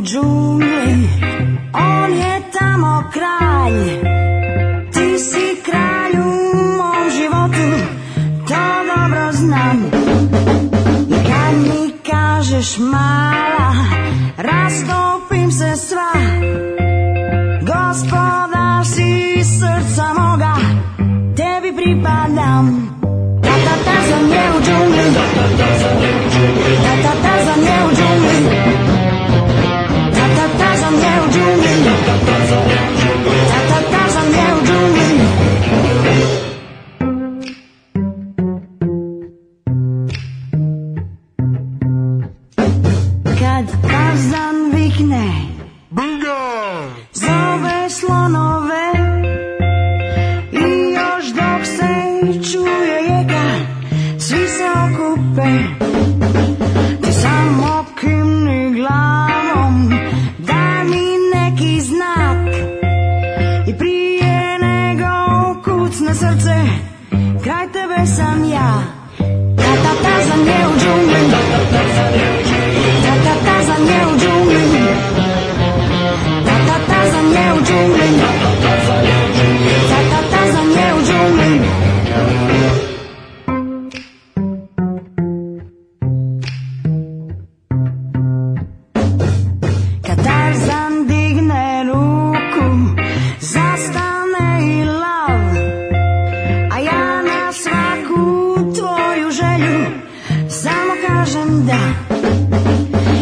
džungli, on je tamo kralj. Ti si kralj u mom životu, to dobro znam. I kad mi kažeš mala, rastopim se sva. Gospodar si srca moga, tebi pripadam. Tarzan je u džungli, Tarzan je u džungli, Tarzan je u džungli, Tarzan je u džungli, Tarzan je u džungli. Kad Tarzan vikne, zove slonove, i još dok se čuje jeka, svi se okupe. Ti samo kimni glavom, daj mi neki znak. I prije nego kucne srce, kraj tebe sam ja. Tarzan je u džungli, Tarzan je u džungli, Tarzan je u džungli, Tarzan je u džungli, Tarzan je u džungli. Kad Tarzan digne ruku, zastane i lav, a ja na svaku tvoju želju samo kažem da.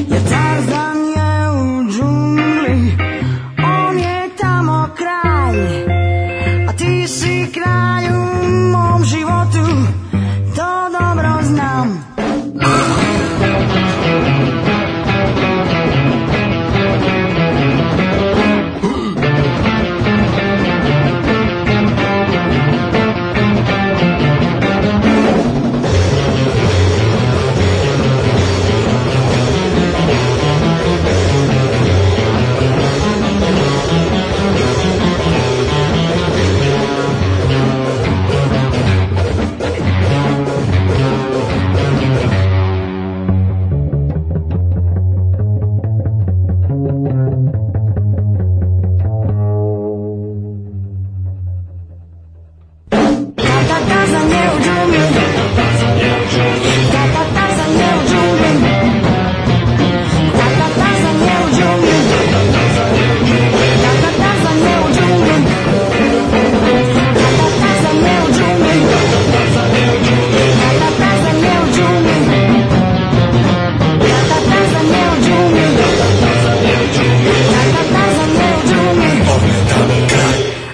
Jer Tarzan je u džungli, on je tamo kralj, a ti si kralj u mom životu, to dobro znam.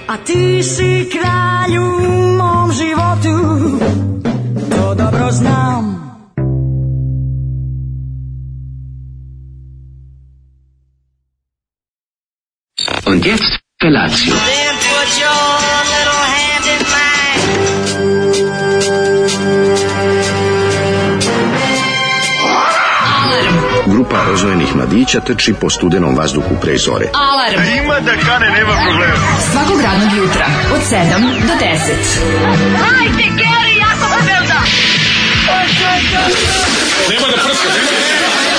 A ti si kralj u mom životu, to dobro znam. Und jetzt Felatio. Then put your little hand in mine. Grupa rozvojenih mladića trči po studenom vazduhu pre zore. Alarm. Ima da kane, nema problema. Svakog radnog jutra, od 7 do 10. Hajde, Geri, jako se velda. Nema da prska, nema da prska.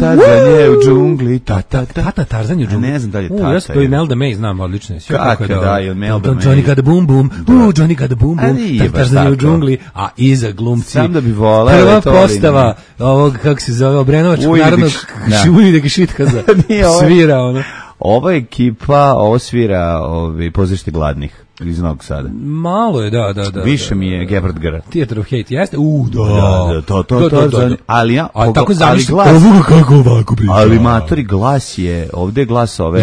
Tarzan je u džungli, Tarzan je u džungli. Ne znam da li je Tata. Ja to i Melda May znam odlično. Kako da je Melda May? Johnny got a boom boom. Johnny got a boom boom. Tarzan je u džungli, a iza glumci. Sam da bi voleo. Prva postava ovog, kako se zove, Obrenovačkog narodnog Ujvideg Šitkaza. Svira ono. Ova ekipa, ovo svira Pozorište gladnih iz Novog Sada. Malo je, da. Više mi je Gebhard Grad. Theater of Hate, jeste? To. Ali ja, tako zamišljam. Kako ovako priča? Ali matori glas je, ovde je glas ove...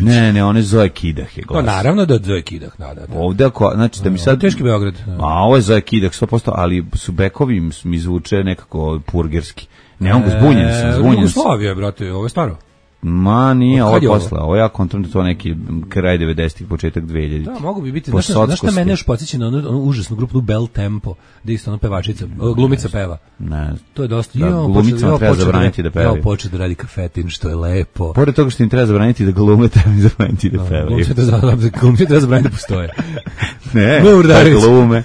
Ne, one Zoe Kidah je glas. No, naravno da Zoe Kidah, da. Ovde, znači da mi sad... Teški Beograd. A ovo je Zoe Kidah, 100%, ali su bekovi mi zvuče nekako purgerski. Ne, on zbunjen sam. Jugoslavija, brate, ovo je staro. Ma nije, ovo je posle. Ovo ja kontrolim da to neki kraj 90-ih, početak 2000-ih. Da, mogu bi biti. Znaš šta mene još podsjeća na onu užasnu grupu Bel Tempo, gdje isto ona pevačica, glumica peva. Ne. To je dosta. Da, glumicama treba zabraniti da pevaju. Ja počeo da radi kafetin, što je lepo. Pored toga što im treba zabraniti da glume, treba im zabraniti da pevaju. Glumci treba zabraniti da postoje. Ne, da glume.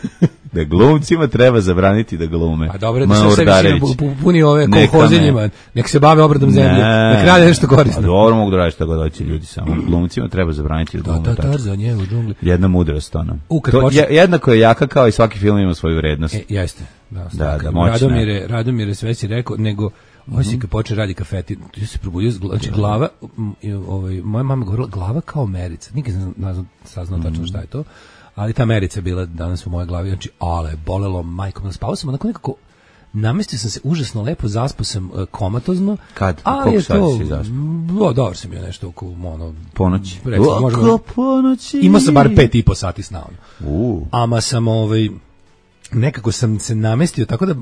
Da glumcima treba zabraniti da glume. A dobro, da se više puni ove kolhozenjima, nek se bave obradom zemlje, nek rade nešto korisno. A dobro mogu da radi šta god hoće ljudi, samo glumcima treba zabraniti da glume. Tarzan je u džungli. Jedna mudrost, ono. Jednako je jaka kao i svaki film ima svoju vrednost. Jeste. Da, Radomire sve si rekao, nego osim kad počne radi kafetin, ja se probudio, znači glava, moja mama govorila glava kao merica, nikad sam saznao tačno šta je to, ali ta merica je bila danas u mojoj glavi, znači, ale, bolelo majkom, spavao sam onako nekako, namestio sam se užasno lepo, zaspao sam komatozno. Kad? Koliko sati si zaspao? Dobro sam je nešto oko, ponoći. Oko ponoći. Imao sam bar 5,5 sati sna. Ama sam, nekako sam se namestio, tako da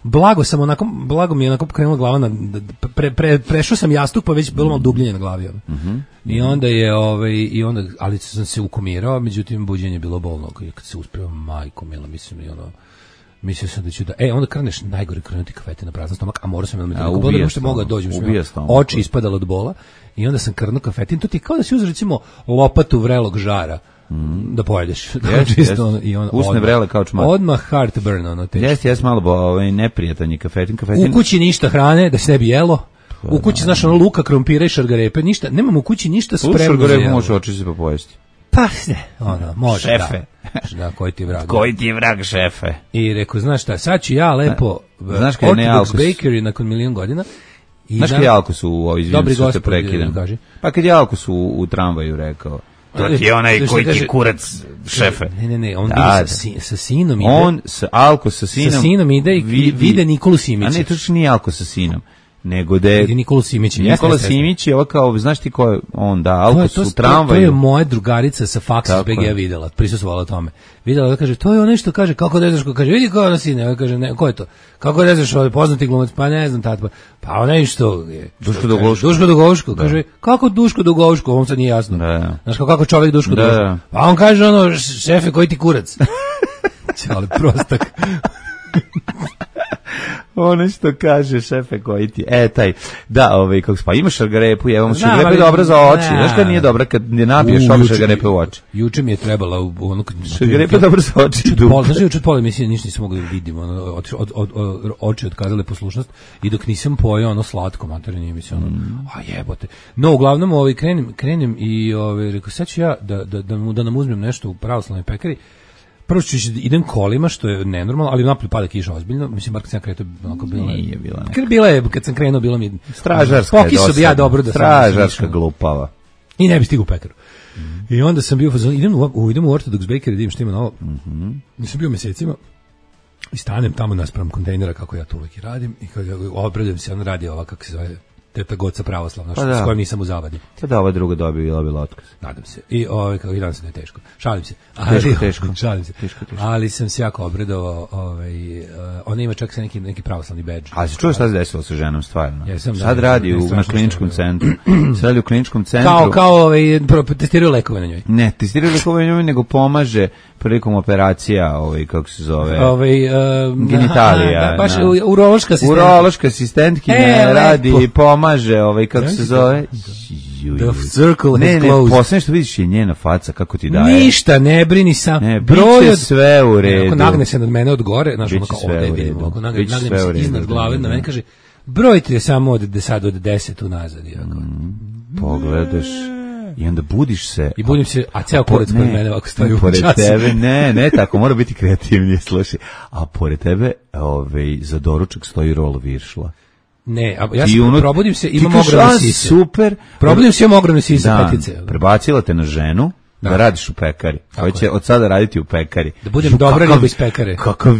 blago mi je onako krenula glava prešao sam jastuk, pa već bilo malo dubljenje na glavi. I onda je ali sam se ukomirao, međutim buđenje je bilo bolno, kad se uspeo majko mila, mislim, i mislio sam da ću onda kreneš najgore krenuti kafete na prazan stomak, a morao sam da što mogao dođem, oči ispadalo od bola, i onda sam krnuo kafetin, to ti je kao da si uzeo recimo lopatu vrelog žara da pojedeš. Usne vrele kao čmar. Odmah heartburn, teško. Jeste malo neprijatan je kafetin. U kući ništa hrane, da se ne bi jelo. U kući, znaš, luka, krompira i šargarepe, ništa, nemam u kući ništa spremno. Šargarepe možeš očići pa pojesti. Pa ne, može. Šefe. Da, koji ti je vrag. Koji ti je vrag, šefe. I rekao, znaš šta, sad ću ja lepo Orthodox Bakery nakon 1.000.000 godina. Znaš kad je Alkos dobri gospod, kaži. Pa kad je Alkos u tramvaju rekao, to ti je onaj koji ti kurac, šefe. Ne, on ide sa sinom ide. On, Alkos sa sinom ide i vide Nikolu Simića. A ne, to što nije Alkos sa sinom. Nego da je Nikola Simić. Nikola Simić je kao, znaš ti ko je on, da, Alkos u tramvaju. To je moja drugarica sa faksa BG videla, prisustvovala tome. Videla da kaže, to je ono što kaže, kako ne znaš ko kaže, vidi ko je ono sine, kaže, ne, ko je to? Kako ne znaš ovaj poznati glumac, pa ne znam tata, pa onaj što je Duško Dugovško, kaže, kako Duško Dugovško, ovom sad nije jasno. Znaš kako čovjek Duško Dugovško. Pa on kaže ono, šefe, koji ti kurac? Čale, prostak. Ono što kaže šefe koji ti, taj, da, kako pa imaš šargarepu, šargarepa je dobra za oči, znaš kad nije dobra kad ne napiješ šargarepe u oči. Juče mi je trebala šargarepa je dobra za oči. Znaš, juče od pola emisije ništa nisam mogli da vidim, oči otkazale poslušnost i dok nisam pojao slatko materijalno nije mi se a jebote. No, uglavnom krenem i rekao, sad ću ja da nam uzmem nešto u pravoslavnoj pekari. Prvo idem kolima, što je nenormalno, ali napolju pada kiša ozbiljno. Mislim, bar kad sam kretao, nije bila neka. Bila je, kad sam krenuo, bilo mi stražarska je dosadna. Bi ja dobro da stražarska glupava. I ne bi stigu u pekaru. I onda sam bio, idem u Orthodox Bakery, da vidim što ima novo. Nisam bio mesecima. I stanem tamo naspram kontejnera, kako ja to uvijek i radim. I kad obradujem se, on radi ova, kako se zove, Teta Goca pravoslavna, s kojom nisam u zavadi. Tada ova druga bila otkaz. Nadam se. I kako i danas da je teško. Šalim se. Teško. Šalim se. Teško. Ali sam se jako obradovao. Ona ima čak sa neki pravoslavni bedž. A se čuo šta se desilo sa ženom, stvarno? Sad radi na kliničkom centru. Sad radi u kliničkom centru. Kao testiraju lekove na njoj. Ne, testiraju lekove na njoj, nego pomaže prilikom operacija, kako se zove, genitalija. Baš urološka asistentkinja. Urološka asistentkinja radi, pomaže, kako se zove. The circle has closed. Ne, posljedno što vidiš je njena faca, kako ti daje. Ništa, ne brini sam. Ne, biće sve u redu. Ako nagne se nad mene od gore, znaš, ono kao ovdje vidim, ako nagne se iznad glave, na mene kaže, broj ti je samo od 10 unazad. Pogledaš. I onda budiš se. I budim se, a ceo kurac pored mene ovako stoji u času. Pored tebe, ne, tako, mora biti kreativnije, slušaj. A pored tebe, za doručak stoji rol viršla. Ne, ja probudim se, imam ogromne sise. Super. Probudim se, imam ogromne sise, petice. Prebacila te na ženu, da radiš u pekari. Hoće od sada raditi u pekari. Da budem dobra riba iz pekare. Kakav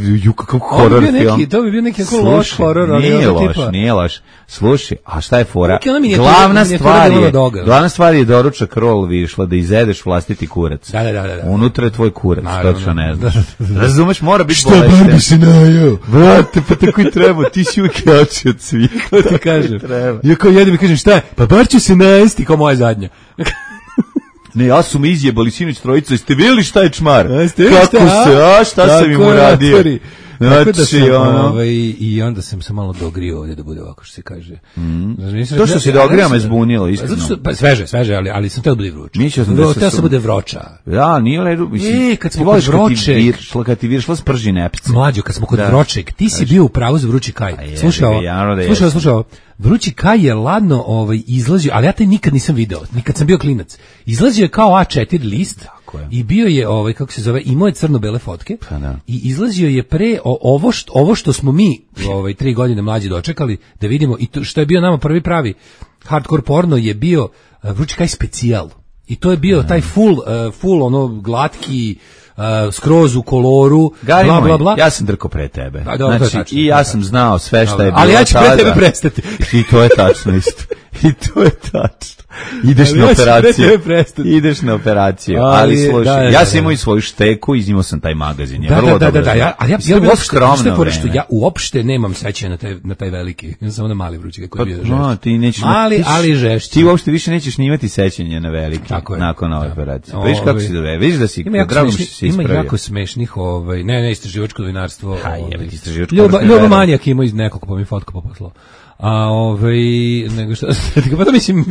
horor film. To bi bio neki loš horor. Nije loš. Slušaj, a šta je fora? Glavna stvar je doručak rol viršla, da izedeš vlastiti kurac. Da. Unutra je tvoj kurac, točno ne znaš. Razumeš, mora biti bolešten. Šta bar bi se najao? Vrate, pa tako i treba, ti si uvijek jači od svih. To ti kažem. Ja kao jedem i kažem, šta je? Pa bar ću se najesti kao moja zadnja. Ne, ja su mi izjebali sinoć trojica, jeste vidjeli šta je čmar? Kako šta sam im uradio? Tako da sam, i onda sam se malo dogrio ovdje da bude ovako što se kaže. To što si dogrio me zbunilo, iskreno. Pa sveže, ali sam teo da bude vruće. Teo sam bude vroča. Da, nije ledu, mislim. Kad smo kod vročeg, kad ti viršla sprži nepce. Mlađo, kad smo kod vročeg, ti si bio u pravu za vrući kaj. Slušao. Vrući kaj je ladno izlazio, ali ja taj nikad nisam video, nikad sam bio klinac. Izlazio je kao A4 list i bio je, kako se zove, imao je crno-bele fotke i izlazio je pre ovo što smo mi 3 godine mlađi dočekali da vidimo i to što je bio nama prvi pravi hardcore porno je bio Vrući kaj specijal. I to je bio taj full ono glatki, skroz u koloru, bla, bla, bla. Ja sam drko pre tebe. Znači, i ja sam znao sve što je bilo. Ali ja ću pre tebe prestati. I to je tačno isto. I to je tačno. Ideš na operaciju. Ali slušaj, ja sam imao i svoju šteku, iznimao sam taj magazin. Ali ja bilo skromno vreme. Ja uopšte nemam sećanja na taj veliki. Ja samo na mali vrući koji je bio žešći. Ali žešći. Ti uopšte više nećeš snimati sećanja na veliki nakon ove operacije. Vidiš kako si dove, vidiš da si drago što si ispravio. Ima jako smešnih, ne istraživačko novinarstvo. Ljubo Manijak ima iz nekog, pa mi fotku poposlao. Nego što, pa to mislim,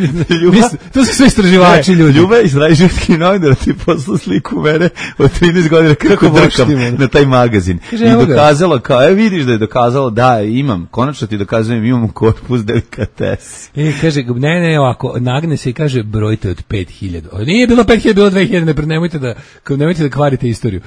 to su sve istraživači ljudi. Ljuba iz Rajžetski novinar ti poslu sliku mene od 13 godina kako drkam na taj magazin. I dokazalo kao, vidiš da je dokazalo, da imam, konačno ti dokazujem, imam korpus delikates. Kaže, ne, ovako, nagne se i kaže, brojite od 5000. Nije bilo 5000, bilo 2000, nemojte da kvarite istoriju.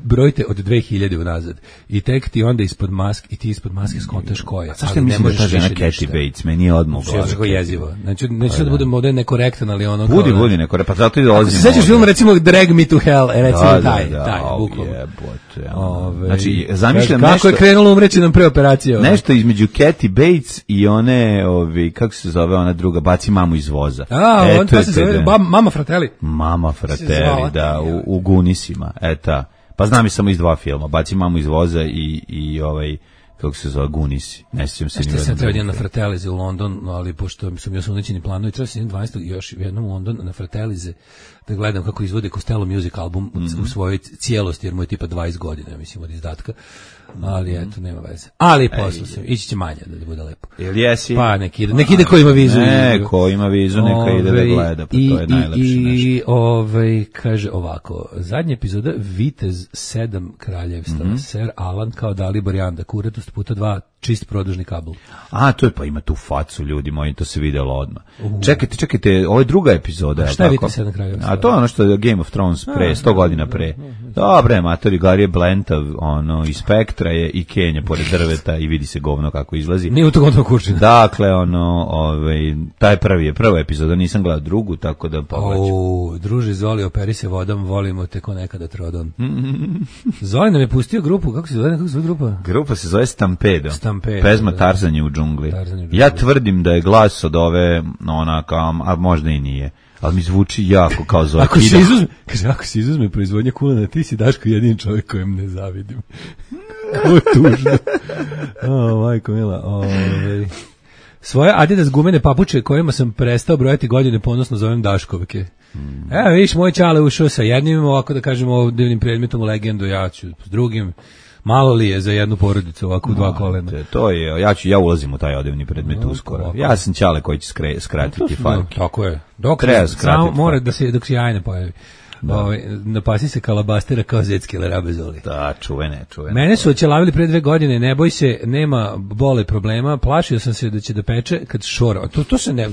Brojite od 2000 unazad. I tek ti onda ispod maske, i ti ispod maske skontaš koja. Zašto mislim da ta žena Kathy Bates, meni je odmah u glavi. Sve je jezivo. Neću da budem ovdje nekorektan, ali ono... Budi nekorektan, pa zato i dolazim. Sećaš film, recimo, Drag Me to Hell, recimo taj, bukvalno. Znači, zamišljam nešto... Kako je krenulo umreći nam pre operacije. Nešto između Kathy Bates i one, kako se zove ona druga, baci mamu iz voza. On to se zove Mama Fratelli. Mama Fratelli, da, u Gunisima, eta. Pa znam i samo iz 2 filma, baci mamu iz voza i kako se zove, Gunisi. Ne sjećam se ni jednom. Sam trebao na Fratelize u London, ali pošto sam još unećeni planovi, treba se 12. još jednom u London na Fratelize da gledam kako izvode Costello Music album u svojoj cijelosti, jer mu je tipa 20 godina, mislim, od izdatka. Ali eto, nema veze. Ali posle sam, ići će manje da bude lepo. Jel jesi? Pa nek ide ko ima vizu. Ko ima vizu, neka ide da gleda, pa to je najlepše nešto. I kaže ovako, zadnja epizoda Vitez 7 kraljevstva, Sir Alan kao Dalibor Janda, kuratost puta 2, čist produžni kabel. To je, pa ima tu facu, ljudi moji, to se videlo odmah. Čekajte, ovo je druga epizoda. Šta je Vitez 7 kraljevstva? A to je ono što je Game of Thrones pre, 100 godina pre. Dobre, matori, Gary je Blentav, i Spektra je i Kenja pored drveta i vidi se govno kako izlazi. Nije u to gotovo kurčina. Dakle, taj prva epizoda, nisam gledao drugu, tako da pogledaću. Druže, Zoli, operi se vodom, volimo te ko nekada Trodon. Zoli nam je pustio grupu, kako se zove grupa? Grupa se zove Stampedo. Pesma Tarzanje u džungli. Ja tvrdim da je glas od ove, a možda i nije. Ali mi zvuči jako kao Zoe Kida. Ako se izuzme proizvodnja kulena, ti si Daško jedin čovjek kojem ne zavidim. Kako tužno. Majko mila. Svoje Adidas gumene papuče kojima sam prestao brojati godine ponosno zovem Daškovke. Evo vidiš, moj čale ušao sa jednim, ovako da kažemo divnim predmetom u legendu, ja ću s drugim. Malo li je za jednu porodicu ovako u 2 kolena? To je, ja ulazim u taj odevni predmet uskoro. Ja sam čale koji će skratiti fajke. Tako je. Samo mora dok se jaj ne pojavi. Napasi se kalabastera kao zecki larabezoli. Da, čuvene. Mene su oćelavili pre 2 godine, ne boj se, nema bole problema, plašio sam se da će da peče kad šora.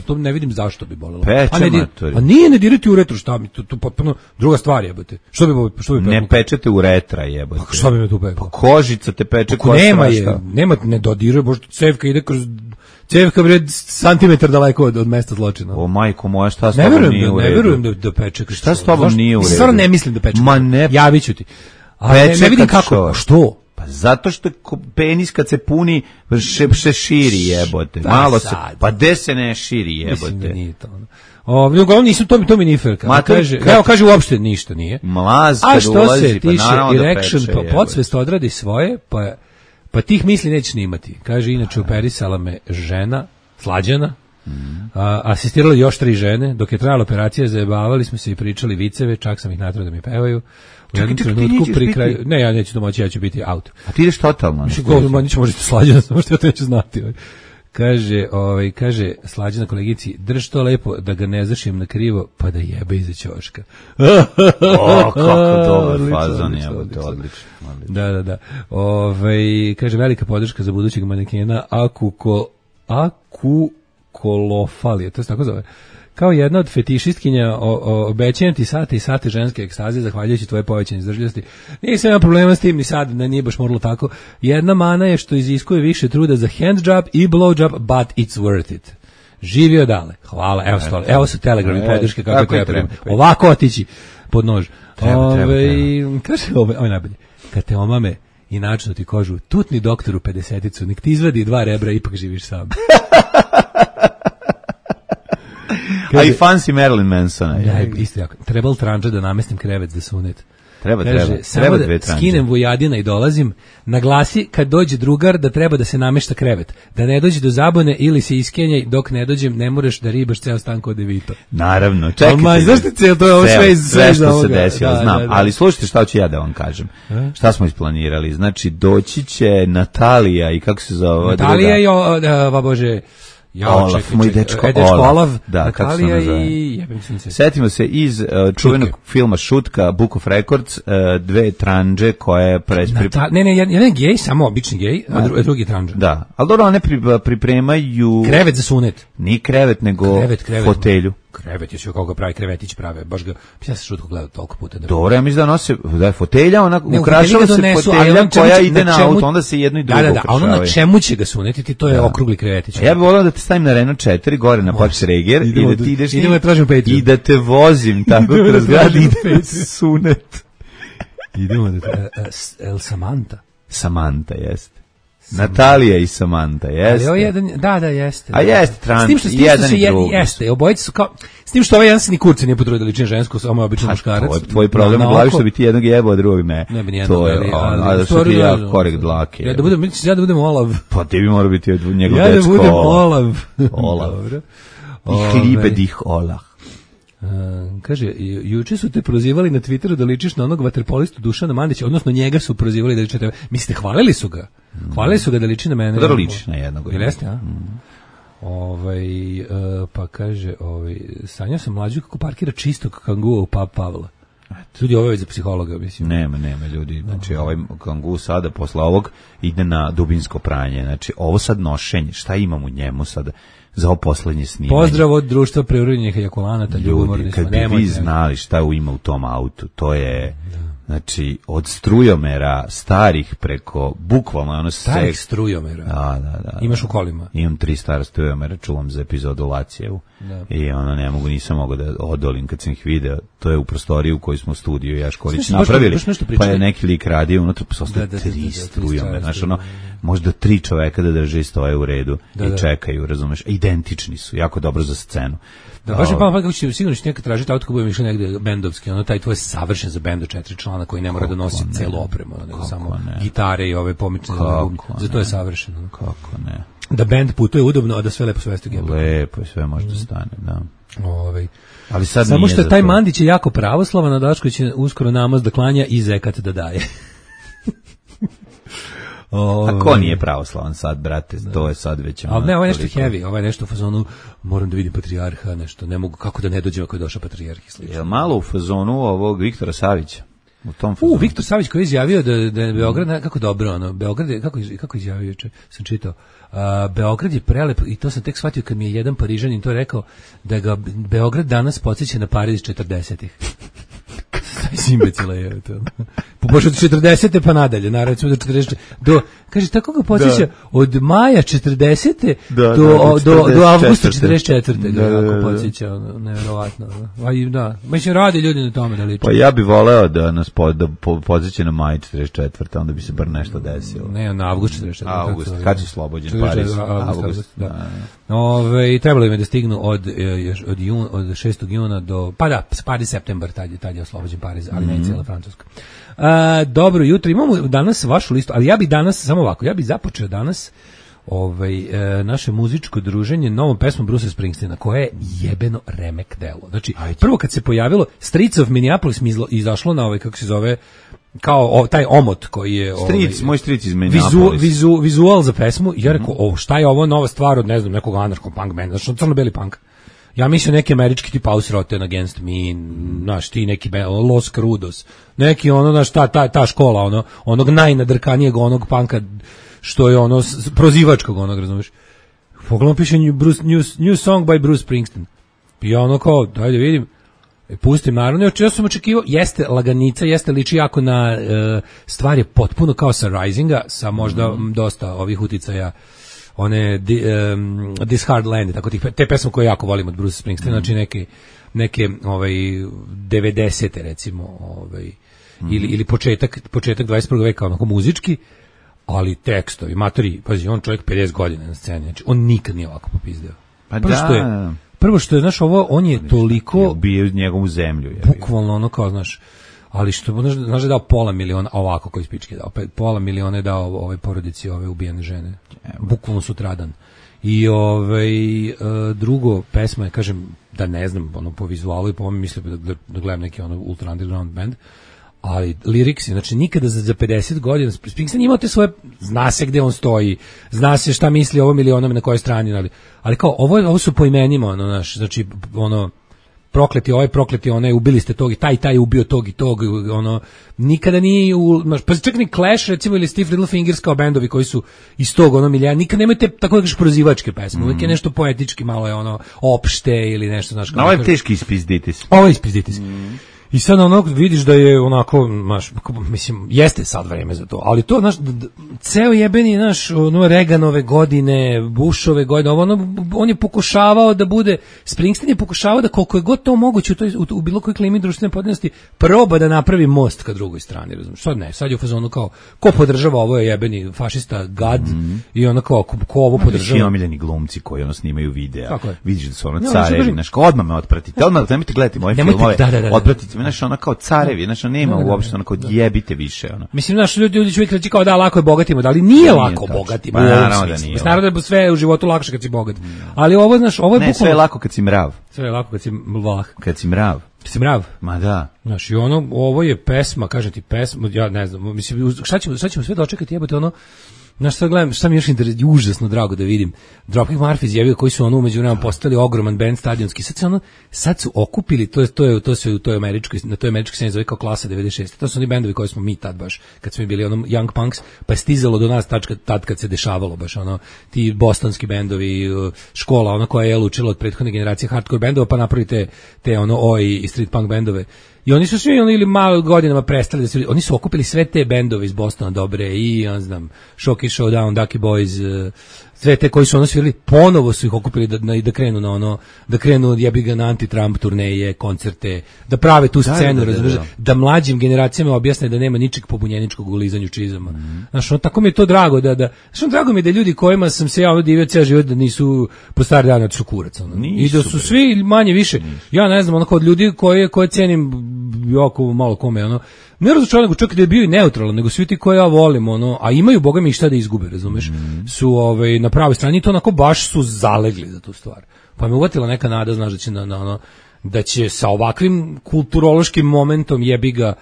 To ne vidim zašto bi bolelo. Peče, matori. A nije, ne dirati u retro, šta mi, to potpuno druga stvar jebote. Što bi ne pečete u retra jebote. Pa šta bi me tu peklo? Pa kožica te peče koja nema, ne dodiruje, bože, cevka ide kroz... Cevka bre santimetar daleko od mesta zločina. O majko moja, šta s tobom nije u redu? Ne verujem da peče. Šta s tobom nije u redu? Stvarno ne mislim da peče. Ma ne. Javiću ti. Ne vidim kako. Što? Pa zato što penis kad se puni se širi jebote. Malo se. Pa gde se ne širi jebote? Mislim da nije to. Uglavnom nisu, to mi nije fair. Kaže uopšte ništa nije. Mlaz kad ulazi, pa naravno da peče. A što se tiše erection, pa podsvest odradi svoje, pa tih misli nećeš snimati. Kaže, inače operisala me žena, Slađana, Asistirali još 3 žene, dok je trajala operacija, zajebavali smo se i pričali viceve, čak sam ih natrao da mi pevaju. U jednom trenutku pri kraju... Ne, ja neću to moći, ja ću biti out. A ti ideš totalno? Niće možete Slađana, samo što ja to neću znati. Kaže Slađana kolegici, drž to lepo da ga ne zašim na krivo, pa da jebe iza ćoška. Kako dobar fazon je, to odlično. Da. Kaže, velika podrška za budućeg manekena Akukolofalije, to se tako zove. Kao jedna od fetišistkinja, obećajem ti sate i sate ženske ekstaze, zahvaljujući tvoje povećanje izdržljivosti. Nisam ima problema s tim ni sad, nije baš moralo tako. Jedna mana je što iziskuje više truda za handjob i blowjob, but it's worth it. Živio dale. Hvala, evo su telegrami podrške kako treba. Ovako otići pod nož. Kaže, ovo je najbolje. Kad te omame i načinu ti kožu, tutni doktoru 50-icu, nek ti izvadi 2 rebra, ipak živiš sam. A i fancy Marilyn Mansona. Da, isto jako. Trebalo tranđa da namestim krevet za sunet. Treba samo dve da tranđe. skinem vojadina i dolazim, naglasi kad dođe drugar da treba da se namešta krevet. Da ne dođe do zabune ili se iskenjaj, dok ne dođem ne moraš da ribaš ceo stan kod devito. Naravno, čekajte. Ali zašto ceo to je ovo sve što se desilo, znam. Ali slušajte šta ću ja da vam kažem. Šta smo isplanirali? Znači, doći će Natalija i kako se zove? Natalija i Bože... Olaf, moj dečko Olaf, da, kako se Natalija zove. I Setimo se iz čuvenog filma Šutka, Book of Records, 2 tranđe koje Ne, jedan je gej, samo obični gej, a drugi tranđa. Da, ali dobro, one pripremaju krevet za sunet. Ni krevet, nego fotelju. Krevet, još kako ga pravi, krevetić prave, baš ga, ja se Šutku gledao toliko puta. Dobro, ja mislim da nose, da je fotelja, ona ukrašava se fotelja koja ide na auto, onda se jedno i drugo ukrašavaju. Da, a ono na čemu će ga sunetiti, to je okrugli krevetić. Ja bih volao da te stavim na Renault 4, gore na Pax Reger, i da ti ideš i da te vozim tako kroz grad i da sunet. Idemo da El Samantha, jeste. Natalija i Samantha, jeste. Ali jedan, da, jeste. A jeste, trans, jedan i drugi. Jeste, obojice su kao, s tim što ovaj jedan se ni kurci nije potrudio da liči na žensku, samo je obično muškarac. Tvoj problem u glavi što bi ti jednog jebao, a drugog ne. Ne bi nijednog, a da što ti ja korek dlake. Ja da budem Olav. Pa ti bi morao biti njegov dečko. Ja da budem Olav. Dobro. I hlibe dih Olah. Kaže, juče su te prozivali na Twitteru da ličiš na onog vaterpolistu Dušana Mandića, odnosno njega su prozivali da liči na tebe. Mislite, hvalili su ga? Hvalili su ga da liči na mene? Da ličiš na jednog. Ili jeste, a? Pa kaže, sanjao sam mlađu kako parkira čistog kangua u pub Pavla. Ljudi, ovo je za psihologa, mislim. Nema ljudi. Znači, ovaj kangu sada, posle ovog, ide na dubinsko pranje. Znači, ovo sad nošenje, šta imam u njemu sada? Za ovo poslednje snimanje. Pozdrav od društva preuranjenih ejakulanata. Ljudi, kad bi vi znali šta ima u tom autu, to je, znači, od strujomera starih preko, bukvalno ono starih strujomera? Da. Imaš u kolima? Imam 3 stara strujomera, čuvam za epizodu Lacijevu. I nisam mogao da odolim kad sam ih video. To je u prostoriji u kojoj smo u studiju i Jaškorić napravili, pa je neki lik radio unutra, pa ostaje 3 strujomera. Znači, možda 3 čoveka da drže i stoje u redu i čekaju, razumeš, identični su, jako dobro za scenu. Da, baš je kako će sigurno će nekad tražiti auto ko budem išao negde bendovski, taj tvoj je savršen za bend od 4 člana koji ne mora da nosi celu opremu, nego samo gitare i ove pomoćne bubnje. Zato je savršeno. Kako ne? Da bend putuje udobno, a da sve lepo svesti u gebu. Lepo i sve može da stane, da. Ali sad samo što taj Mandić je jako pravoslavan, a Daško će uskoro namaz da klanja i zekat da daje. A ko nije pravoslavan sad, brate, to je sad već... Ali ne, ovo je nešto heavy, ovo je nešto u fazonu, moram da vidim patrijarha, nešto, ne mogu, kako da ne dođem ako je došao patrijarh i slično. Je malo u fazonu ovog Viktora Savića? U tom fazonu. Viktor Savić koji je izjavio da je Beograd, kako dobro, Beograd je, kako izjavio juče, sam čitao, Beograd je prelep, i to sam tek shvatio kad mi je jedan Parižanin to rekao, da ga Beograd danas podsjeća na Pariz 40-ih. Taj imbecila je to. Poboš od 40. pa nadalje, naravno do 40. Kaže, tako ga podsjeća od maja 40. do avgusta 44. ga jako podsjeća, nevjerovatno. Mislim, radi ljudi na tome da liče. Pa ja bih voleo da nas podsjeća na maj 44. Onda bi se bar nešto desilo. Ne, na avgust 44. Avgust, kad je slobođen Pariz? Avgust, da. Trebalo im je da stignu od 6. juna do, pa da, Pariz septembar, tad je oslobođen Pariz, ali ne cijela Francuska. Dobro jutro, imamo danas vašu listu, ali ja bih danas, samo ovako, ja bih započeo danas naše muzičko druženje novom pesmom Bruce Springsteena, koja je jebeno remek delo. Znači, prvo kad se pojavilo Streets of Minneapolis mi izašlo na kako se zove, kao taj omot koji je moj stric iz Minneapolis. Vizual za pesmu, i ja rekao, šta je ovo nova stvar od, ne znam, nekog anarcho-punk benda, znači crno-beli punk. Ja mislim neki američki tip House Rotten Against Me, znaš, ti neki Los Crudos, neki ono, znaš, ta škola, onog najnadrkanijeg onog punka, što je ono, prozivačkog onog, razumiješ. Pogledam piše new song by Bruce Springsteen. I ja ono kao, dajde vidim, pustim naravno, ja sam očekivao, jeste laganica, jeste liči jako na stvar je potpuno kao sa Risinga, sa možda dosta ovih uticaja, one This Hard Land, tako te pesme koje jako volim od Bruce Springsteen, znači neke 90-te recimo, ili početak 21. veka, onako muzički, ali tekstovi, matori, pazi, on čovjek 50 godina na sceni, znači on nikad nije ovako popizdeo. Pa prvo što je, znaš, on je toliko bio njegovu zemlju. Bukvalno ono kao, znaš, ali što, znaš da je dao $500,000, ovako koji spički je dao, $500,000 je dao ovoj porodici ove ubijene žene. Bukvalno sutradan. I drugo, pesma je, kažem, da ne znam, po vizualu i po ovome mislim da gledam neki ultra underground band, ali liriksi, znači nikada za 50 godina Springsteen imao te svoje, zna se gde on stoji, zna se šta misli o ovom ili onom na kojoj strani, ali kao ovo su po imenima, znači prokleti onaj, ubili ste tog i taj ubio tog i tog, nikada nije pa čak ni Clash recimo ili Steve Littlefingers kao bendovi koji su iz tog milija, nikad nemate tako da kažeš prozivačke pesme, uvijek je nešto poetički, malo je opšte ili nešto, znaš, ovo je teški ispizditis. Ovo je ispizditis. I sad vidiš da je onako, mislim, jeste sad vreme za to, ali to, ceo jebeni, Reaganove godine, Bushove godine, on je pokušavao da bude, Springsteen je pokušavao da koliko je god to moguće u bilo kojoj klimi društvene podijeljenosti proba da napravi most ka drugoj strani, razumiješ, sad ne, sad je u fazonu kao, ko podržava ovo je jebeni fašista gad, i ono kao, ko ovo podržava. Svi omiljeni glumci koji snimaju videa, vidiš da su carevi, odmah me otpratite, odmah nemojte gledati moje filmove, otpratite, znaš, ona kao carevi, znači nema uopšte, ona kao jebite više, ona. Mislim, znaš, ljudi će uvijek reći kao da lako je bogatima, ali nije lako bogatima. Naravno da nije. Naravno da je sve u životu lakše kad si bogat. Ali ovo, znaš, ovo je bukvalno... Ne, sve je lako kad si mrav. Sve je lako kad si vlah. Kad si mrav. Si mrav? Ma da. Znaš, i ovo je pesma, kažem ti pesma, ja ne znam, mislim, šta ćemo sve dočekati, jebate, znaš, sad gledam, šta mi je još užasno drago da vidim. Dropkick Murphys izjavio koji su umeđu vremenu postali ogroman band stadionski. Sad su okupili, to se u toj američkoj, na toj američkoj sceni zove kao klasa 96. To su oni bendovi koji smo mi tad baš, kad smo bili Young Punks, pa je stizalo do nas tad kad se dešavalo baš ti bostonski bendovi, škola, koja je učila od prethodne generacije hardcore bendova, pa napravite te oi i street punk bendove. I oni su svi ili malo godinama prestali oni su okupili sve te bendove iz Bostona dobre i ja znam Shocky Showdown, Ducky Boys, sve te koji su svirali, ponovo su ih okupili da krenu da krenu jebi ga na anti-Trump turneje, koncerte, da prave tu scenu, da mlađim generacijama objasne da nema ničeg pobunjeničkog u lizanju čizama. Znaš, tako mi je to drago drago mi je da ljudi kojima sam se ja divio ceo život da nisu po stari dan od kurac. I da su svi manje više, ja ne znam, od ljudi koje cenim jako malo kome, ne razočaran, nego čak da je bio i neutralan, nego svi ti koje ja volim, a imaju, boga mi, šta da izgube, razumeš, su na pravoj strani i to onako baš su zalegli za tu stvar. Pa me uvatila neka nada, znaš, da će da će sa ovakvim kulturološkim momentom jebi ga,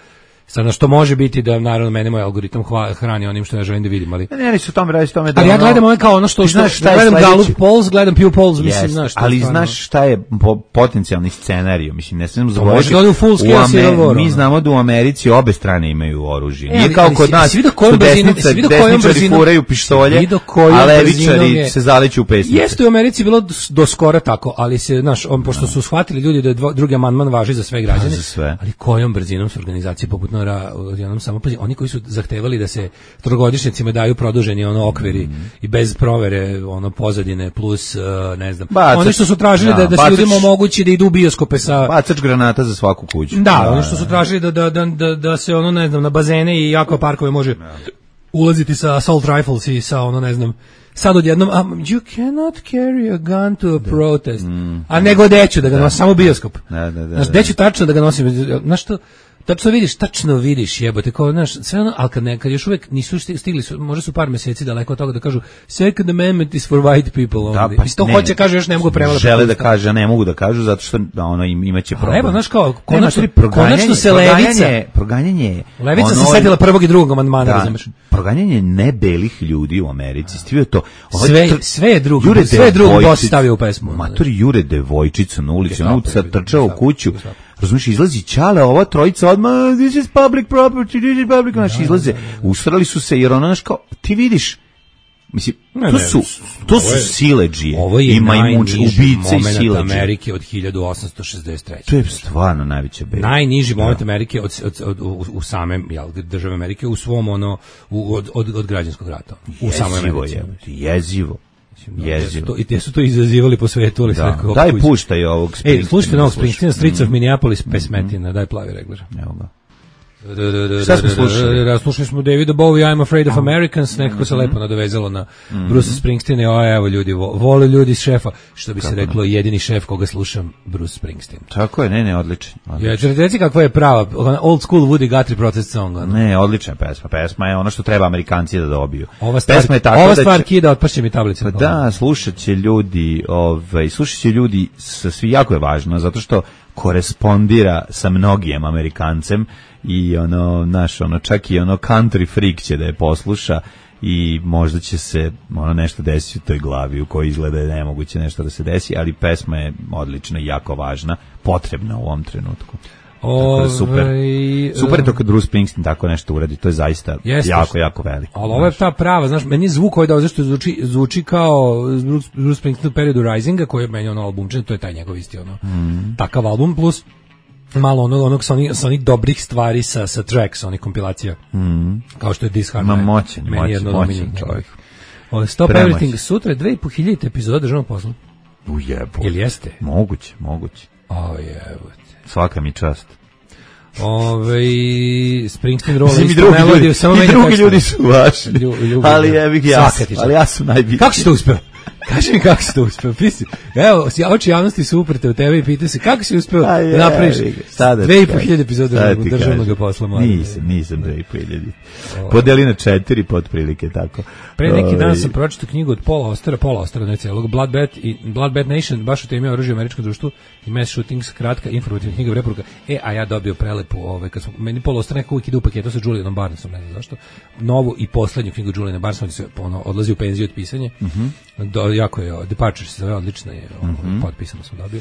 sad na što može biti da, naravno, mene moj algoritam hrani onim što ja želim da vidim, ali... Ne, su tome radi, da... Ali ja gledam kao što gledam Gallup Polls, gledam Pew Polls, mislim, znaš... Ali znaš šta je potencijalni scenarij, mislim, ne smemo zaboraviti... Mi znamo da u Americi obe strane imaju oružje. Nije kao kod nas, su desničari furaju pištolje, a levičari se zaleću u pesnice. Jeste u Americi bilo do skora tako, ali se, znaš, pošto su shvatili ljudi da je drugi amandman važi za sve građane, ali kojom brzinom su organizacije poput oni koji su zahtevali da se trogodišnjacima daju produženi okviri i bez provere pozadine plus ne znam. Oni što su tražili da se ljudima omogući da idu u bioskope sa bacač granata za svaku kuću. Da, oni što su tražili da se ne znam na bazene i akvaparkove može ulaziti sa assault rifles i sa ne znam sad odjednom you cannot carry a gun to a protest. A nego deću da ga nosim samo bioskop. Znaš, deću tačno da ga nosim. Znaš što tačno vidiš jebote, kao, znaš, sve ono, ali kad još uvek nisu stigli, možda su par meseci daleko od toga da kažu Second Amendment is for white people only. Pa to hoće, kaže, još ne mogu prevoditi. Žele da kaže, a ne mogu da kažu, zato što ono imaće problem. Evo, znaš kao, konačno se Levica se setila prvog i drugog amandmana, razumeš? Proganjanje ne belih ljudi u Americi, stivio to. Sve je drugo Boss stavio u pesmu. Matori jure devojčicu na ulici, on sad trčao u kuću. Razumiješ, izlazi Ćale, ova trojica odmah, this is public property, znaš, izlaze, usrali su se, jer ono, znaš, kao, ti vidiš, mislim, to su siledžije, ovo je najniži moment Amerike od 1863. To je stvarno najveća beda. Najniži moment Amerike u same države Amerike, u svom od građanskog rata. U samoj Americi. Jezivo. I te su to izazivali po svetu, ali sve kako. Daj puštaj ovog Springsteena. Slušajte novog Springsteena, Streets of Minneapolis, pesmetina, daj plavi regler. Evo ga. Šta smo slušali? Slušali smo Davida Bowie, I'm Afraid of Americans, nekako se lepo nadovezalo na Bruce Springsteena, evo ljudi, vole ljudi iz šefa, što bi se reklo, jedini šef koga slušam, Bruce Springsteen. Tako je, ne, odličan. Reci kakva je prava, old school Woody Guthrie protest song. Ne, odlična pesma je ono što treba Amerikanci da dobiju. Ova stvar kida, otpašće mi tablice. Da, slušat će ljudi, svi jako je važno, zato što korespondira sa mnogim Amerikancem i čak i country freak će da je posluša i možda će se nešto desiti u toj glavi u kojoj izgleda je nemoguće nešto da se desi, ali pesma je odlična i jako važna, potrebna u ovom trenutku. Super je to kad Bruce Springsteen tako nešto uradi, to je zaista jako veliko. Ali ovo je ta prava, znaš, meni je zvuk koji da zašto zvuči kao Bruce Springsteen u periodu Risinga, koji je meni albumčan, to je taj njegov isti takav album, plus malo onog sa onih dobrih stvari sa tracks, onih kompilacija, kao što je This Hard Night. Moćan čovjek. Stop Everything, sutra je 2500 epizoda državnog posla. Ujebo. Ili jeste? Moguće. Jebote. Svaka mi čast. Springsteen rola isto melodiju, samo meni drugi ljudi su vaši. Ali ja sam najbitniji. Kako si to uspeo? Kaži mi kako si to uspeo, pisi. Evo, oči javnosti su uprte u tebe i pita se kako si uspeo da napraviš 2500 epizoda državnog posla. Nisam 2500. Podeli na 4 pa otprilike tako. Pre neki dan sam pročitao knjigu od Paula Austera, ne celog, Blood Nation, baš u temi oružja u američkom društvu i Mass Shootings, kratka informativna knjiga preporuka. A ja dobio prelepu, kad smo, meni Paul Auster nekako uvijek ide u paketu sa Julianom Barnesom, ne znam zašto, novu i poslednju knjigu Juliana Barnesa, on se odlazi u penziju od pisanja. Jako je, Departure se zove, odlično je, potpisano sam dobio.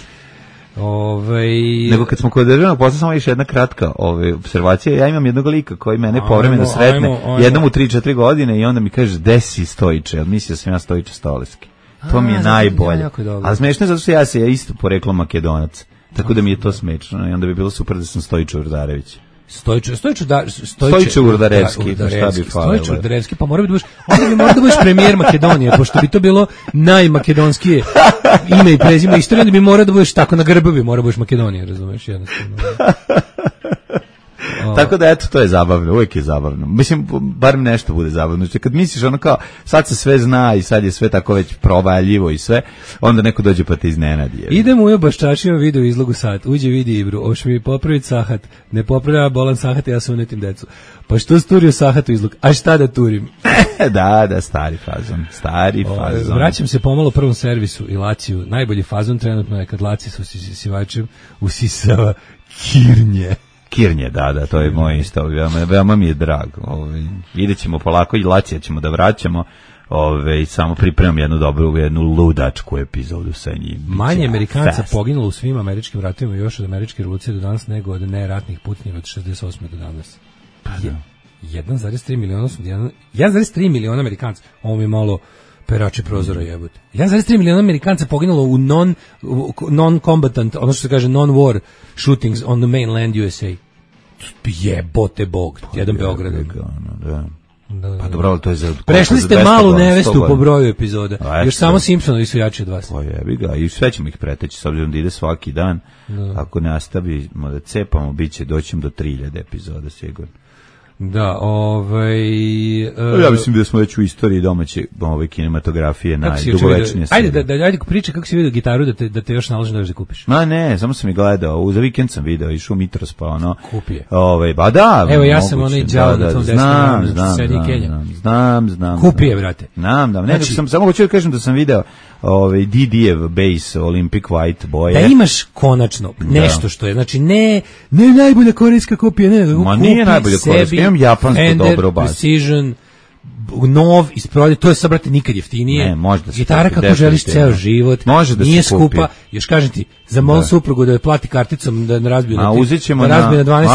Nego kad smo kod državnog posla, samo još jedna kratka observacija, ja imam jednog lika koji mene povremeno sretne jednom u 3-4 godine i onda mi kaže, desi Stojiče, ali mislio sam ja Stojiče Stoleski. To mi je najbolje. Ali smešno je zato što ja isto poreklom Makedonac, tako da mi je to smešno i onda bi bilo super da sam Stojiče Urdarević. Stojiče Urdarevski, šta bi falilo? Stojiče Urdarevski, pa mora da budeš premijer Makedonije, pošto bi to bilo najmakedonskije ime i prezime istorije, onda bi mora da budeš tako na grbovi, mora da budeš Makedonije, razumeš, jednostavno. Tako da eto, to je zabavno, uvijek je zabavno. Mislim, bar nešto bude zabavno. Znači, kad misliš kao, sad se sve zna i sad je sve tako već provaljivo i sve, onda neko dođe pa te iznenadi. Idemo u Baščačima video izlogu sat. Uđe vidi Ibru, oš mi popraviti sahat. Ne popravlja bolan sahat, ja sam unetim decu. Pa što sturio sahat u izlog? A šta da turim? Da, stari fazon. Vraćam se pomalo prvom servisu i Laciju. Najbolji fazon trenutno je kad Laci sa usisivačem usisava Kirnje, da, to je moj isto, veoma mi je drag. Vidjet ćemo polako i Lacija ćemo da vraćamo, samo pripremam jednu ludačku epizodu sa njim. Manje Amerikanca poginulo u svim američkim ratovima još od američke revolucije do danas nego od neratnih putnjeva od 68. do danas. 1,3 miliona 1,3 miliona Amerikanca. Ovo mi je malo perači prozora jebote. 1,3 miliona Amerikanca poginulo u non-combatant, ono što se kaže non-war shootings on the mainland USA. Jebote bog, jedan Beograd. Da. Pa dobro, ali to je za... Prešli ste malu nevestu po broju epizoda. Još samo Simpsonovi su jači od vas. Pa jebi ga, i sve ćemo ih preteći, s obzirom da ide svaki dan. Ako nastavimo da cepamo, doćemo do 3000 epizoda sigurno. Da, ja mislim da smo već u istoriji domaće kinematografije najdugovečnije. Ajde priče kako si vidio gitaru da te još naloži da kupiš. Ma ne, samo sam i gledao, za vikend sam video, išao u Mitros pa ono. Kupi je. Ba da. Evo ja sam onaj đavo na tom desnom, sedi Kenja. Znam. Kupi je, brate. Znam, ne, sam samo hoću da kažem da sam video Didijev bass Olympic White boje. Da imaš konačno nešto što je, znači ne najbolja korejska kopija, ne, ma nije najbolja korejska, imam japansko dobro bas. Precision, nov iz prodaje, to je sad, brate, nikad jeftinije. Ne, može da se gitara kako želiš ceo život, nije skupa, još kažem ti, za moju suprugu da je plati karticom da ne razbiju na 12 uzet ćemo na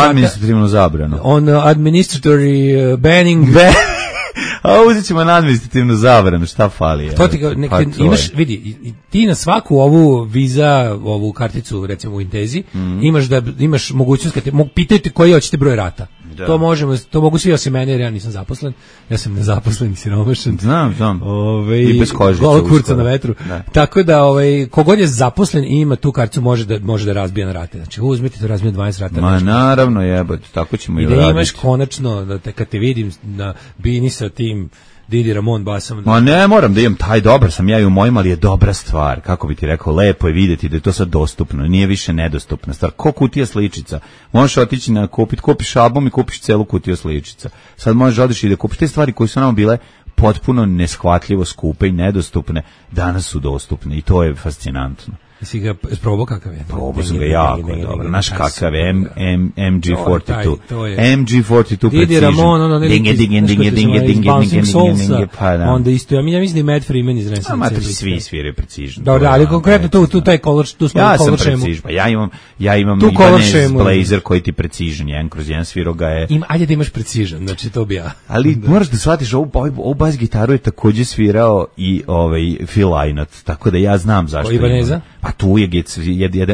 administrativnu zabranu. On administratory banning. A uzet ćemo na administrativnu zabranu, šta fali? To ti imaš, vidi, ti na svaku ovu Visa, ovu karticu, recimo u Intezi, imaš mogućnost, pitaju te koji hoćete broj rata. Da. To mogu svi osim mene, jer ja nisam zaposlen. Ja sam nezaposlen i siromašan. Znam. I bez kožice. Gol kurca na vetru. Da. Tako da, kogod je zaposlen i ima tu karticu, može da razbija na rate. Znači, uzmite to, razbija 20 rata. Ma naravno, jebate, tako ćemo i raditi. I da imaš konačno, kad te vidim na bini sa tim Didi Ramon basom. Ma ne moram da imam taj, dobar sam ja i u mojim, ali je dobra stvar. Kako bi ti rekao, lepo je vidjeti da je to sad dostupno, nije više nedostupna stvar. Ko kutija sličica? Možeš otići kupiš album i kupiš celu kutiju sličica. Sad možeš odići i da kupiš te stvari koje su nam bile potpuno neshvatljivo skupe i nedostupne, danas su dostupne i to je fascinantno. Si ga probao kakav je? Probao sam ga jako dobro. Naš kakav je MG42. MG42 Didi Ramon, onda isto, ja mislim da je Matt Freeman iz Renaissance. Svi sviraju Precision. Dobro, ali konkretno tu taj color, tu smo ja sam Precision, ja imam Ibanez Blazer koji ti Precision, jedan kroz jedan sviro ga je. Ajde da imaš Precision, znači to bi ja. Ali moraš da shvatiš, ovu bas gitaru je također svirao i Phil Lynott, tako da ja znam zašto. Ibaneza? Pa tu je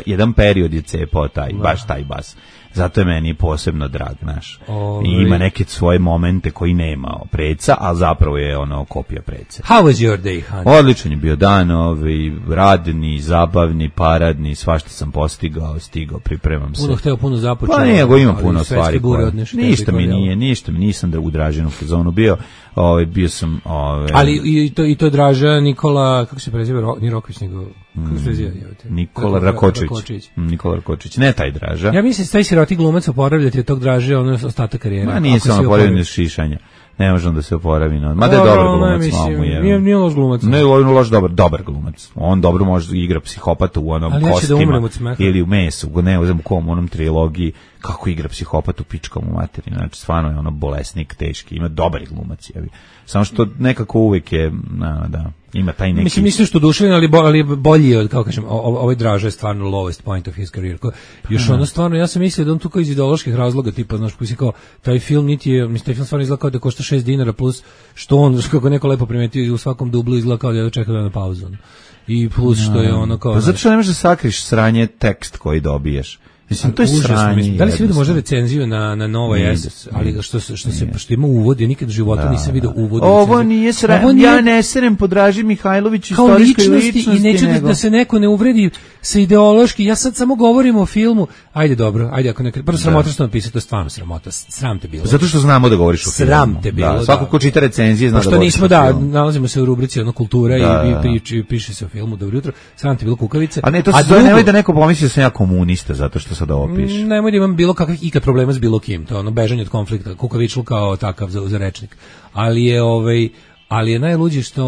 jedan period je cepao baš taj bas. Zato je meni posebno drag, naš. I ima neke svoje momente koji nema Preca, a zapravo je kopija Prece. How was your day, honey? Odličan je bio dan, radni, zabavni, paradni, svašta sam stigao, pripremam se. Puno započeo. Pa nego ima puno stvari. Ništa mi nisam u Dražinu fazonu bio. Bio sam... Ali i to je Draža Nikola, kako se preziva, ni Roković, nego... Nikola Rakočić. Ne taj Draža. Ja mislim da taj siroti glumac oporavljati od tog Draže, ostatak karijere. Ma nije se oporavljeno šišanja. Ne možemo da se oporavi. Mada je dobar glumac. Nije loš glumac. Ne, on je loš, dobar glumac. On dobro može igra psihopata u onom Kostima. Ili u Mesu, ne znam u kom, onom trilogiji. Kako igra psihopatu pičkom u materiju. Znači, stvarno je bolesnik, teški. Ima dobar glumac. Samo što nekako uvijek je, ima taj neki... Mislim što duševno, ali bolji je, kao kažem, ovaj Draža je stvarno lowest point of his career. Još stvarno, ja sam mislio da on tu kao iz ideoloških razloga, tipa, znaš, kao taj film niti je, taj film stvarno izgleda kao da košta $6 plus, što on, kako neko lepo primetio, u svakom dublu izgleda kao da je čekao na pauzu. I plus što je kao... Pa zato što ne možeš da sakriš sranje tekst koji dobiješ. Mislim, to je sranje. Da li si vidio možda recenziju na Nova S, ali što ima uvod, ja nikad u životu nisam vidio uvod. Ovo nije sranje, ja ne serem po Draži Mihajlović istorijskoj ličnosti. I neću da se neko ne uvredi sa ideološki, ja sad samo govorim o filmu, ajde ako nekad, prvo sramota što napisati, to je stvarno sramota, sram te bilo. Zato što znamo da govoriš o filmu. Sram te bilo. Svako ko čita recenzije zna da govoriš o filmu. Nalazimo se u rubrici kultura i piše se o filmu, dobro jutro, sram te bilo kukavice. A ne, to se zove, nemoj da neko pomisli da sam ja komunista, zato što sad ovo piše. Nemoj da imam bilo kakvih ikad problema s bilo kim, to je bežanje od konflikta, kukavičlu kao takav za rečnik. Ali je najluđe što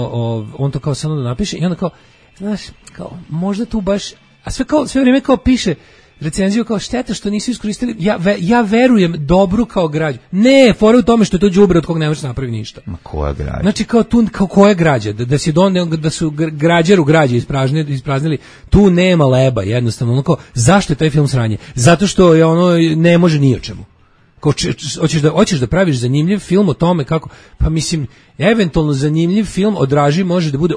on to kao samo da napiše i onda kao, znaš, kao, možda tu baš, a sve vrijeme kao piše recenziju kao šteta što nisu iskoristili, ja verujem dobru kao građu. Ne, fora u tome što je to đubre od kog ne možeš napraviti ništa. Ma koja građa? Znači kao koja građa? Da su građeru građe ispraznili, tu nema leba jednostavno. Kao, zašto je taj film sranje? Zato što je ne može ni o čemu. Hoćeš da praviš zanimljiv film o tome kako, pa mislim, eventualno zanimljiv film o Draži može da bude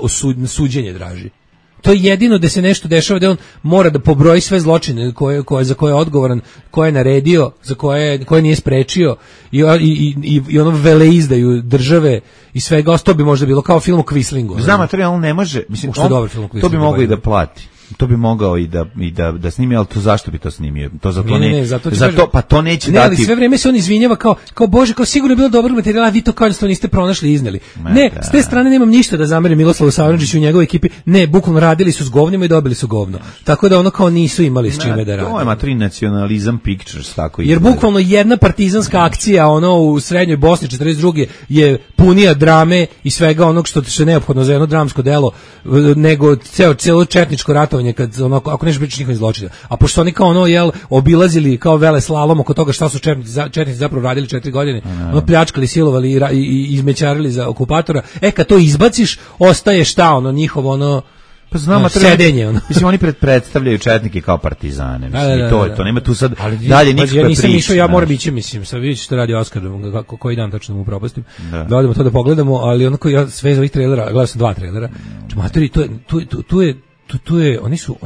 suđenje Draži. To je jedino da se nešto dešava, da on mora da pobroji sve zločine za koje je odgovoran, koje je naredio, za koje nije sprečio i ono veleizdaju države i svega, to bi možda bilo kao film o Quislingu. Znam, ali on ne može, mislim, to bi mogli da plati. To bi mogao i da snimi, ali to zašto bi to snimio? To zato ne. Zato pa to neće ne, dati. Ali sve vrijeme se on izvinjava kao Bože, kao sigurno je bilo dobrog materijala, vi to kao jednostavno niste pronašli i izneli. Ne, s te strane nemam ništa da zamerim Miroslavu Savrandžiću i njegovoj ekipi. Ne, bukvalno radili su s govnima i dobili su govno. Tako da ono kao nisu imali s čime da rade. To je matri nacionalizam pictures, tako jer bukvalno jedna partizanska akcija u srednjoj Bosni 42. je punija drame i svega onog što je neophodno za jedno dramsko delo nego celo četničko ratovanje kad ako nešto pričaš njihovim zločinima. A pošto oni kao obilazili kao vele slalom oko toga šta su četnici zapravo radili 4 godine, pljačkali, silovali i izmećarili za okupatora. Kad to izbaciš, ostaje šta njihovo pa znamo sedenje. Mislim, oni predstavljaju četnike kao partizane. Mislim, to je to. Nema tu sad dalje nikakve priče. Ja nisam išao, ja moram ići, mislim, sad vidjet ću što radi Oskar, koji dan tačno mu propustim. Da odemo to da pogledamo, ali onako ja sve iz ovih trailera, gledao sam 2 trailera. Matori, tu je,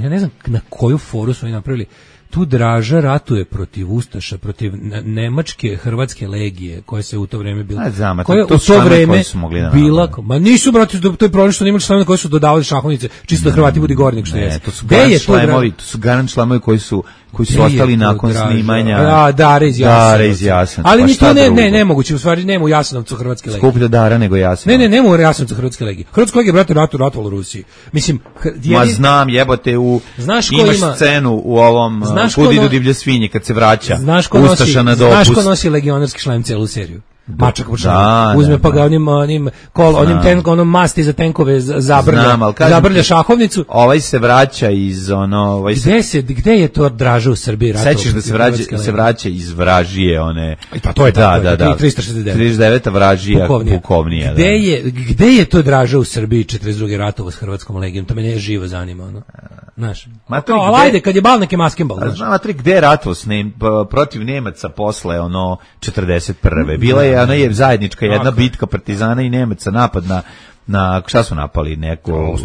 ja ne znam na koju foru su oni napravili. Tu Draža ratuje protiv Ustaša, protiv nemačke hrvatske legije koja se u to vreme bila. Koja u to vreme bila, ma nisu brati, to je problem što nemački članovi koji su dodavali šahovnice, čisto da Hrvati budi gornik što je. To su garant članovi koji su ostali nakon snimanja. Dare iz Jasenovca. Ali ni to nemoguće, u stvari nema u Jasenovcu hrvatske legije. Skuplja Dara nego Jasenovac. Ne, nema u Jasenovcu hrvatske legije. Hrvatska legija, brate, ratovalo u Rusiji. Mislim, ma znam, jebote, imaš scenu u ovom Kud idu divlje svinje kad se vraća Ustaša na dopust. Znaš ko nosi legionarski šlem celu seriju? Mačak uzme pa ga onim masti za tenkove zabrlja šahovnicu. Ovaj se vraća iz gde je to Draža u Srbiji ratao? Sećaš da se vraća iz Vražije one. Pa to je da 39. Vražija Pukovnija. Gde je to Draža u Srbiji 42. ratovo s hrvatskom legijom? To me živo zanima, znaš. Ali ajde, kad je bal neke maskembal, znaš. Matri, gde je ratovo protiv Nemaca posle 41. Bila je ona je zajednička jedna bitka partizana i Nemaca, napad na šta su napali neko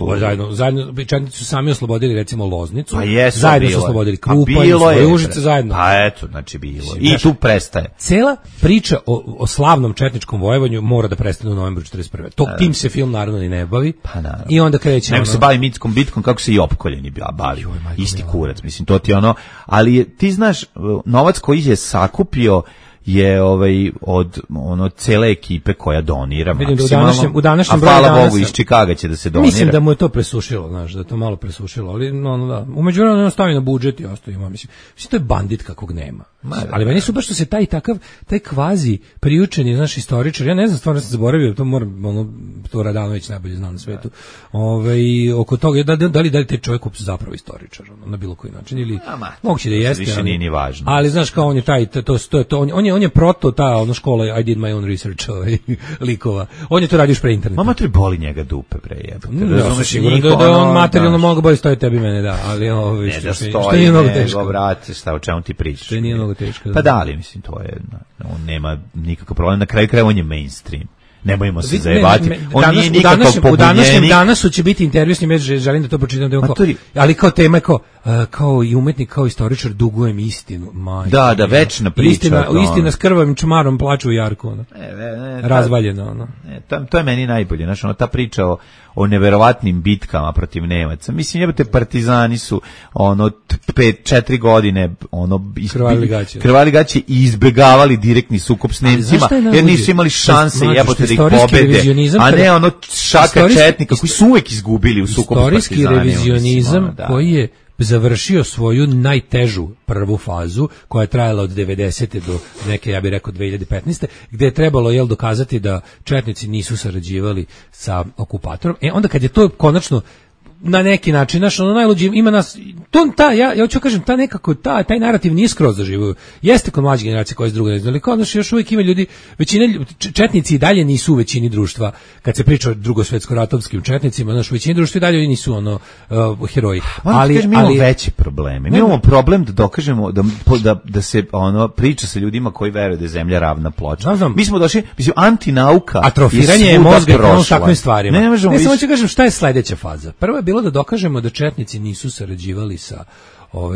zajedno četnici su sami oslobodili recimo Loznicu, zajedno su oslobodili Krupanj, svoje Užice zajedno. Pa eto, znači bilo. I tu prestaje. Cela priča o slavnom četničkom vojevovanju mora da prestane u novembru 41. Tim se film naravno ni ne bavi. Pa naravno. I onda kreće nego se bavi mitskom bitkom kako se i opkoljeni bavi. Isti kurac, mislim, to ti ali ti znaš, novac koji je sakupio je od cele ekipe koja donira maksimalno. U današnjem broju hvala Bogu iz Čikaga će da se donira. Mislim da mu je to presušilo, znaš, da je to malo presušilo, ali da. U međuvremenu stavi na budžet i ostaje ima, mislim to je bandit kakvog nema. Ali meni su baš što se taj kvazi priučeni, znaš, istoričar, ja ne znam, stvarno sam zaboravio, to moram, to Radanović najbolje zna na svetu, oko toga, da li taj čovjek zapravo istoričar, na bilo koji način, ili moguće da jeste, više nije ni važno. Ali znaš, kao on je on je proto ta škola I did my own research likova. On je to radio još pre interneta. Mama boli njega dupe pre jebote. Razumeš, sigurno da on materijalno mnogo bolje stoji tebi mene, da, ali što nije mnogo teško. Vrate, šta o čemu ti pričaš? Što nije mnogo teško. Pa da, ali mislim to je, on nema nikakav problem, na kraju krajeva on je mainstream. Ne bojimo se zajebati. On nije nikakav pobunjenik. U današnjem danasu će biti intervju s njim, želim da to pročitam, ali kao tema je kao i umetnik, kao istoričar, dugujem istinu. Da, večna priča. Istina s krvavim čmarom plaču u jarku. Razvaljeno. To je meni najbolje. Znači, ta priča o neverovatnim bitkama protiv Nemaca. Mislim, jebate, partizani su 4 godine krvali gaće i izbegavali direktni sukob s Nemcima, jer nisu imali šanse jebote da ih pobede, a ne šaka četnika koji su uvek izgubili u sukobu s partizanima. Istorijski revizionizam koji je završio svoju najtežu prvu fazu, koja je trajala od 90. do neke, ja bih rekao, 2015. gde je trebalo dokazati da četnici nisu sarađivali sa okupatorom. Onda kad je to konačno na neki način, znaš, najluđi ima nas, ja hoću kažem, taj narativ nije skroz zaživio. Jeste kod mlađe generacije koje s druge ne znali, kao znaš, još uvijek ima ljudi, četnici i dalje nisu u većini društva, kad se priča o drugosvetsko-ratovskim četnicima, znaš, u većini društva i dalje nisu heroji. Ali mi imamo veće probleme. Mi imamo problem da dokažemo da se priča sa ljudima koji veruju da je zemlja ravna ploča. Mi smo došli, mislim, antinauka atrofiranje je mozga u takvim stvarima. Ne samo ću kažem šta je sledeća faza. Prva je bilo da dokažemo da četnici nisu sarađivali sa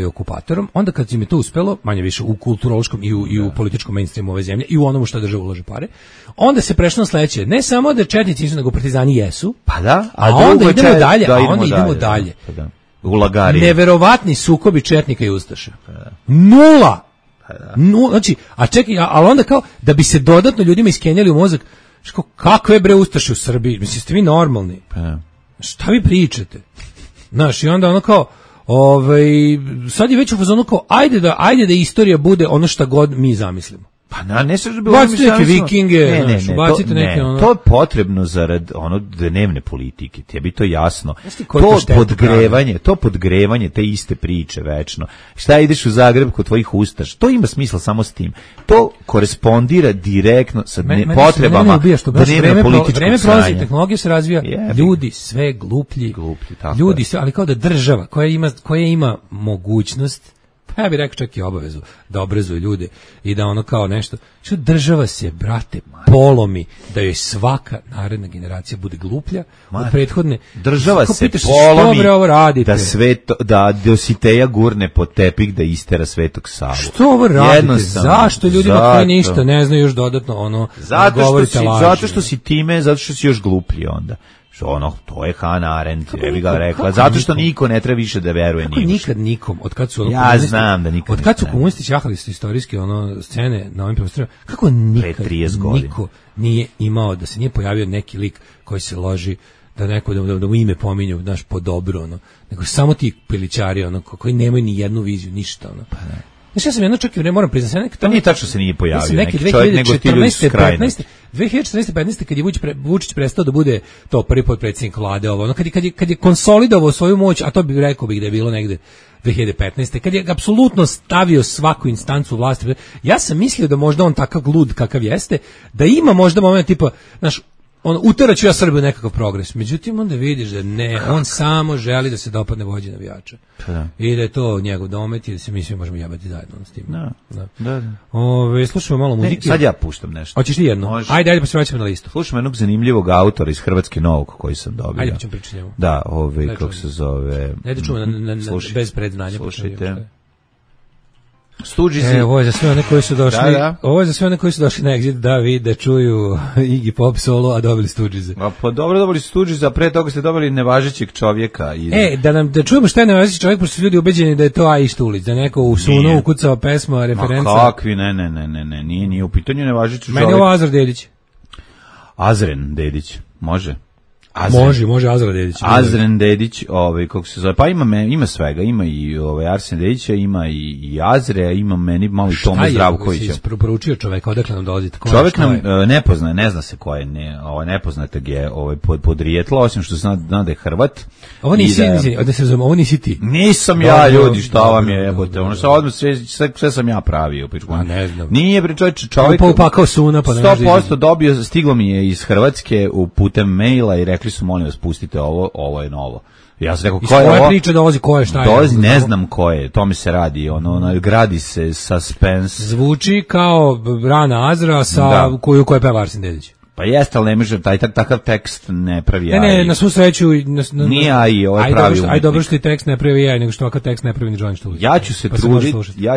okupatorom, onda kad im je to uspelo, manje više u kulturološkom i u političkom mainstreamu ove zemlje i u onomu što država ulaže pare, onda se prešlo na sledeće, ne samo da četnici nisu, nego partizani jesu, pa da, a onda idemo dalje, ulagari. Neverovatni sukobi četnika i ustaša. Nula. Znači, a čekaj, ali onda kao da bi se dodatno ljudima iskenjali u mozak, kakve bre ustaše u Srbiji? Mislim, ste vi normalni? Šta vi pričate? Znaš, i onda ono kao, sad je već u fazonu kao, ajde da istorija bude ono šta god mi zamislimo. Pa ne se bi bacite neke vikinge, bacite neke ono. To je potrebno zarad ono dnevne politike. Tebi to jasno. To podgrevanje te iste priče večno. Šta ideš u Zagreb kod tvojih ustaš? To ima smisla samo s tim. To korespondira direktno sa potrebama dnevne političkog vreme prolazi, tehnologija se razvija, ljudi sve gluplji ljudi sve, ali kao da država koja ima mogućnost, pa ja bih rekao čak i obavezu da obrazuje ljude i da ono kao nešto, što država se, brate, polomi da joj svaka naredna generacija bude gluplja od prethodne. Država se polomi da da Dositeja gurne pod tepih da istera Svetog Savu. Što ovo radite? Zašto ljudima koji ništa ne znaju još dodatno ono zato što si time, zato što si još gluplji onda. To je Hannah Arendt, bi ga rekla, zato što niko ne treba više da veruje njima. Nikad nikom, od kad su od kad su komunisti ćahali su istorijske scene na ovim prostorima, kako nikad niko nije imao, da se nije pojavio neki lik koji se loži da neko da mu ime pominju, znaš, po dobro, nego samo ti pilićari, koji nemaju ni jednu viziju, ništa, Znači, ja sam jedno čak i moram priznati, to nije tačno se nije pojavio neki čovjek, nego ti ljudi su skrajni. 2014-15, kad je Vučić prestao da bude to prvi potpredsjednik vlade, kad je konsolidovao svoju moć, a to bi rekao bih da je bilo negde 2015. kad je apsolutno stavio svaku instancu vlasti, ja sam mislio da možda on takav glud kakav jeste, da ima možda moment tipa, znaš, uteraću ja Srbiju nekakav progres. Međutim, onda vidiš da ne, on samo želi da se dopadne vođi navijača. I da je to njegov domet i da se mi svi možemo jebati zajedno s tim. Da. Slušamo malo muzike. Sad ja puštam nešto. Hoćeš ti jedno? Može. Ajde, pa se vraćamo na listu. Slušamo jednog zanimljivog autora iz Hrvatske Novog koji sam dobio. Ajde, pa ćemo pričati njemu. Da, kako se zove... Ajde, čujemo bez predznanja. Slušajte. Ovo je za sve one koji su došli. Ovo je za sve one koji su došli na Exit da vide, čuju Iggy Pop solo, a dobili Stooges. Pa dobro, dobili Stooges, a pre toga ste dobili nevažećeg čovjeka. Da čujemo šta je nevažeći čovjek, pošto su ljudi ubeđeni da je to Aji Štulić, da neko u Sunu ukucao pesma, referenca. Ma kakvi, ne, nije u pitanju nevažeći čovjek. Meni je ovo Azar Dedić. Azren Dedić, može. Može Azra Dedić. Azren Dedić, kako se zove, pa ima svega, ima i Arsen Dedića, ima i Azre, ima meni malo i Toma Zdravkovića. Šta je poručio čoveka, odakle nam dolazite? Čovek nam ne zna se ko je, nepoznatog je podrijetlo, osim što zna da je Hrvat. Ovo nisi ti. Nisam ja, ljudi, šta vam je, jebote, sve sam ja pravio. Ne znam. Nije, čovjek 100% stiglo mi je iz Hrvatske putem maila i rekli su, molim vas, pustite ovo je novo. Ja sam rekao, ko je ovo? Priče dolazi, ko je, šta je? Dolazi, ne znam ko je, to mi se radi, gradi se suspense. Zvuči kao Rana Azra koju peva Arsen Dedić. Pa jeste, ali ne može, takav tekst ne pravi AI. Ne, na svu sreću... Nije AI, ovo je pravi umetnik. Aj dobro što i tekst ne pravi AI, nego što ovakav tekst ne pravi ni Johnny Štulić. Ja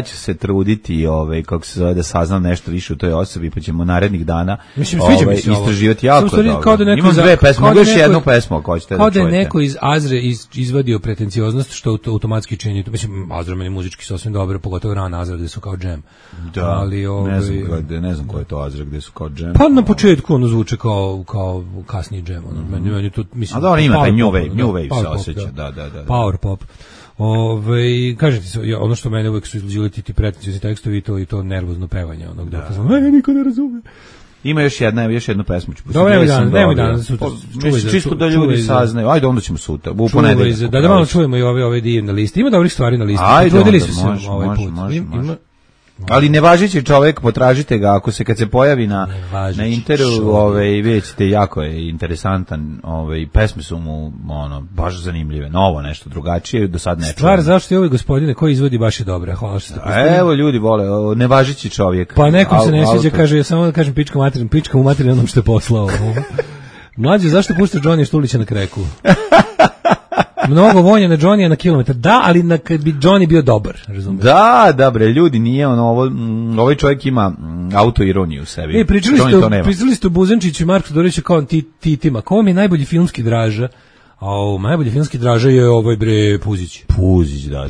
ću se truditi, kako se zove, da saznam nešto više u toj osobi, pa ćemo narednih dana istraživati jako dobro. Imam dve pesme, mogu još jednu pesmu ako hoćete da čujete. Kao da je neko iz Azre izvadio pretencioznost, što automatski čini. Mislim, Azra meni muzički sasvim dobro, pogotovo Rana Azra, gde su kao džem. Da, ne znam ko je to Azra, gde su kao džem. Pa na početku zvuče kao kasniji džem. Meni to, mislim, a da on ima taj new wave se osjeća. Da. Power pop. Kažete se, ono što mene uvek su izluđili ti pretenciozni tekstovi i to nervozno pevanje. Niko ne razume. Ima još jednu pesmu. Nemoj danas. Čisto da ljudi saznaju. Ajde, onda ćemo sutra. Da malo čujemo i ove divne liste. Ima dobrih stvari na listi. Ajde, može. Ali nevažeći čovjek, potražite ga kad se pojavi na interu, vidjet ćete, jako je interesantan, pesme su mu baš zanimljive, novo nešto drugačije, do sad ne čujem. Stvar zašto je ovaj gospodine koji izvodi baš je dobra, hvala što ste postavili. Evo ljudi vole, nevažeći čovjek. Pa nekom se ne sviđa, kaže, ja samo da kažem pička mu materinu onom što je poslao. Mlađe, zašto puštaš Johnny Štulića na kreku? Mnogo vonja na Johnny na kilometar. Da, ali kad bi Johnny bio dobar, razumiješ? Da, bre, ljudi, nije ovaj čovjek ima autoironiju u sebi. Pričali ste o Buzančiću i Marku Todoroviću kao titima. Ko vam je najbolji filmski Draža? A najbolji filmski Draža je ovaj bre Puzić. Puzić, da.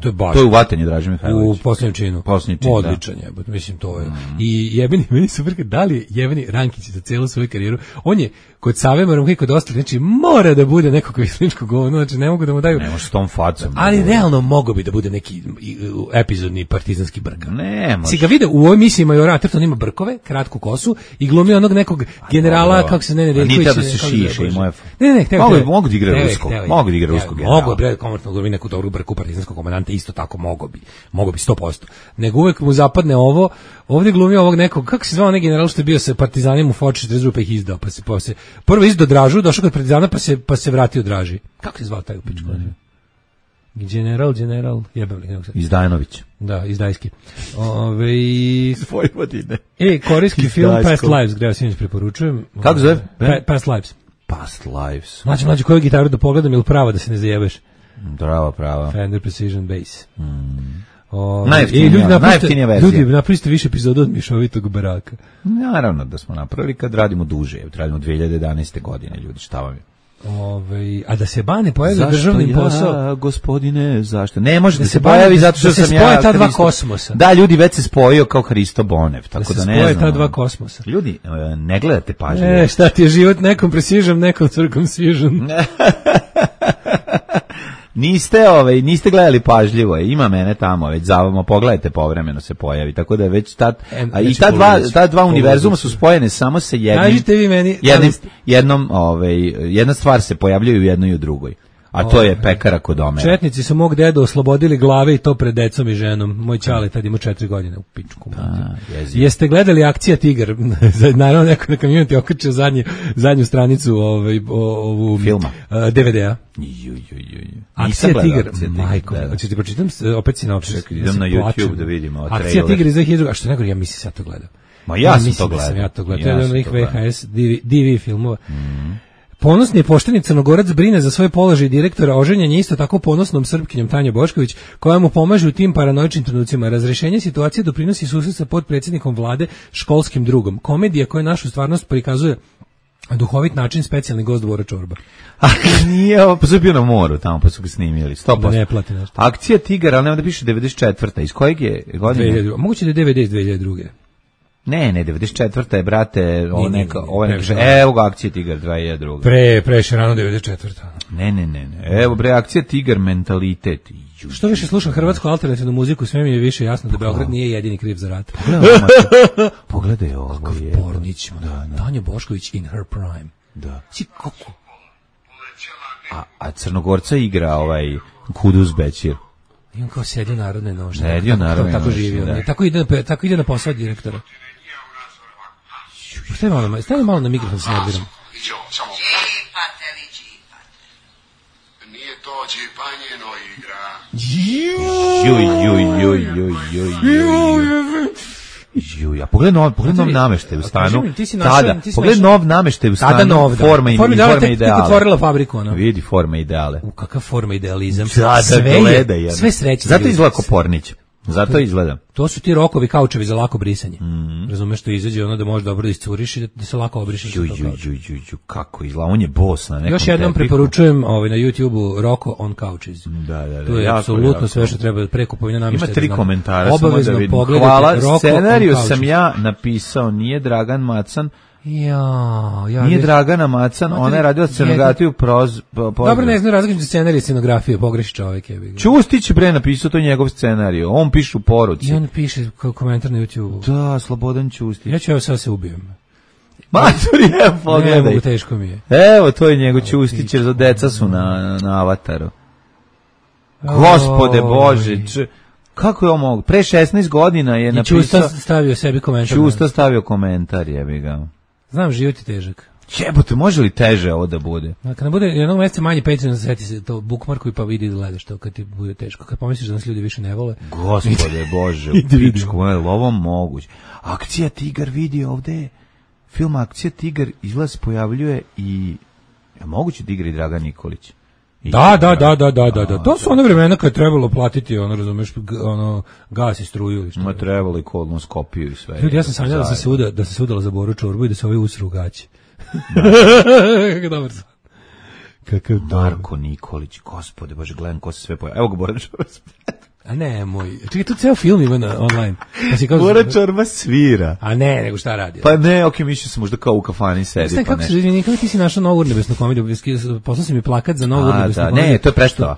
To je baš. To je u Vatanji Draže Mihajlović. U Posljednjem činu. Odličan je, mislim to je. I jebeni, meni super, da li je jebeni Rankić za celu svoju karijeru, on je kod Save Marumka i kod ostalih, znači mora da bude neko kvislinčko govno, znači ne mogu da mu daju. Ne može s tom facom. Ali realno mogao bi da bude neki epizodni partizanski brka. Ne može. Si ga vide u ovoj misiji Majora Atherton ima brkove, kratku kosu i glumi onog nekog generala, kako se ne Reljković. Nita da se šiše i moje. Ne, mogu da igra ruskog. Mogu da igra ruskog generala. Mogu bre, komotno glumi neku dobru brku partizanskog komandanta, isto tako mogao bi 100%. Nego uvek mu zapadne ovo, ovdje glumi ovog nekog, kako se zvao onaj general što je bio sa partizanima u Foči 42 pa ih izdao, pa se prvo izdao Dražu, došao kod partizana pa se vratio Draži. Kako se zvao taj u pičku? General, jebem li nekog sad. Izdajnović. Da, Izdajski. Vojvodine. Korejski film Past Lives, gde ja sinoć preporučujem. Kako zove? Past Lives. Past Lives. Mlađe, koju gitaru da pogledam ili prava da se ne zajebeš? Prava. Fender Precision Bass. Najjeftinija verzija. Ljudi, napravite više epizoda od Mišovitog baraka. Naravno da smo napravili kad radimo duže. Radimo 2011. godine, ljudi, šta vam je? A da se Bane pojavi državnim posao. Zašto gospodine, zašto? Ne može da se pojavi zato što sam ja. Da se spoje ta dva kosmosa. Da, ljudi, već se spojio kao Hristo Bonev, tako da ne znam. Da se spoje ta dva kosmosa. Ljudi, ne gledate pažljivo. Šta ti je život, nekom precision, nekom circumcision. Niste gledali pažljivo, ima mene tamo, već zavamo, pogledajte, povremeno se pojavi, tako da je već i ta dva univerzuma su spojene samo sa jednim. Kažite vi meni, jedna stvar se pojavljaju u jednoj i u drugoj. A to je pekara kod Omera. Četnici su mog dedu oslobodili glave i to pred decom i ženom. Moj ćale tad ima 4 godine u pičku. Jeste gledali Akcija Tigar? Naravno neko na community okačio zadnju stranicu ovu filma. DVD-a. Akcija Tigar. Majko, hoćeš ti pročitam opet sinopsis? Idem na YouTube da vidimo. Akcija Tigar iz 2000. A što nego ja mislim sad to gledam. Ma ja sam to gledao. To je jedan od onih VHS DV filmova. Ponosni i pošteni Crnogorac brine za svoj položaj direktora, oženjen je isto tako ponosnom Srpkinjom Tanja Bošković, koja mu pomaže u tim paranoičnim trenucima. Razrešenje situacije doprinosi susret sa potpredsjednikom vlade, školskim drugom. Komedija koja našu stvarnost prikazuje duhovit način, specijalni gost Dvora Čorba. Nije, pa su bio na moru tamo, pa su ga snimili, 100%. Da ne plati nešto. Akcija Tigar, ali nema da piše 94. Iz kojeg je godine? Moguće da je DVD iz 2002. Ne, 94. je, brate, evo ga Akcija Tigar 2002. Preše rano 94. Ne. Evo bre, Akcija Tigar, mentalitet. Što više slušam hrvatsku alternativnu muziku, sve mi je više jasno da Beograd nije jedini kriv za rat. Pogledaj ovo. Kakav pornić, Tanja Bošković in her prime. Da. Si kako? A Crnogorca igra Kuduz Bećir. I on kao sedio narodne nošnje. Sedio narodne nošnje, tako živio. Da. Tako ide na posao direktora. Stavi malo na mikrofon se nerviram. Nije to džipanjeno igra. A pogledaj nov nameštaj u stanu. Pogledaj nov nameštaj u stanu. Forma i ideale. Tek otvorila fabriku, ono. Vidi forma ideale. Kakav forma idealizam. Sve sreće. Zato izgleda ko Pornić. Zato izgledam. To su ti rokovi kaučevi za lako brisanje. Razumeš, što izađe ono da može dobro da iscuriš i da se lako obrišeš. Kako izgleda, on je boss na nekom. Još jednom preporučujem na YouTubeu Roko on Couches. Da. To je apsolutno sve što treba pre kupovine namještaja. Ima 3 komentara, samo da vidim. Hvala, scenariju sam ja napisao, nije Dragan Macan. Nije Dragana Macan, ona je radila scenografiju Dobro, ne znam različite scenarije scenografije, pogreši čovjek. Ćustić bre napisao, to je njegov scenarij, on piše u poruci. I on piše komentar na YouTube. Da, Slobodan Ćustić. Ja ću evo sad se ubijem. Maturi, evo pogledaj. Ne mogu, teško mi je. Evo, to je njegov Ćustić, jer deca su na avataru. Gospode Bože, kako je ovo mogu? Pre 16 godina je napisao... I Ćusta stavio sebi komentar. Ćusta stavio komentar, jebi ga. Znam, život je težak. Jebote, može li teže ovo da bude? Kad ne bude jednog mjeseca manje Patreon, seti se to bookmarku i pa vidi da gledaš to kad ti bude teško. Kad pomisliš da nas ljudi više ne vole. Gospode Bože, u pičku, je li ovo moguće? Akcija Tigar, vidi ovde. Film Akcija Tigar izgleda se pojavljuje i... moguće da igra i Dragan Nikolić. Da. To su one vremena kad je trebalo platiti, razumeš, gas i struju. Ma trebalo i kolonoskopiju i sve. Ljudi, ja sam sanjala da se udala za Boru Čorbu i da se ovi usru u gaći. Kako dobar san. Kakav Marko Nikolić, gospode, bože, gledam ko se sve pojavio. Evo ga Bora Čorba. A ne, moj. Čekaj, tu ceo film ima online. Bora Čorba svira. A ne, nego šta radi? Pa ne, mislio sam možda kao u kafani sedi. Kako se izvini, kako ti si našao novu urnebesnu komediju? Poslao si mi plakat za novu urnebesnu komediju. Ne, to je predstava.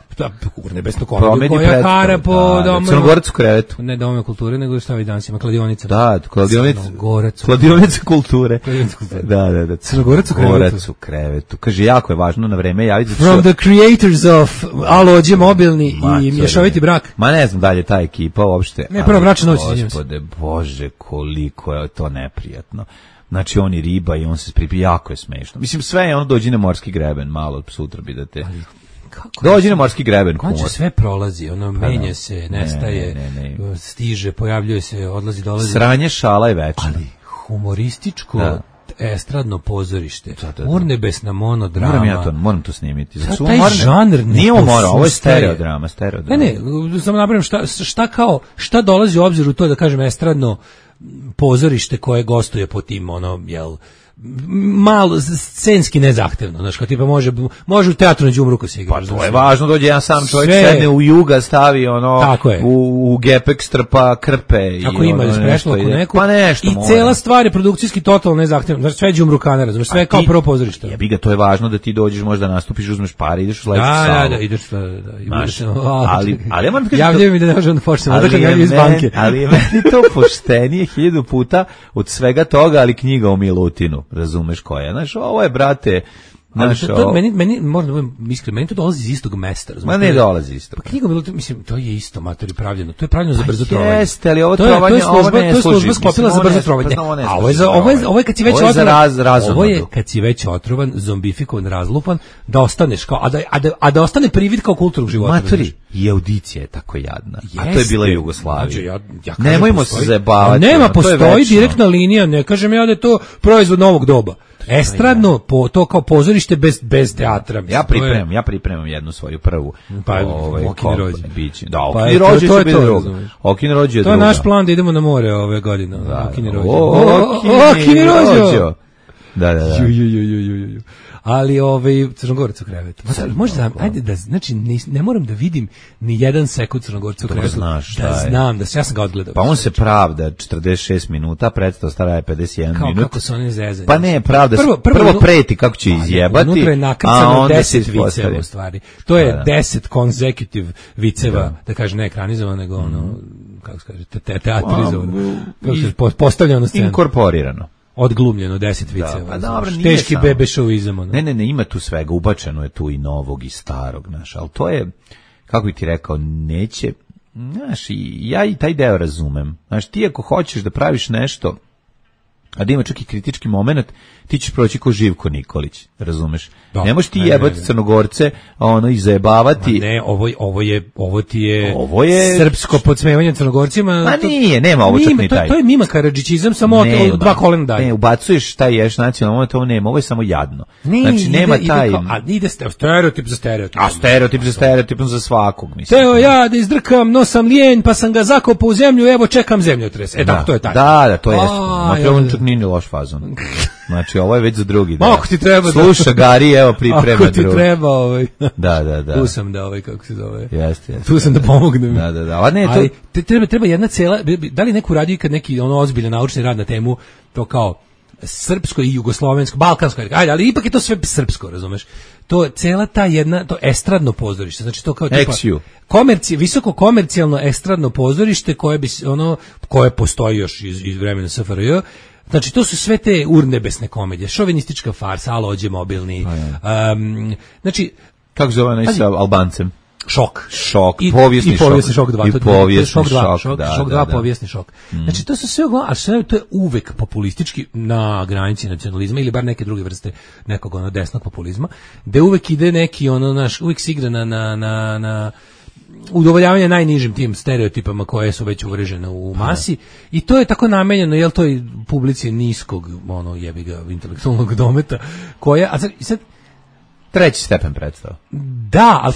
Urnebesnu komediju koja kara po domu. Crnogorac u krevetu. Ne domu kulture, nego šta vi danas ima, kladionica. Da, kladionica kulture. Da. Crnogorac u krevetu. Kaže, jako je važno na vreme javiti. From the creators of Alođe mobilni i mješoviti brak. Ne znam dalje ta ekipa uopšte. Ne, prvo bračna noć. Gospode, bože, koliko je to neprijatno. Znači, on i riba i on se spripi, jako je smešno. Mislim, sve je ono, dođi na morski greben, malo sutra bi da te... Dođi na morski greben. Konče sve prolazi, ono, menja se, nestaje, stiže, pojavljuje se, odlazi, dolazi. Sranje, šala i večna. Ali humorističko... estradno pozorište, urnebesna monodrama. Moram to snimiti. Taj žanr nije ovo je stereodrama. Ne, samo napravim šta dolazi u obzir u to, da kažem, estradno pozorište koje gostuje po tim, malo scenski nezahtevno, znači kao tipa može u teatru na đumruku se igra. Pa to je važno, dođe jedan sam čovjek, sedne u Juga, stavi u gepek strpa krpe tako i ima sprešlo oko neku. Pa nešto. I cela stvar je produkcijski totalno nezahtevno. Znači sve đumrukana, razumeš, sve kao prvo pozorište. Jebi ga, to je važno da ti dođeš, možda nastupiš, uzmeš pare, ideš u sledeću salu. Da, ideš ali moram kažem, javljaju mi da ne možemo da počnemo, da kažem iz banke. Ali je meni to poštenije 1000 puta od svega toga, ali knjiga o Milutinu. Razumeš koja je, znaš, ovo je, brate, meni moram da budem iskren, meni to dolazi iz istog mesta, razumiješ? Ma ne dolazi isto. Pa knjiga, mislim, to je isto matori pravljeno, to je pravljeno za brzo trovanje. Jeste, ali ovo trovanje, ovo ne služi. To je služba sklopila za brzo trovanje. A ovo je kad si već otrovan, ovo je kad si već otrovan, zombifikovan, razlupan, da ostaneš kao, a da ostane privid kao kulturnog života. Matori, i audicija je tako jadna, a to je bila Jugoslavija. Nemojmo se zajebavati. Nema, postoji direktna linija, ne kažem ja da je to proizvod novog doba. Estradno, to kao pozorište bez teatra. Ja pripremam jednu svoju prvu. Okini rođe. Da, Okini rođe će biti druga. Okini rođe je druga. To je naš plan da idemo na more ove godine. Okini rođe. Okini rođe. Da. Ali Crnogorac u krevetu. Možda, ajde da, znači, ne moram da vidim ni jedan sekund Crnogorca u krevetu. Da znam, ja sam ga odgledao. Pa on se pravda 46 minuta, predstava stara je 51 minut. Kako se oni zezaju. Pa ne, pravda, prvo preti kako će izjebati, unutra je nakrcano 10 viceva u stvari. To je 10 consecutive viceva, da kaže ne ekranizovano, nego kako se kaže, teatrizovano. Postavljeno na scenu. Inkorporirano. Odglumljeno 10 viceva. Teški bebe šovizam. Ne, ima tu svega, ubačeno je tu i novog i starog, znaš, ali to je, kako bi ti rekao, neće, znaš, ja i taj deo razumem. Znaš, ti ako hoćeš da praviš nešto, a da ima čak i kritički moment, ti ćeš proći ko Živko Nikolić, razumeš? Ne možeš ti jebati Crnogorce, izajebavati. Ne, ovo ti je srpsko podsmevanje Crnogorcima. Ma nije, nema ovo čak ni taj. To je Mima Karadžićizam, samo od 2 kolena dalje. Ne, ubacuješ taj ješ nacionalno, ovo nema, ovo je samo jadno. Znači, nema taj... A ide stereotip za stereotip. A stereotip za stereotipom za svakog, mislim. Teo ja da izdrkam, no sam lijen, pa sam ga zakopao u zemlju, evo čekam zemljotres. Tako to je taj. Da, to je. On čak nije loš fazon. Znači, ovo je već za drugi. Ako ti treba. Sluša, Gari, evo, priprema drugi. Ako ti treba, Da. Tu sam da, kako se zove. Jeste. Tu sam da pomognem. Da. A ne, ali treba jedna cela, da li neko radi kad neki ozbiljan naučni rad na temu, to kao srpsko i jugoslovensko, balkansko, ajde, ali ipak je to sve srpsko, razumeš? To cela ta jedna, to estradno pozorište, znači to kao tipa visoko komercijalno estradno pozorište koje postoji još iz vremena SFRJ. Znači, to su sve te urnebesne komedije, šovinistička farsa, Alođe mobilni. Znači, kako zove onaj sa Albancem? Šok. Povijesni šok 2. I povijesni šok. Šok 2, povijesni šok. Znači, to su sve a sve to je uvek populistički na granici nacionalizma ili bar neke druge vrste nekog desnog populizma, gde uvek ide neki uvek se igra na udovoljavanje najnižim tim stereotipama koje su već uvrežene u masi i to je tako namenjeno, jel, toj publici niskog, jebiga, intelektualnog dometa, koja, a sad treći stepen predstava. Da, ali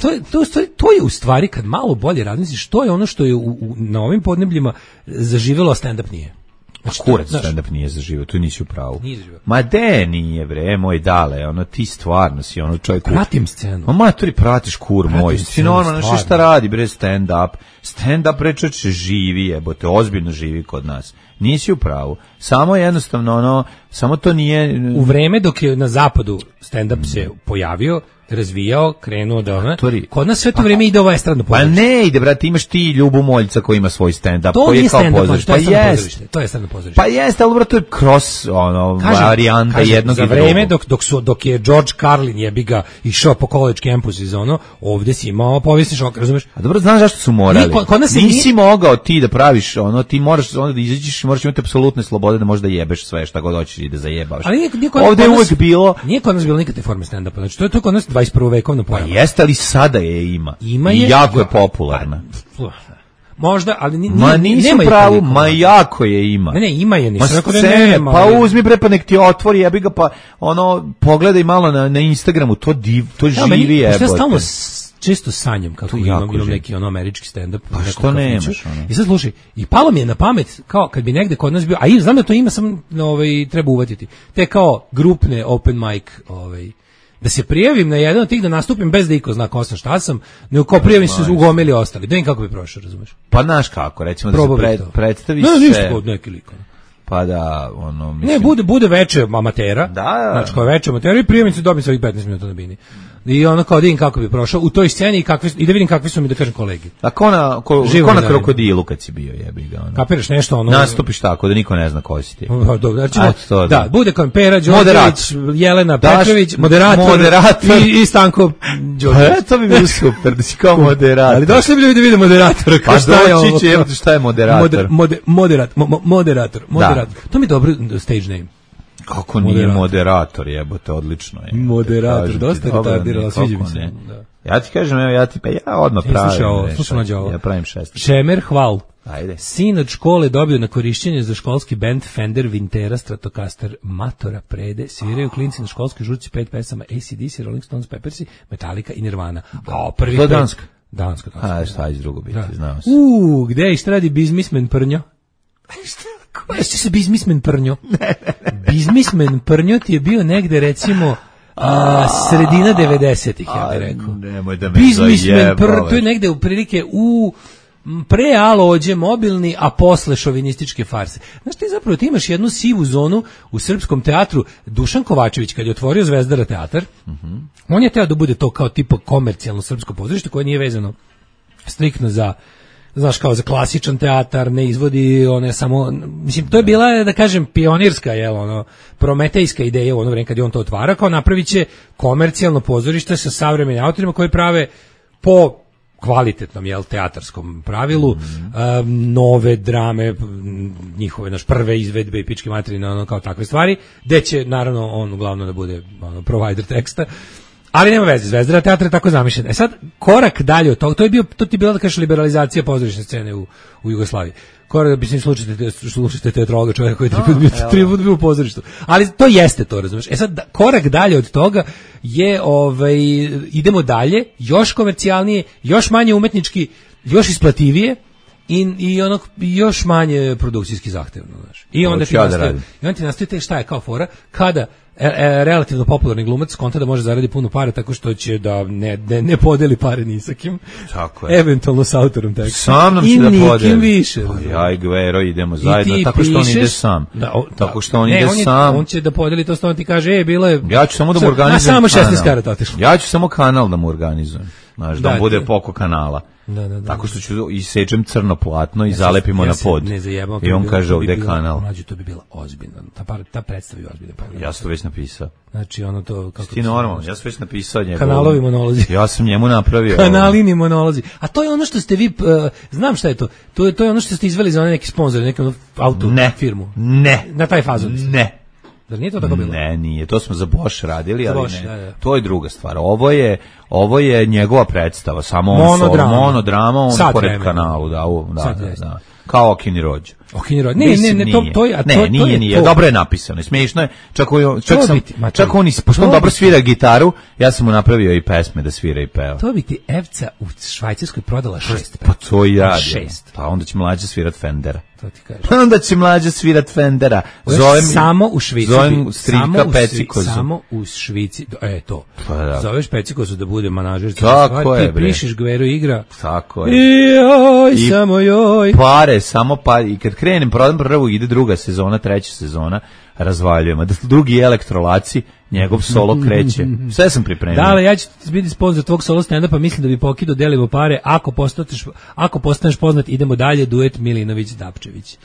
to je u stvari, kad malo bolje razmisliš, to je ono što je na ovim podnebljima zaživelo, a stand-up nije. Kurac stand-up nije zaživio, tu nisi u pravu. Ma de nije, bre, moj dale, ono, ti stvarno si, ono, čovjek... Pratim scenu. Ma maturi, pratiš kur moj, ti normalno, znaš šta radi, bre, stand-up. Stand-up, bre, čovječe, živi, jebote, ozbiljno živi kod nas. Nisi u pravu. Samo jednostavno, ono, samo to nije... U vreme dok je na zapadu stand-up se pojavio, razvijao, krenuo da ona. Kod nas sve to vrijeme ide ovo estradno pozorište. Pa ne ide, brate, imaš ti Ljubu Moljca koji ima svoj stand-up. To koji nije kao stand-up, to je estradno pozorište. Pa jeste, ali brate, to je cross, varijanta jednog i drugog. Za vreme dok je George Carlin jebiga išao po college campus iz ono, ovdje si imao povijesni šok, razumeš? A dobro, znaš zašto su morali? Nisi mogao ti da praviš ono, ti moraš onda da izađeš, moraš imati apsolutne slobode da možeš da jebeš sve šta god hoćeš i da zajebavaš. Ovdje je uvek bilo... Nije kod nas bilo nikakve forme stand-upa, znači to je kod nas 21. vekovno pojava. Pa jeste, ali sada je ima. Ima je. I jako je popularna. Možda, ali nisu pravu, ma jako je ima. Ne, ima je, nisam rekao da nema. Pa uzmi bre, pa nek ti otvori, jebi ga, pa ono, pogledaj malo na Instagramu, to živi jebote. Ja stalno često sanjam kako imam neki ono američki stand-up. Pa što nemaš? I sad slušaj, i palo mi je na pamet, kao kad bi negde kod nas bio, a i znam da to ima, sam treba uvatiti, te kao grupne open mic, da se prijavim na jedan od tih da nastupim bez da iko zna ko sam, šta sam, nego kao prijavim se ugomili ostali. Da im kako bi prošao, razumeš? Pa znaš kako, recimo da se predstaviš se... Ne, ništa kod neki lik. Pa da, ono, mislim... Ne, bude veče amatera, da. Znači kao veče amatera i prijavim se, dobim svojih 15 minuta na bini. I ono kao da vidim kako bi prošao u toj sceni i da vidim kakvi su mi, da kažem, kolegi. A ko na Krokodilu kad si bio, jebi ga. Ono. Kapiraš nešto, ono... Nastupiš tako da niko ne zna ko si ti. Da, bude kao Pera Đorđević, Jelena Petrović, moderator i Stanko Đorđević. To bi bilo super, da si kao moderator. Ali došli bi ljudi da vide moderatora. Pa doći će, šta je moderator? Moderator. To mi je dobro stage name. Kako nije moderator, jebote, odlično je. Moderator, dosta retardirala, sviđa mi se. Ja ti kažem, ja odmah pravim. Ja pravim 6. Šemer Hval. Ajde. Sin od škole dobio na korišćenje za školski band Fender Vintera Stratocaster Matora Prede. Sviraju klinci na školskoj žurci 5 pesama AC/DC, Rolling Stones, Peppersi, Metallica i Nirvana. To je Danska? Danska. A šta iz drugo biti, znao se. Gde je ištradi biznismen Prnjo? Jeste se biznismen Prnjo? Biznismen Prnjo ti je bio negde, recimo, sredina 90-ih, ja bih rekao. Nemoj da me zajebavaš. To je negde u prilike u pre Alođe mobilni, a posle šovinističke farse. Znaš, ti imaš jednu sivu zonu u srpskom teatru. Dušan Kovačević, kad je otvorio Zvezdara teatar, on je teo da bude to kao tipa komercijalno srpsko pozorište koje nije vezano striktno za, znaš, kao za klasičan teatar, ne izvodi one samo, mislim, to je bila, da kažem, pionirska, prometejska ideja u ono vreme kad je on to otvara, kao napravit će komercijalno pozorište sa savremenim autorima koji prave po kvalitetnom, teatarskom pravilu, nove drame, njihove, prve izvedbe i pičke materine, kao takve stvari, gde će, naravno, on uglavnom da bude provider teksta. Ali nema veze, Zvezdara teatra je tako zamišljena. Sad, korak dalje od toga, to ti je bila, da kažeš, liberalizacija pozorišne scene u Jugoslaviji. Korak, mislim, slušajte teatrologa, čovjeka koji je tri put bio u pozorištu. Ali to jeste to, razumiješ. Sad, korak dalje od toga je, idemo dalje, još komercijalnije, još manje umetnički, još isplativije, i još manje produkcijski zahtevno, znaš. I onda ti nastoji šta je kao fora, kada relativno popularni glumac konta da može zaradi puno para tako što će da ne podeli pare ni sa kim. Tako je. Eventualno s autorom teksta. Sam nam će da podeli. I nikim više. Ja i Gvero idemo zajedno, tako što on ide sam. Tako što on ide sam. On će da podeli to, što on ti kaže, bilo je... Ja ću samo da mu organizujem samo 16 karata otišlo. Ja ću samo kanal da mu organizujem. Znaš, da bude poko kanala. Tako što ću isečem crno platno i zalepimo na pod. I on kaže ovdje je kanal. Mlađe, to bi bila ozbiljna. Ta predstavi ozbiljna. Ja sam to već napisao. Znači ono to... Ti normalno, ja sam već napisao njegov. Kanalovi monolozi. Ja sam njemu napravio. Kanalini monolozi. A to je ono što ste vi, znam šta je to. To je ono što ste izveli za neki sponsor, neku auto firmu. Ne. Na taj fazon. Ne. Da nije to tako bilo? Ne, nije. To smo za Bosch radili, ali Bosch, ne. Da. To je druga stvar. Ovo je njegova predstava, samo monodrama, on pored kanalu, da. Kao Okini Rođo. Okinje rod. Ne, to je... Ne, nije. Dobro je napisano, smiješno je. Čak on pošto on dobro svira gitaru, ja sam mu napravio i pesme da svira i peva. To bi ti Evca u Švajcarskoj prodala 6 pesma. Pa to i radi. 6. Pa onda će mlađa svirat Fendera. To ti kažem. Onda će mlađa svirat Fendera. Samo u Švici. Zovem strika Pecikozu. Samo u Švici. To. Pa da. Zoveš Pecikozu da bude manažer. Tako je, bre. Ti pišeš Gveru igra. Tako je. I samo joj. Pare, samo pare. I kad krenem, prodam prvu, ide druga sezona, treća sezona, razvaljujemo. Da drugi elektrolaci, njegov solo kreće. Sve sam pripremio. Da, ali ja ću biti sponsor tvog solo stand-upa, mislim da bi pokido delimo pare. Ako postaneš poznat, idemo dalje, duet Milinović-Dapčević.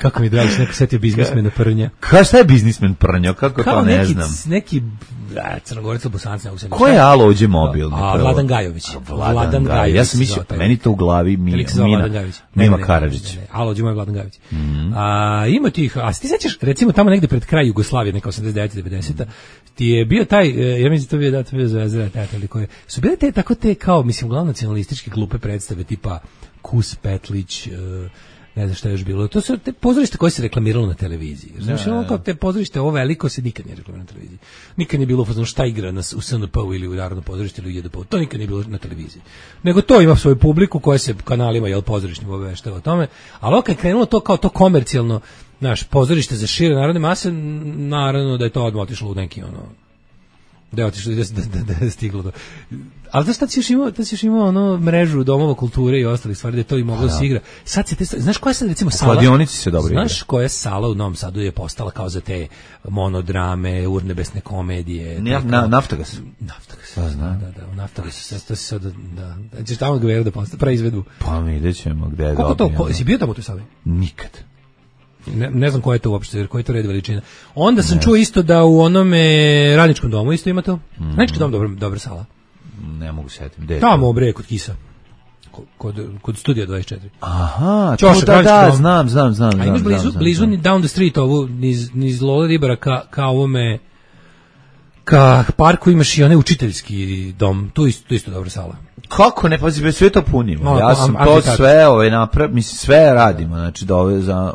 Kako mi je drago, neko setio biznismena Prnja. Šta je biznismen Prnja? Kako to ne znam? Neki Crnogorac ili Bosanac, ne znam. Ko je Alođe mobilni? Vladan Gajović. Vladan Gajović. Ja sam mislio, meni to u glavi Mima Karadžić. Alođe moj Vladan Gajović. Ima tih, a ti sećaš, recimo tamo negde pred kraj Jugoslavije, neka 89-90, ti je bio taj, ja mislim to je bio Zvezdara teta ili koje, su bile te kao, mislim, uglavnom nacionalističke glupe predstave, tipa Kus Petlić, ne znam šta je još bilo. To su te pozorište koje se reklamiralo na televiziji. Znači, ono kao te pozorište, ovo veliko se nikad nije reklamiralo na televiziji. Nikad nije bilo fazon šta igra u SNP-u ili u Narodno pozorište ili u JDP-u. To nikad nije bilo na televiziji. Nego to ima svoju publiku koja se kanalima, pozorišnim obaveštava o tome. Ali ovo kad je krenulo to kao to komercijalno, naš pozorište za šire narodne mase, naravno da je to odmah otišlo u neki da je otišlo da je stiglo do... Ali znaš, tad si još imao ono mrežu domova kulture i ostalih stvari da je to i moglo da se igra. Sad se znaš koja je sad recimo sala? U kladionici se dobro igra. Znaš koja sala u Novom Sadu je postala kao za te monodrame, urnebesne komedije? Naftagas. Naftagas. Da, u Naftagasu. To si sad, da. Ćeš tamo Gveru da postavi, pravi izvedbu. Pa mi vidjet ćemo gde je dobro. Koliko to, si bio tamo u toj sali? Nikad. Ne znam koja je to uopšte, jer koji je to red veličina. Onda sam čuo isto da u onome Radničkom domu isto ima to. Radnički dom dobra sala. Ne mogu setiti. Tamo bre kod Kisa. Kod studija 24. Aha, Ćošak, da, znam. A imaš blizu ni down the street ovu, niz Lola Ribara ka ovome, ka parku imaš i onaj učiteljski dom, tu isto dobra sala. Kako ne, pazi, sve to punimo. Ja sam to sve mislim, sve radimo, znači da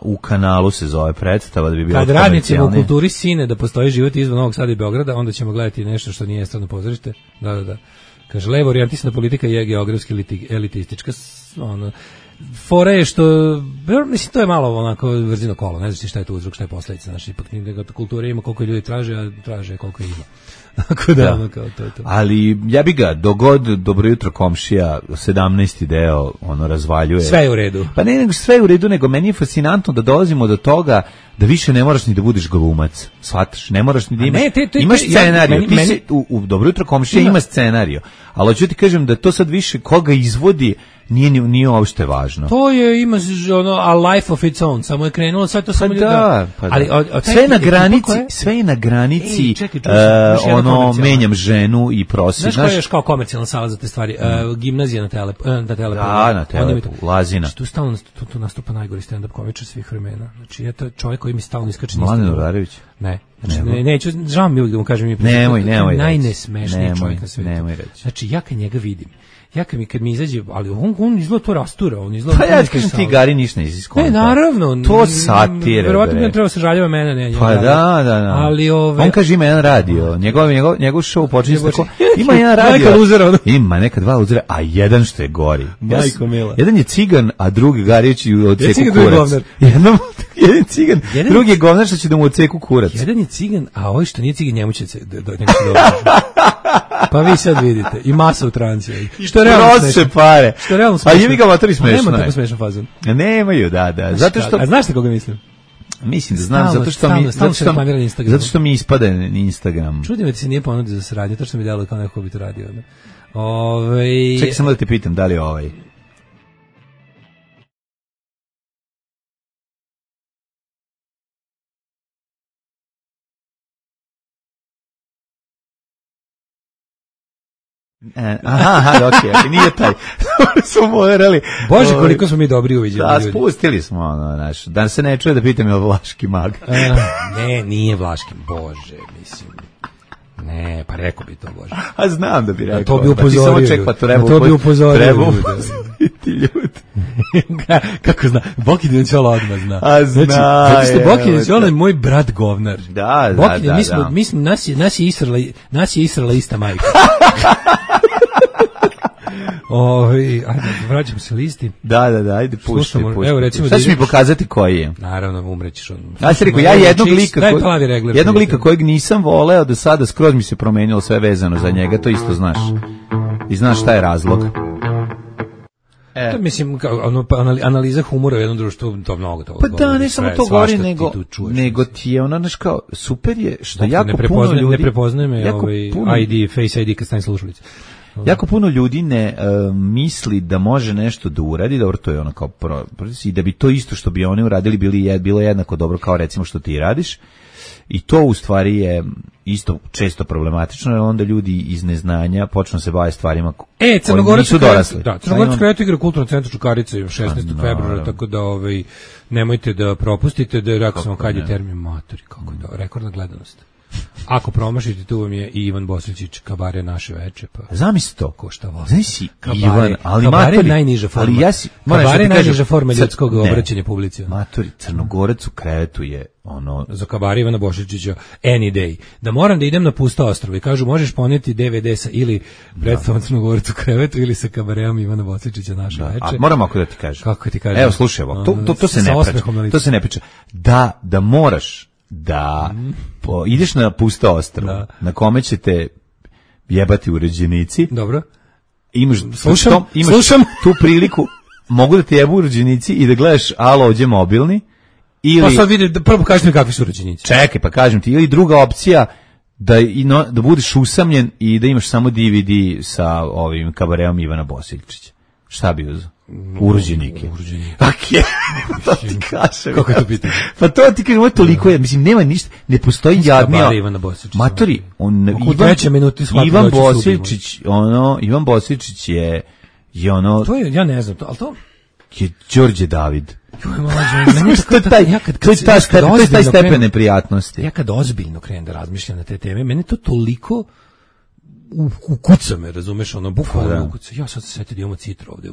u kanalu se zove predstava da bi bilo kad radnicima u kulturi sine da postoji život izvan Novog Sada i Beograda, onda ćemo gledati nešto što nije strano pozorište. Da. Kaže, levo orijentisana politika je geografski elitistička, fora je što, mislim, to je malo onako vrzino kolo, ne znaš šta je to uzrok, šta je posledica, znači, ipak kultura ima koliko ljudi traže, a traže koliko ima. Tako da, ono kao to je to. Ali ja bi ga, dogod Dobro jutro komšija, 17. deo, razvaljuje. Sve je u redu. Pa ne, nego sve je u redu, nego meni je fascinantno da dolazimo do toga da više ne moraš ni da budeš glumac, shvataš, ne moraš ni da imaš scenariju, u Dobro jutro komšija ima scenariju, ali hoću ti kažem da to sad više koga izvodi nije uopšte važno. To ima a life of its own, samo je krenulo sve to samo da. Ali sve je na granici, menjam ženu i prosim. Znaš koja je još kao komercijalna sala za te stvari? Gimnazija na Telepu. Da, na Telepu, Lazina. Tu stalno nastupa najgori stand-up komičar svih vremena. Znači, je to čovjek koji mi stalno iskače. Mladen Udarević? Ne. Znači, neću, žao mi uvijek da mu kažem. Nemoj. Najnesmešniji čovjek na svijetu. Nemoj reći. Znači, ja kad njega vidim, kad mi izađe, ali on izgleda to rastura, on izgleda... Pa ja ti kažem, ti Gari ništa nisi skonta. Ne, naravno. To satire, verovatno bi on trebao se žaljava mene, ne. Pa da. Ali on kaže ima jedan radio, njegov show počinje tako, ima jedan radio. Ima neka dva luzera, a jedan što je gori. Majko mila. Jedan je cigan, a drugi Garić u odseku kurac. Jedan cigan, drugi je govnar što će da mu odseku kurac. Jedan je cigan, a ovaj što nije cigan, njemu će neko dobro. Pa vi sad vidite, i masa u tranci. Što je realno smešno. Pare. Što je realno smešno. A jevi ga matori smešno. Nema tako smešan fazon. Nemaju, da. Zato što... A znaš te koga mislim? Mislim da znam, zato što mi ispade na Instagram. Čudim da ti se nije ponudio za saradnju, to što mi delo kao neko bi to radio. Čekaj samo da te pitam, da li je ovaj... Aha, okej, nije taj. Smo morali. Bože, koliko smo mi dobri uviđeni. Da, spustili smo da se ne čuje da pitam je Vlaški mag. Ne, nije Vlaški, Bože, mislim. Ne, pa rekao bi to, Bože. A znam da bi rekao. To bi upozorio. To bi upozorio. Treba upozoriti ljudi. Kako zna? Boki Dinčola odmah zna. A zna. Zato što Boki Dinčola je moj brat govnar. Da. Nas je israla ista majka. Ajde, vraćam se listi. Da, ajde, pušti. Evo, recimo, sad ću mi pokazati koji je. Naravno, umrećeš on. Ja sam rekao, ja jednog lika kojeg nisam voleo do sada, skroz mi se promenilo sve vezano za njega, to isto znaš. I znaš šta je razlog. To mislim, analiza humora u jednom društvu, to mnogo toga. Pa da, ne samo to govori, nego ti je ono, znaš kao, super je, što jako puno ljudi... Ne prepoznaje me ID, Face ID kad stavim slušalice. Jako puno ljudi ne misli da može nešto da uradi, dobro, to je ono kao i da bi to isto što bi oni uradili bilo jednako dobro kao recimo što ti radiš. I to u stvari je isto često problematično, jer onda ljudi iz neznanja počnu se baviti stvarima koji nisu dorasli. Da, Crnogorac Kreativ igra u Kulturnom centru Čukarica 16. februara, tako da nemojte da propustite, da rekao sam kad je termin matori, kako je to, rekordna gledanost. Ako promašite, tu vam je i Ivan Bosličić, Kabare naše veče, pa zamisli to. Ko šta voli. Znaš si, Ivan, ali Kabare je najniža forma. Kabare je najniža forma ljudskog obraćanja publici. Matori, Crnogorac u krevetu je ono... Za Kabare Ivana Bosličića any day. Da moram da idem na pusto ostrvo i kažu možeš poneti DVD sa ili predstavom Crnogorac u krevetu ili sa Kabareom Ivana Bosličića naše veče. A moram ako da ti kažem. Kako ti kažem? Evo, slušaj ovo, to se ne priča. Da moraš da ideš na pusto ostrvo na kome ćete jebati uređenici. Dobro. Imaš slušam tu priliku, mogu da te jebu uređenici i da gledaš alo ovdje mobilni. Ili, pa sad vidi, prvo kaži mi kakvi su uređenici. Čekaj, pa kažem ti, ili druga opcija da budeš usamljen i da imaš samo DVD sa ovim Kabareom Ivana Bosiličića. Šta bi uzeo? Urođenike. Okay. To ti kažem. Kako je to pitanje? Pa to ti kažem, ovo je toliko, mislim, nema ništa, ne postoji jadnija. Matori, Ivan Bosiličić je ono... To je, ja ne znam, ali to... je Đorđe David. To je taj stepen neprijatnosti. Ja kad ozbiljno krenem da razmišljam na te teme, mene to toliko ukuca me, razumeš, ono, bukvalno ukuca. Ja sad se sjetio da imamo citru ovde,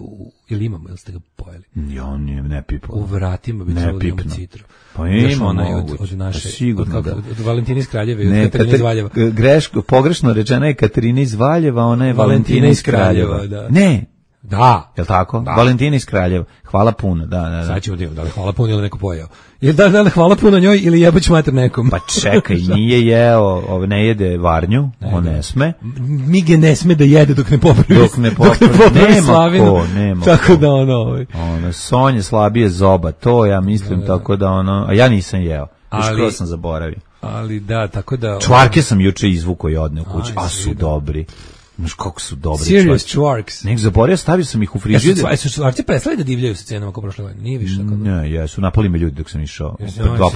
ili imamo, ili ste ga pojeli? Ja, ne pipao. U vratima bi trebalo da imamo citru. Pa ima od naše, sigurno da. Od Valentina iz Kraljeva i od Katarine iz Valjeva. Pogrešno rečena je Katarina iz Valjeva, ona je Valentina iz Kraljeva. Ne. Da. Jel' tako? Da. Valentina iz Kraljeva. Hvala puno, da. Sad ćemo da li hvala puno ili neko pojeo. Ili da li hvala puno njoj ili jebać mater nekom. Pa čekaj, nije jeo, ne jede varnju, on ne sme. Mige ne sme da jede dok ne popravi Slavinu. Nema tako da ono... Sonja slabije zoba, to ja mislim, tako da a ja nisam jeo. Skoro sam zaboravio. Ali da, tako da... Čvarke sam juče izvukao i odneo kući, a su dobri. Znaš kako su dobri Serious Čvarks. Nek zaboravio, stavio sam ih u frižider. Su Čvarci prestali da divljaju sa cenama kao prošle godine? Nije više tako. Ne, jesu, napali me ljudi dok sam išao. Dva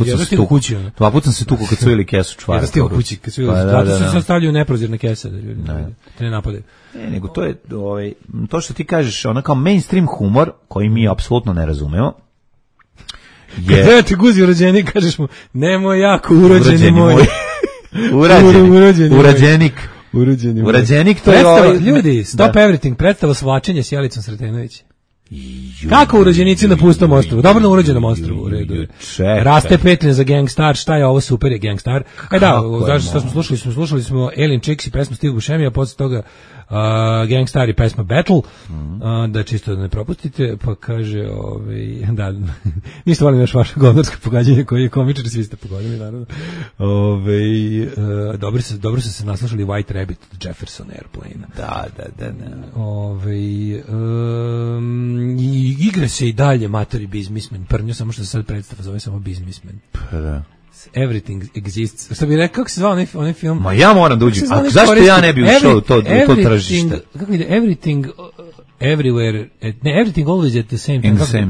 puta sam se tukao kad su ili kesu Čvarka. Jedan stil u kući, kad su ili. Zato se sad stavljaju neprozirne kese da ljudi te ne napadaju. Nego to je, to što ti kažeš, ona kao mainstream humor, koji mi apsolutno ne razumemo. Kada ti guzi urođeni, kažeš mu, nemoj jako urođeni moj. Urađenik. Urađenik, to je ljudi, Stop Everything, predstava Svlačenje s Jelicom Sretenović. Kako urođenici na pustom ostrvu? Dobro na urođenom ostrvu, u redu. Raste petljen za Gangstar, šta je ovo, super je Gangstar. Šta smo slušali smo Alien Chicks i pesmu Steve Buscemi, a posle toga Gangstar i pesma Battle, da čisto da ne propustite, pa kaže, da, ništa volim još vaše govnarsko pogađanje koje je komičar, svi ste pogodili, naravno. Dobro su se naslušali White Rabbit od Jefferson Airplane. Da. Igra se i dalje matori Bizmismen, prnjo, samo što se sad predstava zove samo Bizmismen. Everything exists. Što bi rekao, kako se zvao onaj film? Ma ja moram da uđem. A zašto ja ne bi ušao u to tržište? Kako ide? Everything everywhere, everything always at the same time.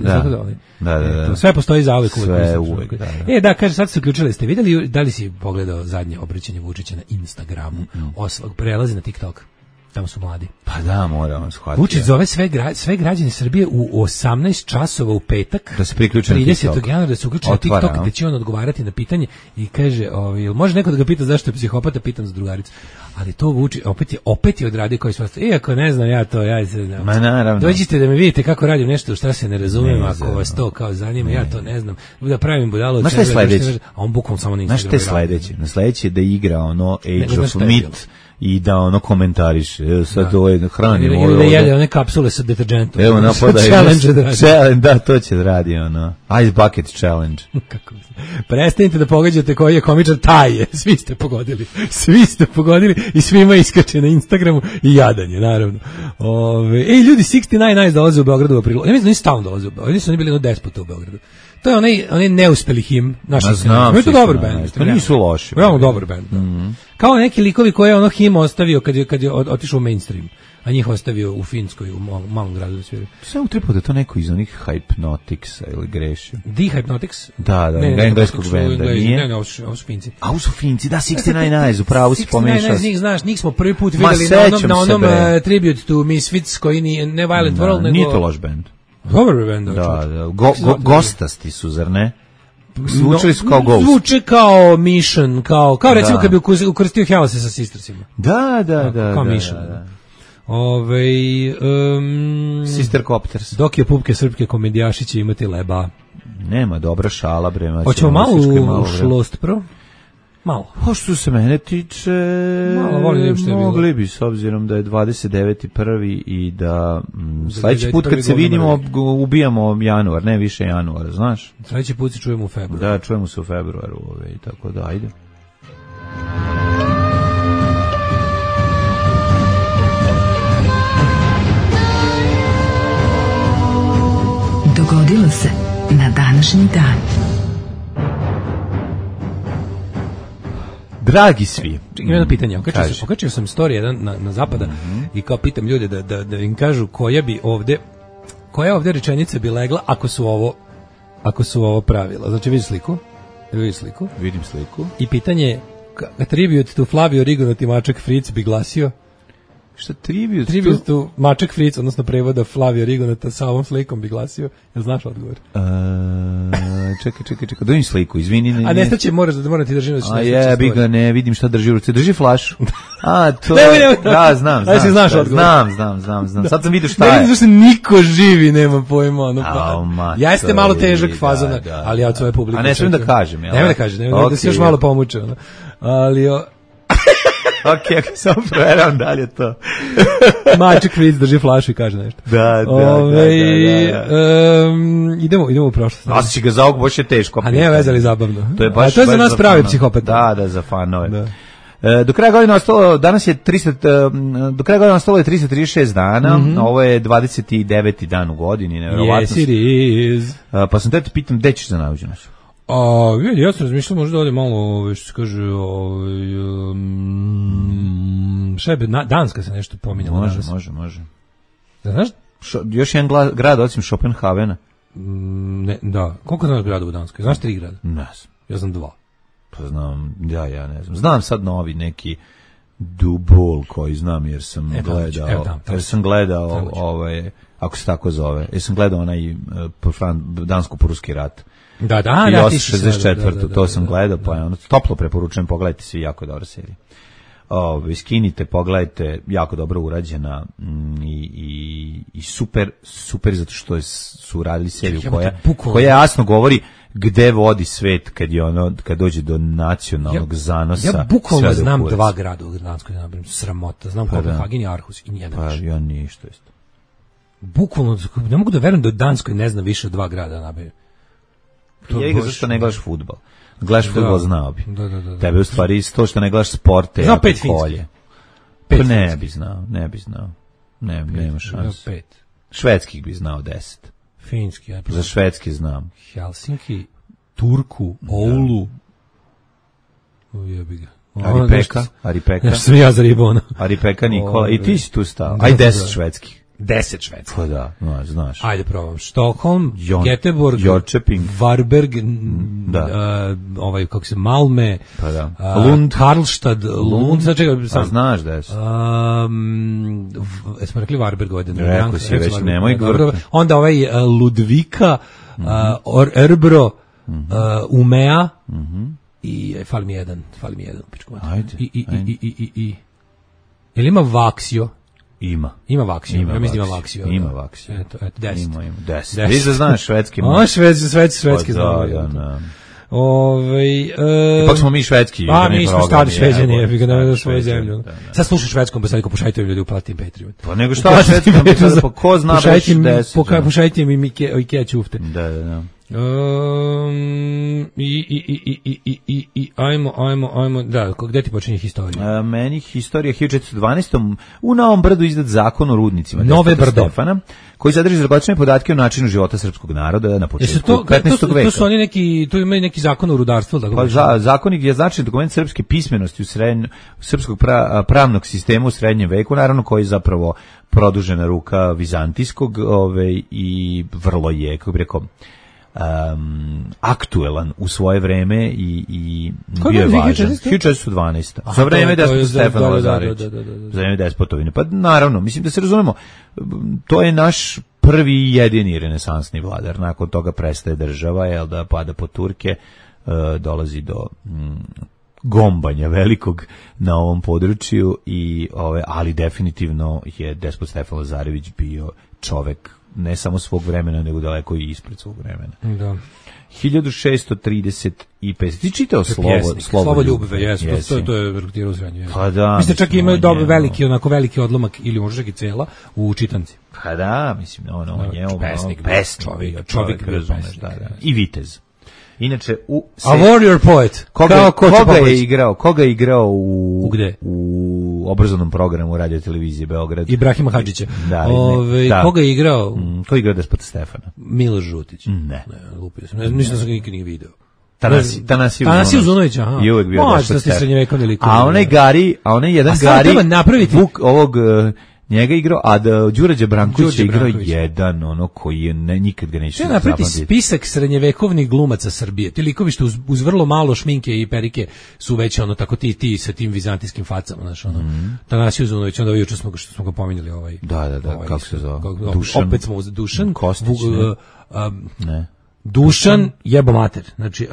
Da. Sve postoji za uvek. Sve uvek, da. Da, kaže, sad se uključili. Ste vidjeli, da li si pogledao zadnje obraćanje Vučića na Instagramu? Prelazi na TikTok. Tamo su mladi. Pa da, moramo shvatiti. Vučić zove sve građane Srbije u 18 časova u petak. Da se priključe na TikTok. 30. januara da se uključe na TikTok, gde će on odgovarati na pitanje i kaže, može neko da ga pita zašto je psihopata, pitam za drugaricu. ali to Vučić opet je odradio koji svašta. Iako ne znam ja to, ja se znam. Ma naravno. Dođite da me vidite kako radim nešto što se ne razumem, ako vas to kao zanima, ja to ne znam. Da pravim budalo. Znaš šta je sledeće? A on bukvalno samo na Instagramu. Znaš šta je sledeće? Na sledeće je da igra ono Age of Myth i da ono komentariše. Sad ovo je hranimo. Ili da jede one kapsule sa deterđentom. Evo napadaju. Da, to će da radi ono. Ice Bucket Challenge. Kako? Prestanite da pogađate koji je komičar, taj je. Svi ste pogodili i svima iskače na Instagramu i jadanje, naravno. Ljudi, 69 Eyes dolaze u Beogradu u aprilu. Ja mislim da oni stalno dolaze u Beogradu. Oni bili jedno 10 puta u Beogradu. To je onaj neuspeli him naših scena. Je to dobar bend. To nisu loši. Veoma dobar bend. Kao neki likovi koje je ono him ostavio kad je otišao u mainstream. A njih ostavio u Finskoj, u malom gradu da sviraju. Sve utripo da to neko iz onih Hypnoticsa ili grešio. The Hypnotics? Da, engleskog benda, nije? Ne, ovo su Finci. A ovo su Finci, da, 69 Eyes, upravo si pomešao. 69 Eyes, znaš, njih smo prvi put videli na onom Tribute to Misfits, koji nije ne Violent World, nego... Nije to loš bend. Dobar bend. Da, gostasti su, zar ne? Zvučili su kao Ghost. Zvuče kao Mission, kao recimo kad bi ukrstio Hellase sa Sistersima. Da. Kao Mission. Sister Copters. Dok je pupke srpke komedijaši će imati leba. Nema, dobra šala, bre. Hoćemo malo u šlost pro? Malo. Što se mene tiče, mogli bi, s obzirom da je 29.1. i da sledeći put kad se vidimo ubijamo januar, ne više januara, znaš? Sledeći put se čujemo u februaru. Da, čujemo se u februaru, tako da, ajde. Dogodilo se na današnji dan. Dragi svi. Čekaj, jedno pitanje. Okačio sam story jedan na zapada i kao pitam ljude da im kažu koja ovde rečenica bi legla ako su ovo pravila. Znači, vidiš sliku? Vidim sliku. I pitanje je, tribute to Flavio Rigonati Mačak Fritz bi glasio? Šta tribute? Tribute to Mačak Fritz, odnosno prevoda Flavio Rigonata sa ovom slikom bi glasio. Jel znaš odgovor? Čekaj, dojim sliku, izvini. A nestaće, moram ti držim da ću jebi ga, ne vidim šta drži u ruci. Drži flašu. To da, znam. Znam. Sad sam vidio šta je. Ne vidim zašto niko živi, nema pojma. Jeste malo težak fazona, ali ja od svoje publike. A ne smijem da kažem. Nema da kažem, da se još malo pomuče. Ali... Ok, samo proveram da li je to. Mačak Fritz drži flašu i kaže nešto. Da. Idemo u prošlost. Nosići ga za ovog, baš je teško. A nije vezali zabavno. To je za nas pravi psihopat. Da, za fanove. Do kraja godine ostalo, danas je 336 dana, ovo je 29. dan u godini, nevjerovatno. Yes, it is. Pa sam te pitam, gde ćeš za naviđenost? Ja sam razmišljao možda ovdje malo, što se kaže, šebe, Danska se nešto pominjala. Može. Znaš? Još jedan grad, osim Schopenhavena. Ne, da. Koliko znaš grada u Danskoj? Znaš 3 grada? Ne znam. Ja znam 2. Pa znam, ja ne znam. Znam sad novi neki Dubol koji znam jer sam gledao, ako se tako zove, jer sam gledao onaj dansko-pruski rat. Da, i 864. To sam gledao, pa je ono, toplo preporučujem, pogledajte svi, jako dobra serija. Skinite, pogledajte, jako dobro urađena i super zato što su radili seriju koja jasno govori gde vodi svet kad dođe do nacionalnog zanosa. Ja bukvalno znam 2 grada u Danskoj, sramota, znam Kopenhagen i Aarhus i nijedan više. Pa ja ništa isto. Bukvalno, ne mogu da verujem da u Danskoj ne znam više od 2 grada nabavio. Ja ga zašto ne gledaš fudbal? Gledaš fudbal, znao bi. Da. Tebe u stvari isto što ne gledaš sporte. Znao 5 finskih. Pa ne bi znao. Nema šanse. 5. Švedskih bi znao 10. Finski. Za švedski znam. Helsinki, Turku, Oulu. Jebi ga. Aripeka. Nešto sam ja zaribao. Aripeka Nikola. I ti si tu stao. Aj 10 švedskih. 10 švedskih. Pa da, znaš. Ajde probam. Stockholm, Göteborg, Jönköping, Varberg, kako se, Malme, pa da. Lund, Karlstad, Lund, sad čekaj. A znaš da je. Smo rekli Varberg ovaj den. Rekao si već, nemoj govoriti. Onda Ludvika, Örebro, Umea, i fali mi jedan. Ajde. Jel ima Vaksio? Ima Vaksio. Ja mislim ima Vaksio. Ima Vaksio. Eto, 10. Ima 10. Vi da znaš švedski. Švedski znamo. Ipak smo mi švedski. Mi smo stari šveđani, jebi ga na svoju zemlju. Sad slušaj švedskom, pa sad pošaljite ljudi uplatim Patreon. Pa nego šta švedskom, pa ko zna baš 10. Pošaljite mi Ikea ćufte. Da. Ajmo, da, gde ti počinje historija? Meni historija 1412. U Novom Brdu izdat zakon o rudnicima Nove Brdo Stefana, koji sadrži zagotčene podatke o načinu života srpskog naroda na početku 15. veka. To su oni neki, tu imaju neki zakon o rudarstvu, tako pa zakonik je značajan dokument srpske pismenosti u srpskog pravnog sistema u srednjem veku, naravno koji je zapravo produžena ruka vizantijskog, i vrlo je, kako bih rekao, aktuelan u svoje vreme i bio je važan. 1412. Za vreme despota Stefana Lazarevića. Za vreme despotovine. Pa naravno, mislim da se razumemo, to je naš prvi i jedini renesansni vladar. Nakon toga prestaje država, da pada po Turke, dolazi do gombanja velikog na ovom području, ali definitivno je despot Stefan Lazarević bio čovek ne samo svog vremena, nego daleko i ispred svog vremena. Da. 1635. Ti čitao Slovo ljubve, jesmo. To je rekrutirao u srednju. Pa da. Mislim, čak imaju veliki odlomak, ili možda čak i cela, u čitanci. Pa da, mislim, on je pesnik, čovjek razumeš, da. I vitez. Inače, a warrior poet. Koga je igrao u gde? U obrazovnom programu Radio televizije Beograd? Ibrahima Hadžića. Da. Koga je igrao? Ko je igrao despota Stefana? Miloš Žutić. Ne. Lupio sam. Mislim da sam ga nikad nije video. Tanasije Uzunović, aha. I uvek bio despot Stefana. A onaj jedan Gari ovog njega igrao, a da Đurađe Branković je igrao jedan, koji je nikad ga neće zapamtiti. Napraviti spisak srednjevekovnih glumaca Srbije. Ti likovi što uz vrlo malo šminke i perike su već tako ti sa tim vizantijskim facama, znaš, Tanasije Uzunović, onda juče što smo ga pominjali Da, kako se zove? Dušan. Opet smo Dušan. Kostić, ne. Dušan jebo mater. Znači,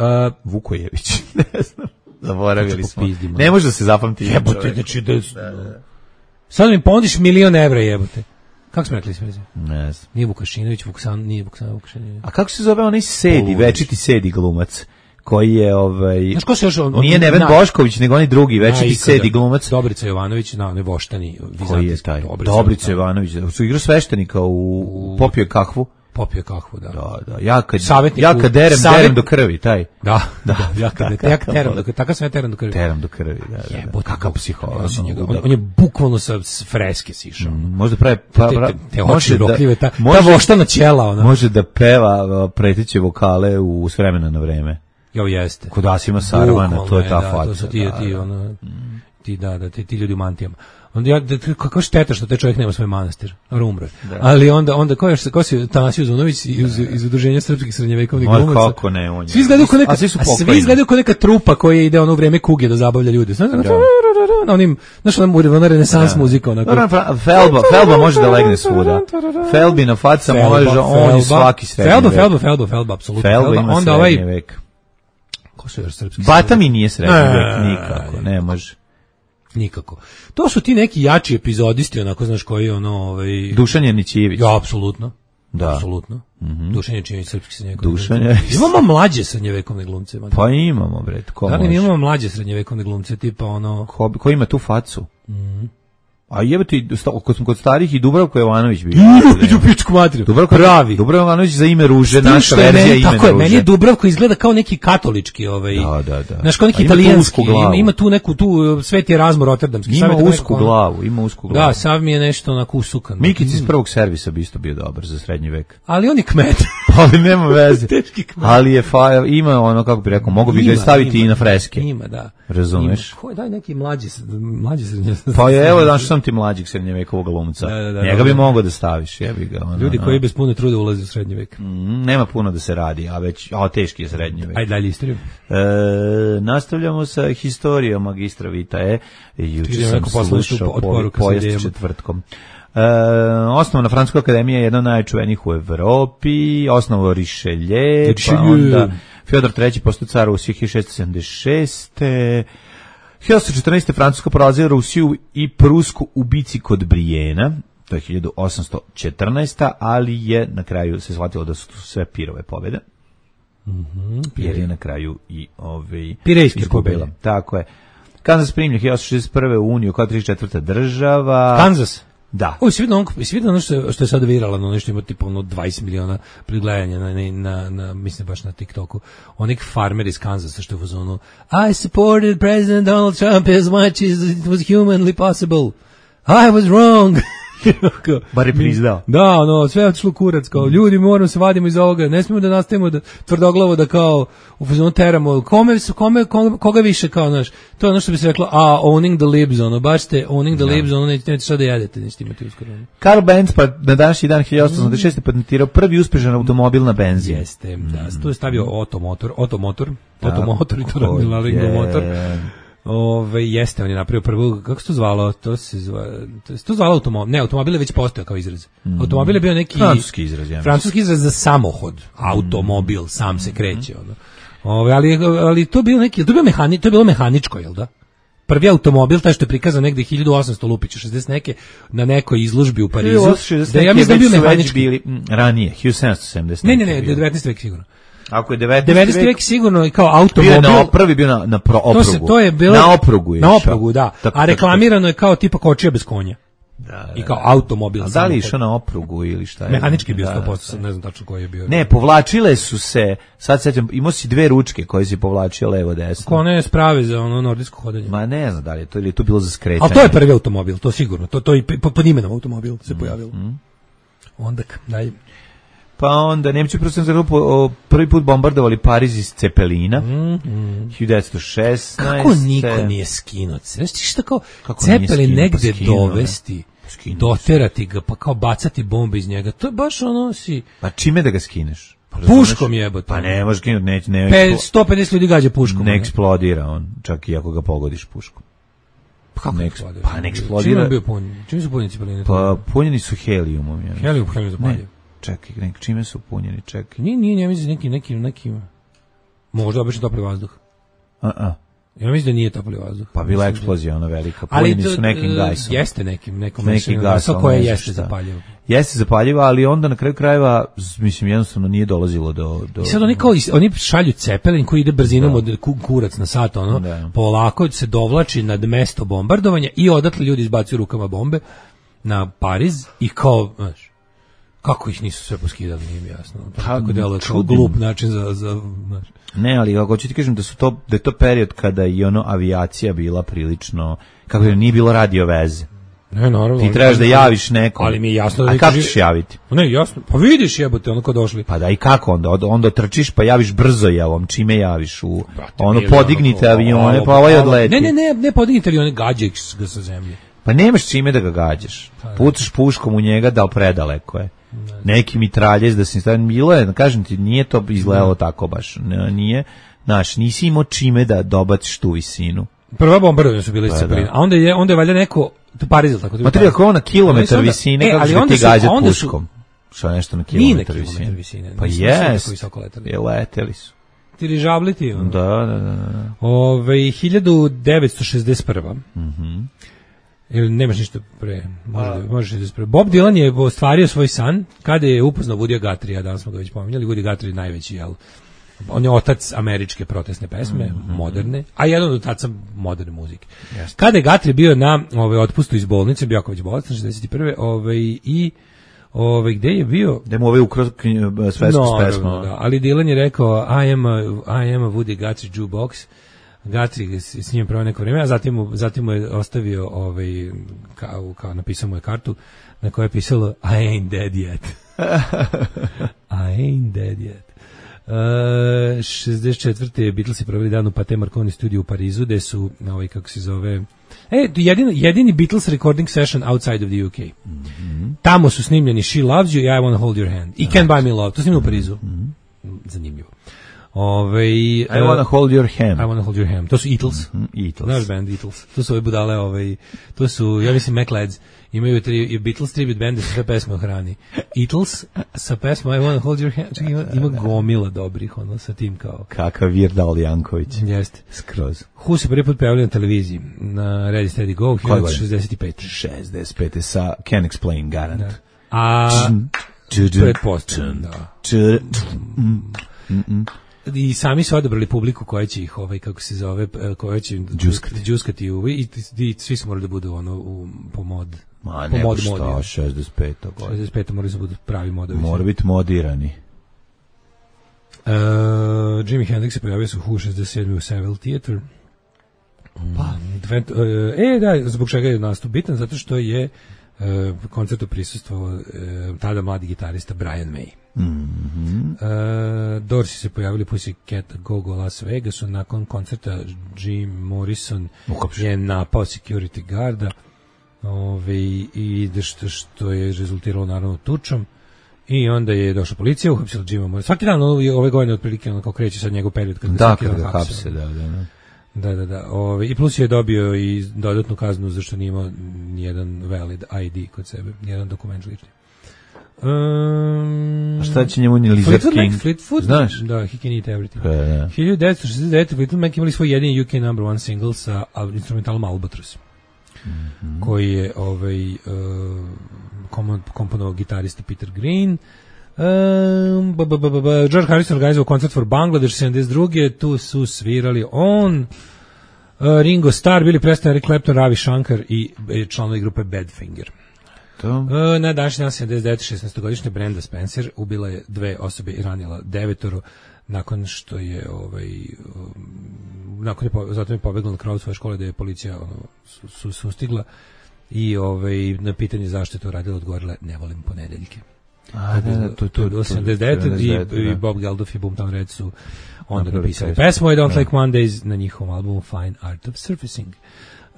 Vukojević, ne znam. Zaboravili smo. Ne može da se zapamti. Jebote, znači sad mi pondiš $1.000.000 jebote. Kako smo rekli sve? Ne znam. Nije Vukašinović, nije Vukašinović. A kako se zove onaj večiti sedi glumac? Koji je Znaš ko se još nije Neven Bošković, nego onaj drugi večiti sedi glumac. Dobrica Jovanović, ne voštani. Koji je taj? Dobrica Jovanović. Su igrao sveštenika u Popio kahvu. Popio kahvu, da. Da. Ja kad derem do krvi, taj. Da. Ja kad teram do krvi. Tako sam ja teram do krvi. Teram do krvi, da. Kakav psiholog. On je bukvalno sa freske sišao. Možda pravi... Te oči rokljive, ta voštana ćela. Može da peva preteće vokale s vremena na vreme. Jo, jeste. Kod Asima Sarvana, to je ta faca. To su ti ljudi u mantijama. Onda kako šteta što taj čovjek nema svoj manastir, umro. Ali onda ko si Tanasije Uzunović iz udruženja srpskih srednjevekovnih glumaca. Kako ne, on je. Svi izgledaju kao neka trupa koja ide u vrijeme kuge da zabavlja ljude. Znaš, ona renesans muzika. Felba može da legne svuda. Felbina faca može, on je svaki srednji vek. Felba, apsolutno. Felba ima srednji vek. Ko su još srpski? Bata mi nije srednji vek, nikako, ne može. Nikako. To su ti neki jači epizodisti, onako, znaš, koji Dušan Janićijević. Ja, apsolutno. Da. Apsolutno. Dušan Janićijević, srpski srednjevekovni glumci. Imamo mlađe srednjevekovne glumce. Pa imamo, bre. Da li imamo mlađe srednjevekovne glumce, tipa Ko ima tu facu? A jebati, kod starih i Dubravko Jovanović bio. Idu pičku materiju. Pravi. Dubravko Jovanović za ime Ruže, naša verzija ime Ruže. Tako je, meni je Dubravko izgleda kao neki katolički, Da. Znaš, kao neki italijanski. Ima tu neku, Sveti Erazmo Rotterdamski. Ima usku glavu. Da, sav mi je nešto onako usukan. Mikić iz prvog servisa bi isto bio dobar za srednji vek. Ali on je kmet. Ali nema veze. Teški kmet. Ali je ima kako bi rekao, mogu bi ga staviti i na freske. Ima, da. Razumeš? Daj neki mlađi srednjevek. Pa evo, znaš, sam ti mlađeg srednjevekovog glumca. Njega bi mogao da staviš, jebi ga. Ljudi koji bez puno truda ulaze u srednji vek. Nema puno da se radi, a teški je srednji vek. Ajde dalje istoriju. Nastavljamo sa historijom magistra Vitae. Juče sam slušao pojest četvrtkom. Osnovna Francuska akademija je jedna od najčuvenijih u Evropi, osnovao Richelieu, pa onda Fjodor III. Postao car u 1676. 1814. Francuska porazila Rusiju i Prusku u bici kod Brijena, to je 1814. ali je na kraju se shvatilo da su sve pirove pobjede. Jer je na kraju i Pirejske pobjede. Tako je. Kansas primlja 1861. u Uniju kao 34. država. Kansas? Da. O, si vidio ono što je sad viralno, ono što ima tipa 20 miliona pregledanja na mislim baš na TikToku. Onik farmer iz Kansasa što je u zonu I supported President Donald Trump as much as it was humanly possible. I was wrong. Bar je priznao. Da, sve je otišlo kurac, kao ljudi moramo se vadimo iz ovoga, ne smijemo da nastavimo da tvrdoglavo da kao u fazonu teramo, koga više kao, znaš, to je ono što bi se reklo, owning the libs, baš ste owning the libs, nećete šta da jedete, nećete imati uskoro. Karl Benz pa na današnji dan 1886. patentirao prvi uspješan automobil na benzin. Jeste, da, tu je stavio Automotor i to radila motor. Jeste, on je napravio prvu, kako se to zvalo? To se zvalo automobil. Ne, automobil je već postojao kao izraz. Automobil je bio neki francuski izraz za samohod. Automobil, sam se kreće. Ali to bio neki, to je bilo mehaničko, jel da? Prvi automobil, taj što je prikazan negde 1800 lupića, 60 neke, na nekoj izložbi u Parizu. Da ja mislim da je bio mehanički. Bili ranije, 1770. Ne, 19. vek sigurno. Ako je 19. vek sigurno i kao automobil. Prvi bio na oprugu. To je bilo na oprugu je. Na oprugu, da. A reklamirano je kao tipa kočija bez konja. Da. I kao automobil. A da li išao na oprugu ili šta je? Mehanički bio 100%, ne znam tačno koji je bio. Ne, povlačile su se, sad sećam, imao si dve ručke koje si povlačio levo desno. Kone sprave za ono nordijsko hodanje. Ma ne znam da li je to, ili je to bilo za skretanje. Ali to je prvi automobil, to sigurno. To i pod imenom automobil se pojavilo. Onda, daj. Pa onda Nemci prvi put bombardovali Pariz iz Cepelina, 1916. Kako niko nije skinuo? Znaš ti šta kao Cepelin negde dovesti, doterati ga, pa kao bacati bombe iz njega, to je baš ono si... Pa čime da ga skineš? Puškom jebote. Pa ne možeš skinuti, ne. 150 ljudi gađa puškom. Ne eksplodira on, čak i ako ga pogodiš puškom. Kako ne eksplodira? Pa ne eksplodira. Čime su punjeni Cepeline? Pa punjeni su helijumom. Helijum zapaljiv. Čekaj, čime su punjeni, čekaj. Nije, ja mislim nekim... Možda obično topli vazduh. Ja mislim da nije topli vazduh. Pa bila eksplozija, ona velika. Punjeni su nekim gasom. Jeste neki gas koje jeste zapaljivo. Jeste zapaljivo, ali onda na kraju krajeva, mislim, jednostavno nije dolazilo do... I sad oni šalju Cepelin koji ide brzinom od kurac na sat, polako se dovlači nad mesto bombardovanja i odatle ljudi izbacuju rukama bombe na Pariz i kao, znaš, kako ih nisu sve poskidali, nije mi jasno. Tako deluje kao glup način za ne, ali ako ću ti kažem da je to period kada i avijacija bila prilično, kako je nije bilo radio veze. Ne, naravno. Ti trebaš da javiš nekom. Ali mi je jasno da... A kako ćeš javiti? Ne, jasno. Pa vidiš jebote, ko došli. Pa da, i kako onda? Onda trčiš pa javiš brzo javom. Čime javiš? Podignite avione, pa ovaj odleti. Ne podignite avione, gađaj ga sa zemlje. Pa nemaš čime da ga gađaš. Pucaš puškom u njega, da predaleko je. Neki mitraljez da se stavim, bilo je, kažem ti, nije to izgledalo tako baš. Nije, znaš, nisi imao čime da dobaciš tu visinu. Prva bombardovanja su bile iz Cepelina, a onda je valjda neko Pariz, tako. Ma treba kao na kilometar visine, kako će ti gađati puškom. Što nešto na kilometar visine. Pa jes, leteli su. Dirižabli Da. 1961. Ili nemaš ništa pre, možeš pre. Bob Dylan je ostvario svoj san kada je upoznao Woodya Guthrieja, danas smo ga već pominjali. Woody Guthrie je najveći, jel? On je otac američke protestne pesme, moderne, a jedan od otaca moderne muzike. Yes. Kada je Guthrie bio na otpustu iz bolnice, bio jako već bolestan, 61. Gde je bio? Da mu ukrao svesku s pesmom. Da, ali Dylan je rekao, I am a Woody Guthrie jukebox. Guthrie s njim pravo neko vreme, a zatim mu je ostavio kao napisao mu je kartu na kojoj je pisalo I ain't dead yet. I ain't dead yet. 64. Beatlesi proveli dan u Pathé Marconi studiju u Parizu, gde su, kako se zove, jedini Beatles recording session outside of the UK. Tamo su snimljeni She Loves You i I Wanna Hold Your Hand. I Can't Buy Me Love. To snimljeno u Parizu. Zanimljivo. I wanna hold your hand. I wanna hold your hand. To su Eatles. Eatles. Naš band Eatles. To su ove budale, to su, ja mislim, McLeods. Imaju Beatles tribute band, su sve pesme o hrani. Eatles sa pesmom I wanna hold your hand. Čekaj, ima gomila dobrih, sa tim kao. Kakav Weird Al Janković. Jeste. Skroz. Who se prvi put pojavili na televiziji? Na Ready, Steady, Go, 1965. 65. sa Can't Explain, garant. Da. A pretpostavljam, da. I sami su odabrali publiku koja će ih, kako se zove, koja će džuskati i svi su morali da budu po mod. Ma nego šta, 65. 65. morali su budu pravi modovi. Mora biti modirani. Jimi Hendrix se pojavio su Who 67 u Savile Theatre. Da, zbog čega je nastup bitan, zato što je koncertu prisustvovao tada mladi gitarista Brian May. Dorsi se pojavili Pussycat Go-Go Las Vegasu. Nakon koncerta Jim Morrison je napao security guarda i što je rezultiralo naravno tučom. I onda je došla policija, uhapsila Jima Morrison. Svaki dan ove godine otprilike kao kreće sad njegov period kada ga hapse. Da. I plus je dobio i dodatnu kaznu zašto nije imao nijedan valid ID kod sebe, nijedan dokument lični. A šta će njemu ni Lizard King? Fleetwood? Znaš? Da, He Can Eat Everything. 1969. Fleetwood Mac imali svoj jedini UK number one single sa instrumentalom Albatross, koji je komponovao gitarista Peter Green. George Harrison organizovao koncert for Bangladesh 72. Tu su svirali Ringo Starr, Billy Preston, Eric Clapton, Ravi Shankar i članovi grupe Badfinger. Na današnji dan 79. 16-godišnja Brenda Spencer ubila je 2 osobe i ranila 9 nakon što je zatim je pobegla na kraju svoje škole da je policija sustigla i na pitanje zašto je to radila odgovorila ne volim ponedeljke. To je 89. i Bob Geldof i Boomtown Reds su onda napisali pesmu I Don't Like Mondays na njihovom albumu Fine Art of Surfacing.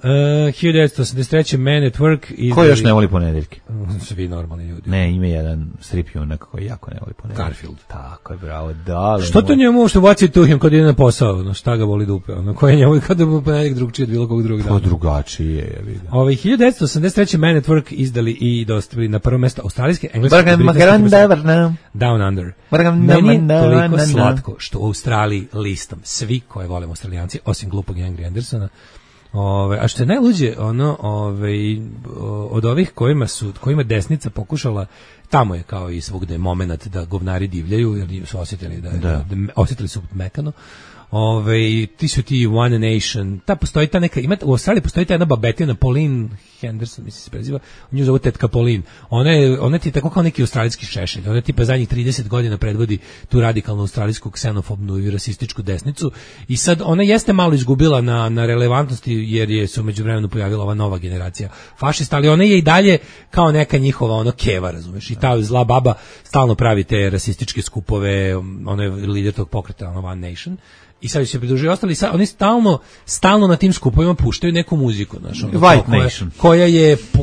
1983. Man at Work. Ko još ne voli ponedeljke? Svi normalni ljudi. Ne, ima jedan strip junak koji jako ne voli ponedeljke. Garfield. Tako je, bravo. Da, što to njemu što baci tuhim kad ide na posao? Šta ga voli dupe? Koje njemu kada bi ponedeljak drugčije od bilo kog drugog dana? To drugačije je. 1983. Man at Work izdali i dostavili na prvo mesto australijske, engleske Down Under. Meni je toliko slatko što u Australiji listom svi koje volimo Australijanci, osim glupog Angry Andersona. A što je najluđe, od ovih kojima desnica pokušala, tamo je kao i svugde moment da govnari divljaju, jer su osjetili osjetili su mekano. Ti su ti One Nation, postoji ta neka, u Australiji postoji ta jedna babetina, Pauline Henderson, mislim se preziva, nju zovu tetka Pauline. Ona ti je tako kao neki australijski Šešelj, ona tipa zadnjih 30 godina predvodi tu radikalnu australijsku ksenofobnu i rasističku desnicu i sad ona jeste malo izgubila na relevantnosti jer je se u međuvremenu pojavila ova nova generacija fašista, ali ona je i dalje kao neka njihova keva, razumeš, i ta zla baba stalno pravi te rasističke skupove, ona je lider tog pokreta One Nation. I sad se pridružuju ostali, oni stalno na tim skupovima puštaju neku muziku,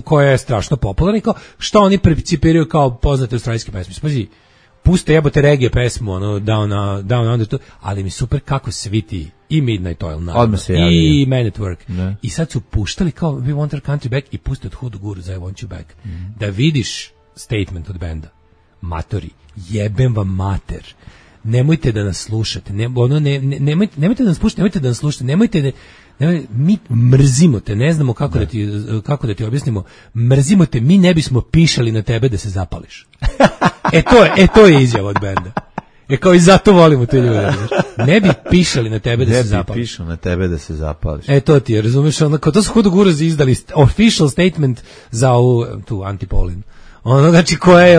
koja je strašno popularna i kao što oni principiraju kao poznate australijske pesme. Pazi, puste jebote reggae pesmu, Down Under, ali mi super kako svi ti i Midnight Oil i Man at Work. Ne. I sad su puštali kao We Want Our Country Back i puste od Hood Guru za I Want You Back. Da vidiš statement od benda. Matori, jebem vam mater. Nemojte da nas slušate, nemojte da nas puštate, nemojte da nas slušate, mi mrzimo te, ne znamo kako da ti objasnimo, mrzimo te, mi ne bismo pišali na tebe da se zapališ. To je izjava od benda. Kao i zato volimo te ljude. Ne bi pišali na tebe da se zapališ. Ne bi pišao na tebe da se zapališ. To ti je, razumiješ, to su Hudu Guruzi izdali official statement za tu Antipolin. Znači koja je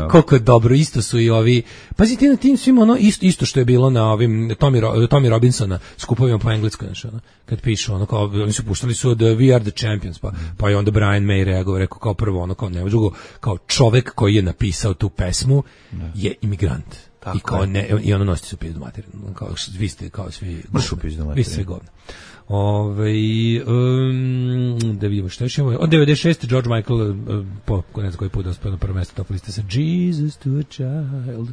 koliko je dobro, isto su i ovi, pazite na tim svima isto što je bilo na ovim Tommy Robinsona skupovima po engleskoj, znači kad pišu kao oni su puštali su od We Are the Champions, pa je onda Brian May reagovao, rekao kao prvo kao nema drugo, kao čovek koji je napisao tu pesmu je imigrant. I kao i ono nosite su pizdu materinu, kao vi ste kao svi vi ste govna. Da vidimo što još imamo. Od 96. George Michael po ne znam koji put dospeo na prvo mjesto top liste sa Jesus to a Child.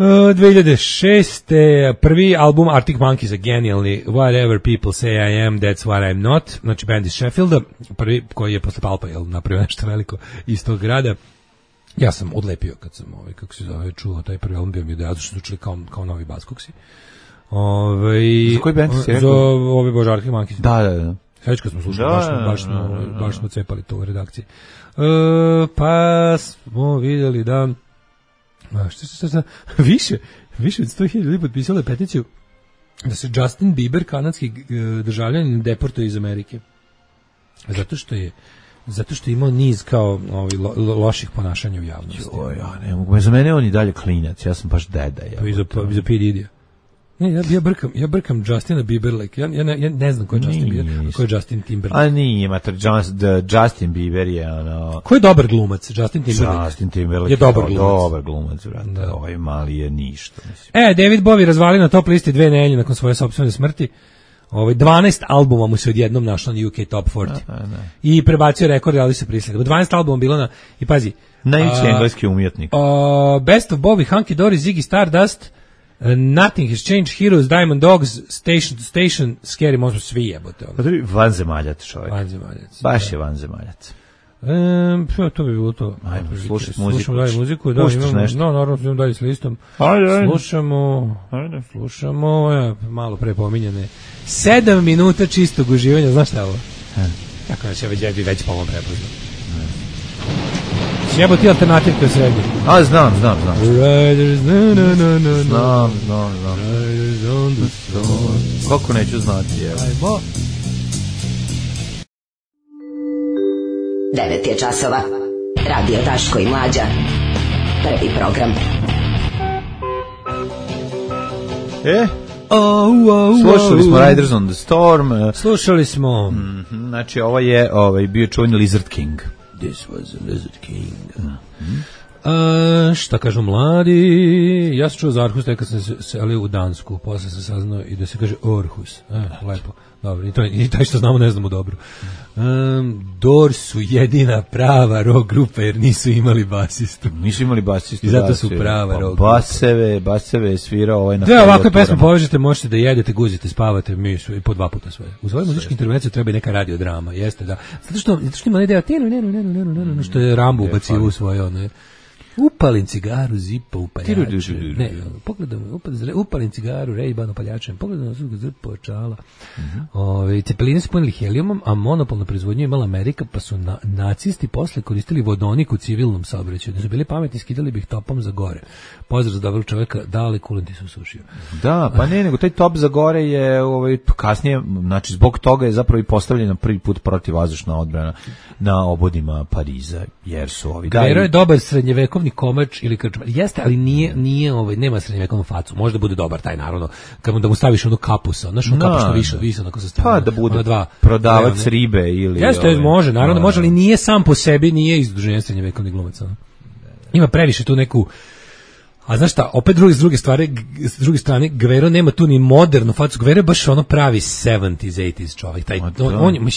2006. Prvi album Arctic Monkeys, genijalni Whatever People Say I Am, That's What I'm Not, znači band iz Sheffielda, prvi koji je posle Palpa napravio nešto veliko iz tog grada. Ja sam odlepio kad sam kako se zove, čuo taj prvi album, bio mi ideja, zato što su čuli kao novi Buzzcocksi. Za koji band si rekao? Za ovi Bože Arctic Monkeys. Da. Sveći kad smo slušali, baš smo cepali to u redakciji. Pa smo vidjeli da šta, više od 100.000 ljudi potpisalo peticiju da se Justin Bieber, kanadski državljanin, deportuje iz Amerike. Zato što je imao niz kao loših ponašanja u javnosti. Ne mogu, za mene on i dalje klinac, ja sam baš deda. Za P. Didija. Ne, ja brkam Justina Bieber, ja ne znam ko je Justin Bieber, ko je Justin Timberlake. A nije, mater, Justin Bieber je ono... Ko je dobar glumac? Justin Timberlake. Justin Timberlake je dobar glumac, brate. Da. Ovaj mali je ništa. Mislim. David Bowie razvali na top listi 2 nedelje nakon svoje sopstvene smrti. 12 albuma mu se odjednom našlo na UK Top 40. I prebacio rekord, ali se prisledilo. 12 albuma bilo na... I pazi... Najveći engleski umjetnik. Best of Bowie, Hunky Dory, Ziggy Stardust... Nothing Has Changed, Heroes, Diamond Dogs, Station to Station, Scary Monsters, svi jebote. Vanzemaljac čovjek. Vanzemaljac. Baš je vanzemaljac. To bi bilo to. Ajde, slušaj muziku. Slušamo dalje muziku. Da, naravno, idemo dalje s listom. Slušamo, malo pre pominjane. 7 minuta čistog uživanja, znaš šta je ovo? Kako nas je već po ovom prepoznao. Sjebo ti alternativ koji je srednji. A, znam. Znam. Kako neću znati, evo. 9 je časova. Radio Daško i Mlađa. Prvi program. Slušali smo Riders on the Storm. Slušali smo. Znači, ovo je bio čuveni Lizard King. This was a Lizard King. Šta kažu mladi? Ja sam čuo za Arhus, kad sam se selio u Dansku, posle sam saznao i da se kaže Orhus. Lepo. Dobro, i taj što znamo ne znamo dobro. Doors su jedina prava rock grupa jer nisu imali basistu. I zato su prava rock grupa. Baseve je svirao na... Da, ovakve pesme povežete, možete da jedete, guzite, spavate, mi su i po 2 puta sve. Uz ovoj muzički intervenciju treba i neka radiodrama, jeste da. Zato što ima ne deo što je Rambo ubacio u svoje one... Upalim cigaru, zipa upaljačem. Ne, pogledam, upalim cigaru, Ray-Ban upaljačem. Pogledam zipa očala. Cepeline su punili helijumom, a monopol na proizvodnju imala Amerika, pa su nacisti posle koristili vodonik u civilnom saobraćaju. Da su bili pametni, skidali bi ih topom za gore. Pozdrav za dobrog čoveka, dale kulenti su sušio. Da, pa nego taj top za gore je kasnije, znači zbog toga je zapravo i postavljena prvi put protivvazdušna odbrana na obodima Pariza, jer su ovi... Gajero je dobar srednjevekovni komač ili krčmar. Jeste, ali nije nema srednjevekovnu facu. Možda bude dobar taj, naravno, da mu staviš onu kapusa, znaš, ono kapu što više onako se stavi. Pa da bude prodavac ribe ili... Jeste, može, naravno može, ali nije sam po sebi, nije iz udruženja srednjevekovnih glumaca. Ima previše tu neku... A znaš šta, opet s druge strane, Gvero nema tu ni modernu facu. Gvero je baš ono pravi 70s, 80s čovjek.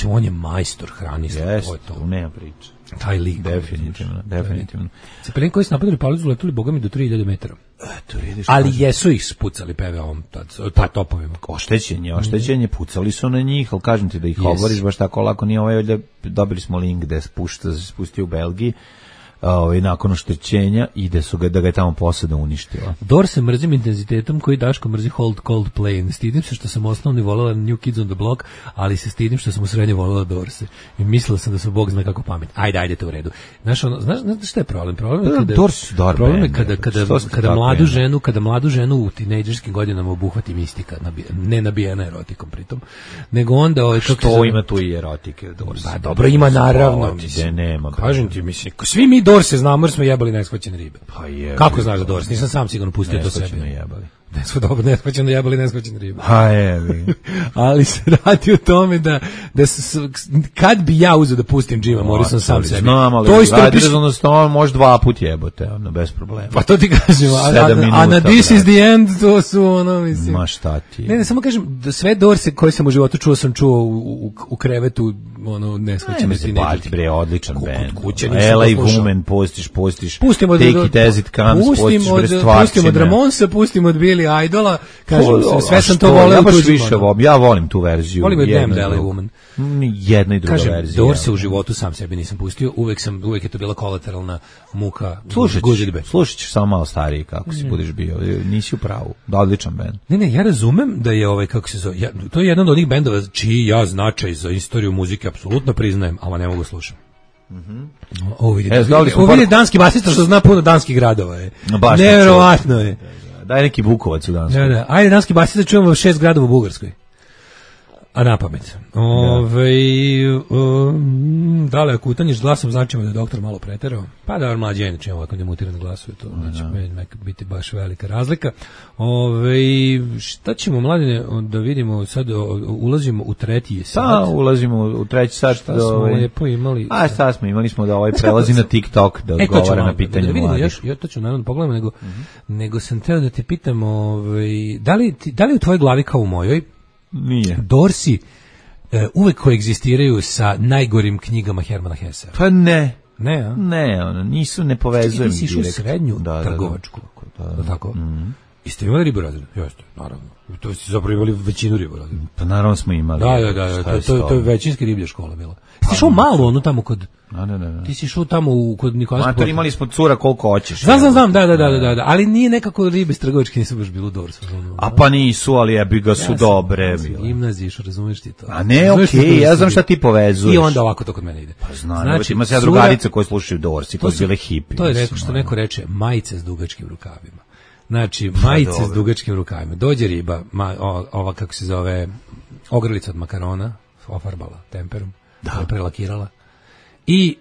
On je majstor hranista. Jeste, to nema priče. Taj lik. Definitivno. Cepelin koji su napadali Palicu letuli bogami do 3000 metara. Ali jesu ih spucali PV-om, topovima. Oštećenje, pucali su na njih, ali kažem ti da ih oboriš baš tako lako nije dobili smo link gde se spustio u Belgiji. Nakon oštećenja i da ga je tamo posada uništila. Doors se mrzim intenzitetom koji Daško mrzi Hold Cold Play. Stidim se što sam osnovni voljela New Kids on the Block, ali se stidim što sam u srednje voljela Doorse. I mislila sam da su Bog zna kako pamet. Ajde, to u redu. Znaš šta je problem? Problem je kada mladu ženu u tinejdžerskim godinama obuhvati mistika, ne nabijena erotikom pritom, nego onda... Što ima tu i erotike? Pa dobro, ima naravno. Kažem ti, mislim, svi mi Dorse znamo jer smo jebali neshvaćene ribe. Pa je. Kako znaš za Dors? Nisam sam sigurno pustio to sebi. Neshvaćeno jebali, neshvaćeno riba. Ali se radi o tome da kad bi ja uzeo da pustim Jima Morrison sam sebi, to isto on može 2 puta jebote, bez problema. Pa to ti kažem, a na This is the End to su ono, mislim. Ma šta ti? Ne, samo kažem, da sve Dorse koje sam u životu čuo, sam čuo u krevetu, ono, neshvaćeno ti neđe. Bre, odličan band. LA Woman, postiš. Pustimo Take It As It Comes, postiš bre stvarčine. Pustimo od Ramonsa, pustimo od Billy Idola, kažem, sve sam to voleo. Ja volim tu verziju. Volim je Damned LA Woman. Jedna i druga verzija. Kažem, Dorse u životu sam sebi nisam pustio, uvek je to bila kolateralna muka. Slušat ćeš samo malo stariji kako si budeš bio, nisi u pravu, da odličan band. Ne, ja razumem da je kako se zove, to je jedan od onih bendova čiji ja značaj za istoriju muzike apsolutno priznajem, ali ne mogu slušati. Ovo je danski basista što zna puno danskih gradova. Nevjerovatno je. Daj neki Bukovac u Danskoj. Da. Ajde, danski basista čujemo 6 gradova u Bugarskoj. A na pamet. Da li ako utanjiš glasom, znači da je doktor malo preterao. Pa da, mlađe inače ovako demutiran glasuje, to znači biti baš velika razlika. Šta ćemo, Mladine, da vidimo sad, ulazimo u treći sat. Pa, ulazimo u treći sat. Šta smo lijepo imali? Šta smo imali smo da prelazi na TikTok, da odgovara na pitanje mladih. Ja to ću naravno pogledam, nego sam teo da te pitam, da li u tvojoj glavi kao u mojoj nije Dorsi uvek koegzistiraju sa najgorim knjigama Hermana Hessa? Pa ne. Ne, nisu, ne povezujem. Ti si išao u srednju trgovačku. Da. Tako? I ste imali riborazred? Jeste, naravno. To ste zapravo imali većinu riborazred. Pa naravno smo imali. Da. To je većinska riblja škola bila. Ti si išao malo, ono tamo kod... Da. Ti si išao tamo kod Nikolasa. Mator, imali smo cura koliko hoćeš. Znam, da. Ali nije nekako ribe s trgovačke, nisu baš bilo dobro. A pa nisu, ali jebi ga su dobre. Ja sam gimnaziji išao, razumiješ ti to. A ne, okej, ja znam šta ti povezuješ. I onda ovako to kod mene ide. Pa znam, znači, ima se drugarice koje slušaju Dorsi, koje su bile hipi. To je rekao što neko reče, majice s dugačkim rukavima. Znači, majice s dugačkim rukavima. Dođe riba, ova kako se zove, ogrlica od makarona, ofarbala temperom, prelakirala. I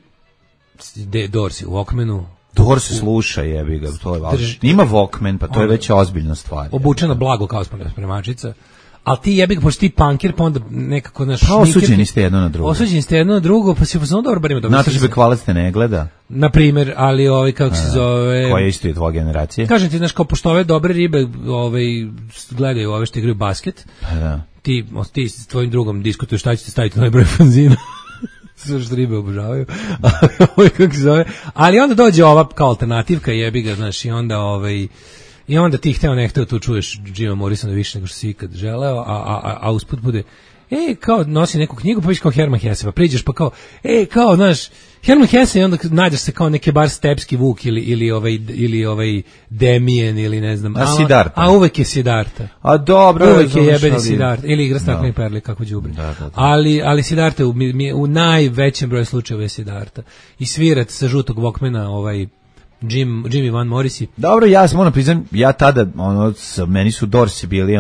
Dorsi u Walkmanu. Dorsi sluša, jebi ga, to je važno. Ima Walkman, pa to je već ozbiljna stvar. Obučena blago kao spremačica. Ali ti jebi ga, pošto ti punkir, pa onda nekako naš... Pa osuđeni ste jedno na drugo. Pa si pozvano dobro bar ima dobro. Nataša Bekvalac te ne gleda. Naprimjer, ali kako se zove... Koja je isto je tvoja generacija? Kažem ti, znaš, kao pošto ove dobre ribe gledaju ove što igraju basket, ti s tvojim drugom diskutuješ šta ćete staviti na najbroj fanzina. Sve što ribe obožavaju. Kako se zove? Ali onda dođe ova kao alternativka, jebi ga, znaš, i onda ti hteo ne hteo tu čuješ Jima Morrisona više nego što si ikad želeo, a usput bude kao nosi neku knjigu, pa viš kao Herman Hesse, pa priđeš pa kao, kao, znaš, Herman Hesse i onda nađeš se kao neke bar Stepski Vuk ili ovaj Damien ili ne znam. A uvek je Siddhartha. A dobro. Uvek je jebeni Siddhartha. Ili igra stakleni perli, kako đubre. Ali Siddhartha u najvećem broju slučajeva je Siddhartha. I svirat sa žutog Walkmana, Jimmy Van Morrisi. Dobro, ja se moram priznam, ja tada, meni su Dorsi bili,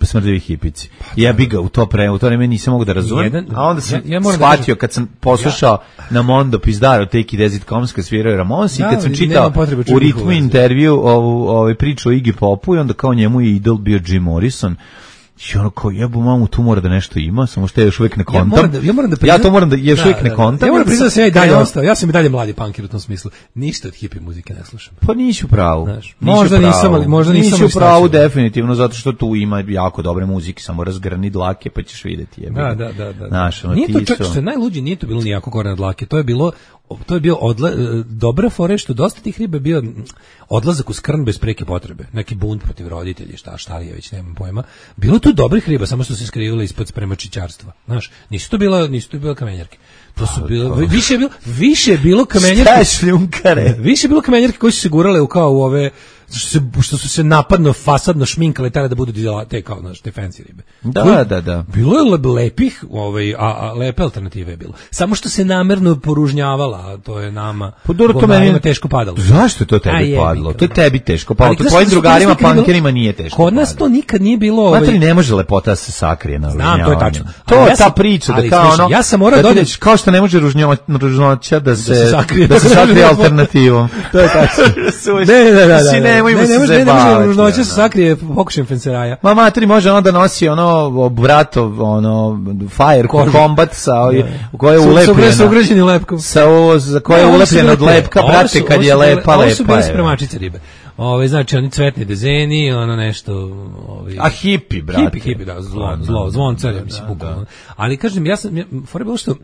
smrdevi hipici. Ja bi ga u to vreme nisam mogu da razumem, a onda sam shvatio kad sam poslušao na Mondo Pizdaro Take It As It Comes kad svirao Ramones i kad sam čitao u ritmu intervju ovu priču o Iggy Popu i onda kao njemu je idol bio Jim Morrison. I kao jebu mamu, tu mora da nešto ima, samo što je još uvijek ne kontam. Ja to moram da još uvijek ne kontam. Ja moram priznati da sam ja i dalje ostao. Ja sam i dalje mladi punkir u tom smislu. Ništa od hippie muzike ne slušam. Pa nisi u pravu. Možda nisam. Nisi u pravu definitivno, zato što tu ima jako dobre muzike, samo razgrni dlake pa ćeš vidjeti. Da. Nije to čak što je najluđe, nije to bilo nijako gore na dlake. To je bio dobra fora što dosta tih riba bio odlazak u skrn bez preke potrebe, neki bunt protiv roditelji, šta li je već, nemam pojma. Bilo tu dobrih riba, samo što se skrivile ispod spremačićarstva. Znaš, nisu to bile kamenjarke. To su bilo više je bilo kamenjarke. Više je bilo kamenjarke koji su se gurale u ove što su se napadno fasadno šminkale tada da budu te kao te fancy ribe. Da. Bilo je lepih, a lepe alternative je bilo. Samo što se namerno poružnjavala, a to je nama. To meni teško padalo. Zašto je to tebi padalo? To je tebi teško padalo. To tvojim drugarima punkerima nije teško. Kod nas to nikad nije bilo. Znate li, ne može lepota se sakrije na ružnjavanju. To je tačno. To je ta priča da kao ja sam morao dodati kao što ne može ružnoća da se sakrije alternativom. To je tačno. nemojmo se zajebavati. Ne može se sakrije pokušajem fenseraja. Ma materi može onda nosi ono bratov ono fire combat sa koje je ulepljeno. Sa ugrađenim lepkom. Za koje je ulepljeno od lepka, brate, kad je lepa. Ovo su bile spremačice ribe. Znači oni cvetni dezeni, ono nešto, a hipi, brate. Hipi, da, zvoncar, mislim, bukvalno. Ali kažem, fora je bilo što,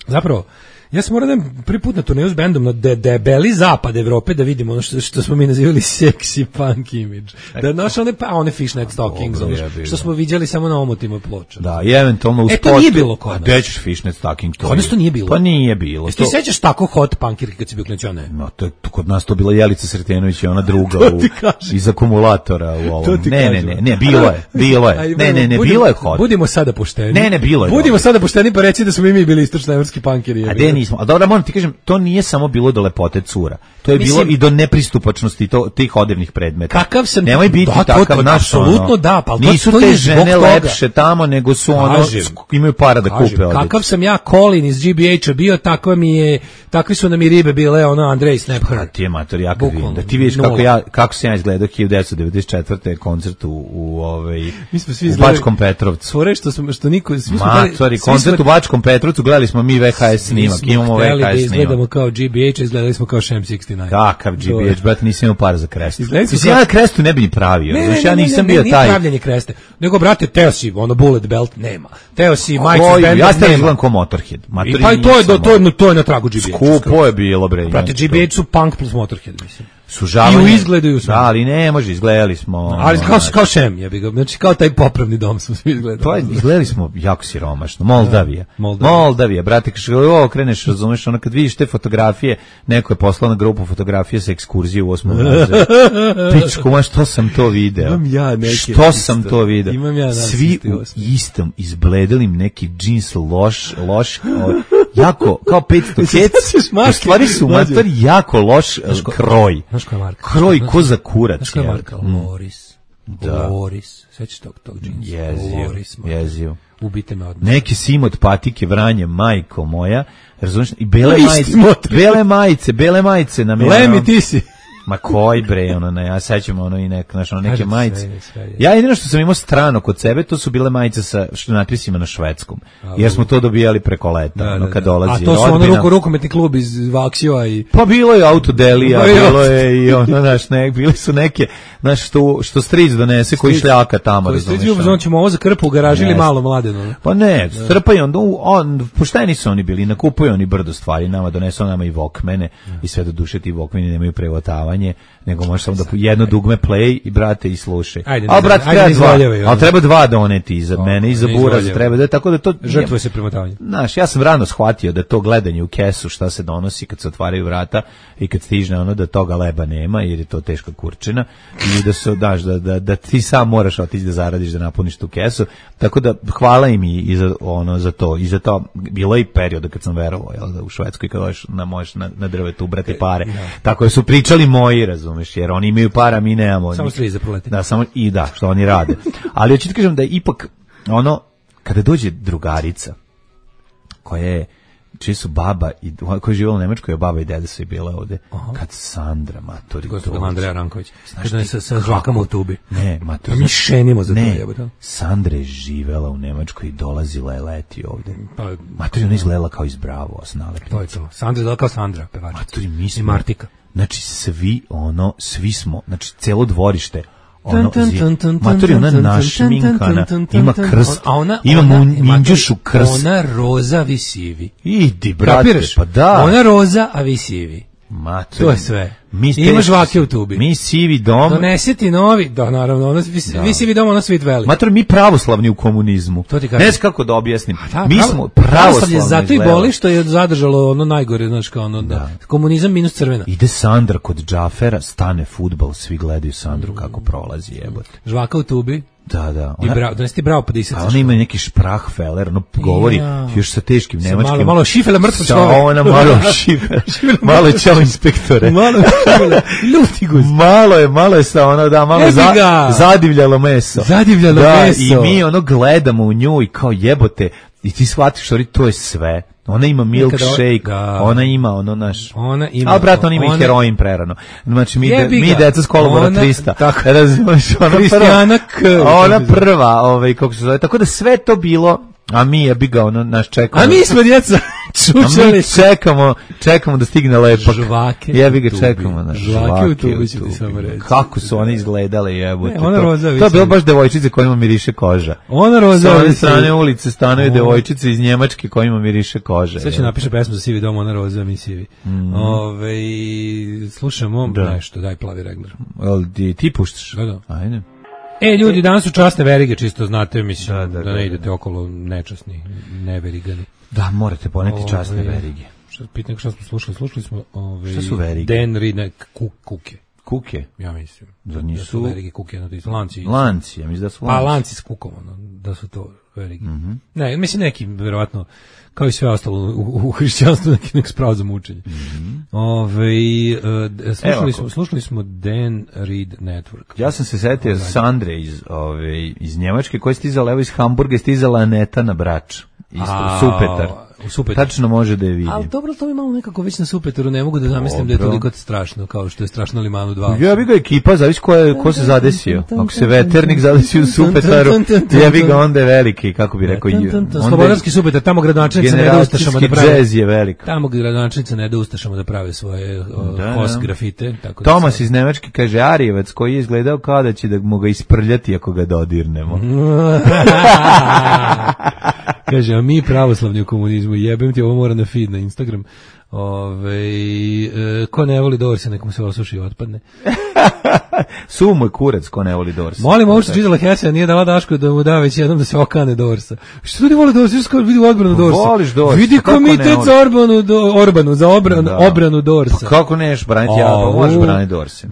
zapravo, ja sam morao da prvi put na turneju s bendom na debeli zapad Evrope da vidimo ono što smo mi nazivali sexy punk image. Da naš one fishnet stockings, što smo viđali samo na omotima ploča. Da, i eventualno u spotu. To nije bilo kod nas. A dećeš fishnet stocking? Kod nas to nije bilo. Pa nije bilo. Ti sećaš tako hot punkirke kad si bio klinac? No, kod nas to bila Jelica Sretenović i ona druga iz akumulatora u ovom. Ne, bilo je. Ne, bilo je hot. Budimo sada pošteni. Ne, bilo je. Budimo sada pošteni pa reći da smo i mi bili istočnoevropski punkeri. A dobro, moram ti kažem, to nije samo bilo do lepote cura. To je bilo i do nepristupačnosti tih odevnih predmeta. Kakav sam... Nemoj biti takav naš, apsolutno da, pa nisu te žene lepše tamo, nego su imaju para da kupe odjeću. Kakav sam ja Colin iz GBH-a bio, takvi su nam i ribe bile, Andrej Snapher. Ti je mater, ja kad vidim, da ti vidiš kako sam ja izgledao 1994. koncert u Bačkom Petrovcu. Svore što niko... Matori, koncert u Bačkom Petrovcu, gledali smo mi VHS snimak, imamo VHS snimak. Izgledamo kao GBH, izgledali smo kao Shem 69. Kakav GBH, brat, nisam imao para za krestu. Mislim, ja krestu ne bi ni pravio. Ja nisam bio taj... Nije pravljanje kreste. Nego, brate, teo si, bullet belt, nema. Teo si, majicu benda, nema. Ja ste izgledam kao Motorhead. Pa i to je na tragu GBH. Skupo je bilo, bre. Brate, GBH su punk plus Motorhead, mislim. Sužavanje. I u izgledu su. Da, ali ne može, izgledali smo. Ali kao Shem, ja bih ga, znači kao taj popravni dom smo svi izgledali. To je, izgledali smo jako siromašno. Moldavija, brate, kreneš, razumeš, ono kad vidiš te fotografije, neko je poslao na grupu fotografije sa ekskurzije u 8. razredu. Pičku, ma što sam to video? Imam ja neke. Što sam to video? Imam ja svi u istom izbledelim neki džins loš, jako, kao 500 kec, u stvari su mater jako loš kroj. Kroj ko za kurac. Znaš koja je marka? Loris. Svećaš tog džinsa? Jezio. Ubite me odmah. Neki sim od patike Vranje, majko moja. Razumiješ? I bele majice na mene. Lemi, ti si. Ma koji bre, ja sećam i neke majice. Ja jedino što sam imao strano kod sebe, to su bile majice sa natpisima na švedskom. Jer smo to dobijali preko leta, kad dolazi. A to su rukometni klub iz Vaksio i... Pa bilo je Autodelija, bilo je i bili su neke, što stric donese, koji šljaka tamo, razumiješ. Koji ćemo ovo za krpu u garaži ili malo mladeno. Pa ne, strpaju, pošteni su oni bili, nakupuju oni brdo stvari, nama donesu nama i Walkmane, i sve do duše ti Walkmani nemaju prevotavanje, nego možeš samo da jedno dugme play i brate i slušaj. A brate treba dva doneti i za mene i za Buraz treba da, tako da to žrtvuje se premotavanje. Znaš, ja sam rano shvatio da to gledanje u kesu šta se donosi kad se otvaraju vrata i kad stižne da toga leba nema jer je to teška kurčina i da se da ti sam moraš otići da zaradiš da napuniš tu kesu. Tako da hvala im i za to i za to bilo je i perioda kad sam verovao da u Švedskoj kad možeš na drvetu ubrati pare. Tako da su pričali moji, razumeš, jer oni imaju para, mi nemamo. Samo striz za proleti. Da, što oni rade. Ali hoću ti kažem da ipak, kada dođe drugarica, čiji su baba, koja je živjela u Nemačkoj, baba i deda su i bile ovde, kad Sandra, matori, gospođa Andreja Ranković, sa žvakama u tubi. Ne, matori. Mi šenimo za to, jebote. Sandra je živela u Nemačkoj i dolazila je leti ovde. Matori, ona izgledala kao iz Bravo, to je to. Sandra je izgledala kao Sandra, pevačica. Matori, mi smo. I Martika. Znači, svi smo, znači, celo dvorište, matori, ona našminkana, ima krst, ima minđušu krst. Ona roza, vi sivi. Idi, brate, pa da. Ona roza, a vi sivi. Matori. To je sve. Ima žvake u tubi. Mi sivi dom. Donesiti novi, da naravno, vi sivi dom, ono svit veli. Matori, mi pravoslavni u komunizmu. To ti kažem. Ne znam kako da objasnim. Mi smo pravoslavni. Zato i boli što je zadržalo najgore, znaš kao komunizam minus crvena. Ide Sandra kod Džafera, stane fudbal, svi gledaju Sandru kako prolazi, jebote. Žvaka u tubi. Da. Donesti bravo pa disati. A ona ima neki Sprachfeller, govori još sa teškim nemačkim. Malo šifela mrtvo čovjek. Ona malo šifela. Malo čao inspektore. Malo šifela. Luti guz. Malo je sa malo zadivljalo meso. Zadivljalo meso. I mi gledamo u nju i kao jebote. I ti shvatiš, to je sve. Ona ima milkshake, ona ima ono naš. Ona ima. A brat, ona ima i heroin prerano. Znači mi deca s kolobora 300. Tako. Razumeš, ona prva, kako se zove. Tako da sve to bilo, a mi je ga ono naš čekamo. A mi smo djeca. A mi čekamo da stigne lepak. Žvake. Jebi ga čekamo. Žvake u tubi ću ti samo reći. Kako su one izgledale, jebote. Ona roza. To je bilo baš devojčice kojima miriše koža. Ona roza. Sa one strane ulice stanuje devojčice iz Njemačke kojima miriše koža. Sve ću napiše pesmu za Sivi dom, ona roza, mi sivi. Slušamo nešto, daj Plavi regler. Ti puštaš? Da. Ajde. Ljudi, danas su časne verige, čisto znate, mislim, da ne idete okolo nečasni, neverigani. Da, morate poneti časne verige. Pitam što smo slušali. Slušali smo šta su verige? Dan Reed, kuke. Kuke? Ja mislim. Zar nisu? Da su verige kuke, lanci. Lanci, ja mislim da su lanci. Pa lanci s kukom, da su to verige. Ne, mislim neki, verovatno, kao i sve ostalo u hrišćanstvu, neki spravo za mučenje. Slušali smo Dan Reed Network. Ja sam se setio Sandre iz Njemačke, koja je stizala, evo iz Hamburga, je stizala Aneta na Brač. Isto, Supetar. Tačno može da je vidi. Ali dobro, to mi malo nekako već na Supetaru, ne mogu da zamislim da je toliko strašno, kao što je strašno Limanu 2. Ja bi ga ekipa, zavisi ko se zadesio. Ako se veternik zadesio u Supetaru, ja bi ga onda je veliki, kako bi rekao. Slobodarski Supetar, tamo gradonačelnica ne da ustašama da prave. Džez je velik. Tamo gradonačelnica ne da ustašama da prave svoje hos grafite. Tomas iz Nemačke kaže, Arijevac koji je izgledao kao da će da mu ga isprljati ako ga dodirnemo. Kaže, a mi pravoslavni u komunizmu, jebem ti, ovo mora na feed, na Instagram. Ko ne voli Dorsa, nekom se osuši i otpadne. Sumo je kurac, ko ne voli Dorsa. Molim, ovo što čitala Hesija, nije dala Daško da mu da već jednom da se okane Dorsa. Što ljudi vole Dorsa? Što vidi odbranu Dorsa? Voliš Dorsa? Vidi komitet za Orbanu, za obranu Dorsa. Pa kako neš braniti možeš braniti Dorsa.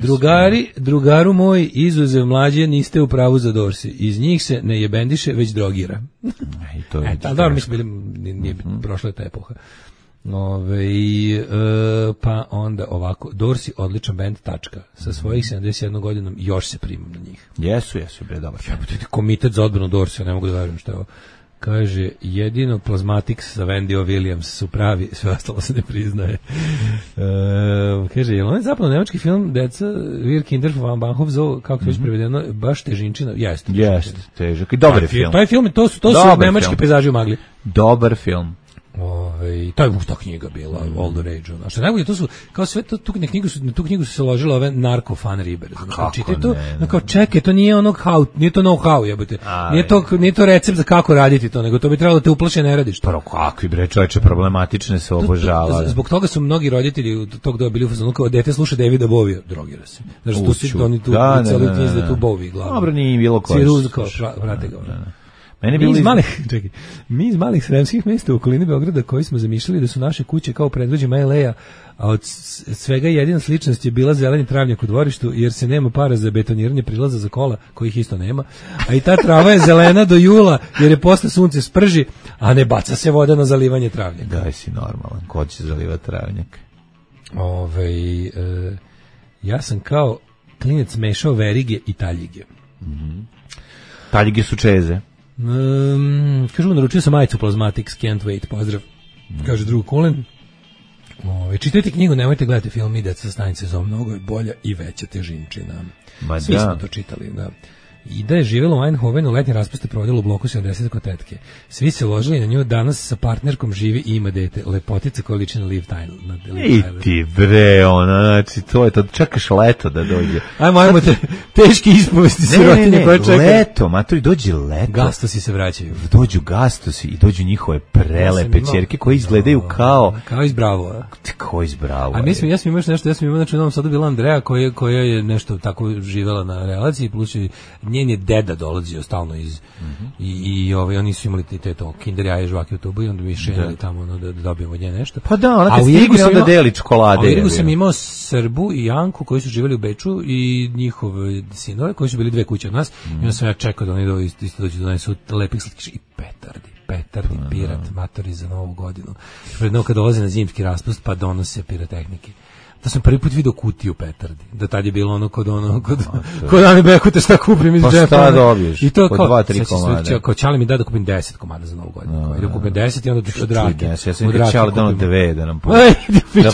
Drugaru moj, izuzev mlađe, niste u pravu za Dorsi. Iz njih se ne jebendiše, već drogira. Dobro, mislim, nije prošla je ta epoha. Pa onda ovako, Dorsi odličan band, tačka. Sa svojih 71 godinom još se primam na njih. Jesu, bre, dobar. Komitet za odbranu Dorsi, ne mogu da verujem što je ovo. Kaže, jedino Plasmatics sa Wendy Williams su pravi, sve ostalo se ne priznaje. Kaže, je li on zapravo nemački film Deca, Wir Kinder von Bahnhof Zoo, kako je već prevedeno, baš težinčina? Jeste, težak. I dobar je film. Taj film, to su nemački pejzaži u magli. Dobar film. To je ta knjiga bila, All the Rage. A što najbolje, to su, kao sve, tu knjigu su se ložile ove narko-fan ribe. Čitaj to, kao čekaj, to nije ono nije to know-how, jebote. Nije to recept za kako raditi to, nego to bi trebalo da te uplaše, ne radiš to. Prvo, kakvi bre, čoveče, problematične se obožavale. Zbog toga su mnogi roditelji tog doba bili u fazonu, kao dete sluša Davida Bovija, drogira se. Znači, tu si, oni tu celu knjizu da tu Bovi glavu. Dobro, nije bilo vrate ga. Mi iz malih sremskih mjesta u okolini Beograda koji smo zamišljali da su naše kuće kao predvođima LA-a, a od svega jedina sličnost je bila zeleni travnjak u dvorištu, jer se nema para za betoniranje prilaza za kola, kojih isto nema, a i ta trava je zelena do jula, jer je posle sunce sprži, a ne baca se voda na zalivanje travnjaka. Daj si normalan, ko će zalivati travnjak? Ja sam kao klinec mešao verige i taljige. Taljige su čeze. Kažu, naručio sam majicu Plasmatics, can't wait, pozdrav. Kaže drug Kulen. Čitajte knjigu, nemojte gledati film Ide sa stanice za mnogo je bolja i veća težinčina. Svi smo to čitali, da. I da je živjela u Eindhovenu, letnje raspuste provodila u bloku 70 kod tetke. Svi se ložili na nju, danas sa partnerkom živi i ima dete. Lepotica koja liči na Liv Tyler. I ti bre, znači to je to, čekaš leto da dođe. Ajmo te teški ispovesti sirotinje koje čeka. Leto, maturi, dođe leto. Gastosi se vraćaju. Dođu gastosi i dođu njihove prelepe ćerke koje izgledaju kao iz Bravo. Kao iz Bravo. A ja sam imao nešto, znači u Novom Sadu bila Andreja koja je nešto tako živela na relaciji, plus njen je deda dolazio stalno iz i oni su imali te to kinder jaje žvake u tubu i onda mi šenjali tamo da dobijemo od nje nešto. Pa da, ona kad stigne onda deli čokolade. A u Irigu sam imao Srbu i Janku koji su živjeli u Beču i njihove sinove koji su bili 2 kuće od nas i onda sam ja čekao da oni isto dođu da donesu lepih slatkiša i petardi, pirat, matori za novu godinu. Predno kad dolaze na zimski raspust pa donose pirotehnike. da sam prvi put video kutiju petardi. Da tad je bilo ono kod Ane Bekute šta kupim iz džepa. Pa šta dobiješ? I to po kao 2-3 komada. Kao Čale mi da kupim 10 komada za Novu godinu. Da kupim 10 i onda od Rake. Ja sam rekao Čale da ono 2 da nam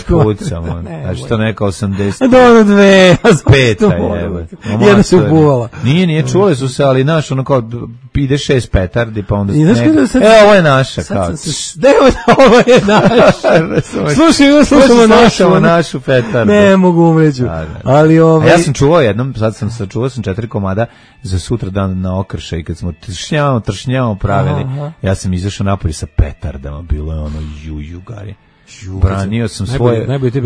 pucamo. Znači to neka 80. Da ono 2. 5. Jedna se ubuvala. Nije, čule su se, ali naš ono kao ide 6 petardi, pa onda ovo je naša. Ovo je naša. Slušamo našu petardu. Ne mogu umreću. Ali ja sam čuvao jednom, sad sam sačuvao 4 komada za sutra dan na Okršaj, kad smo tršnjavamo pravili. Ja sam izašao napolje sa petardama, bilo je ono jugari.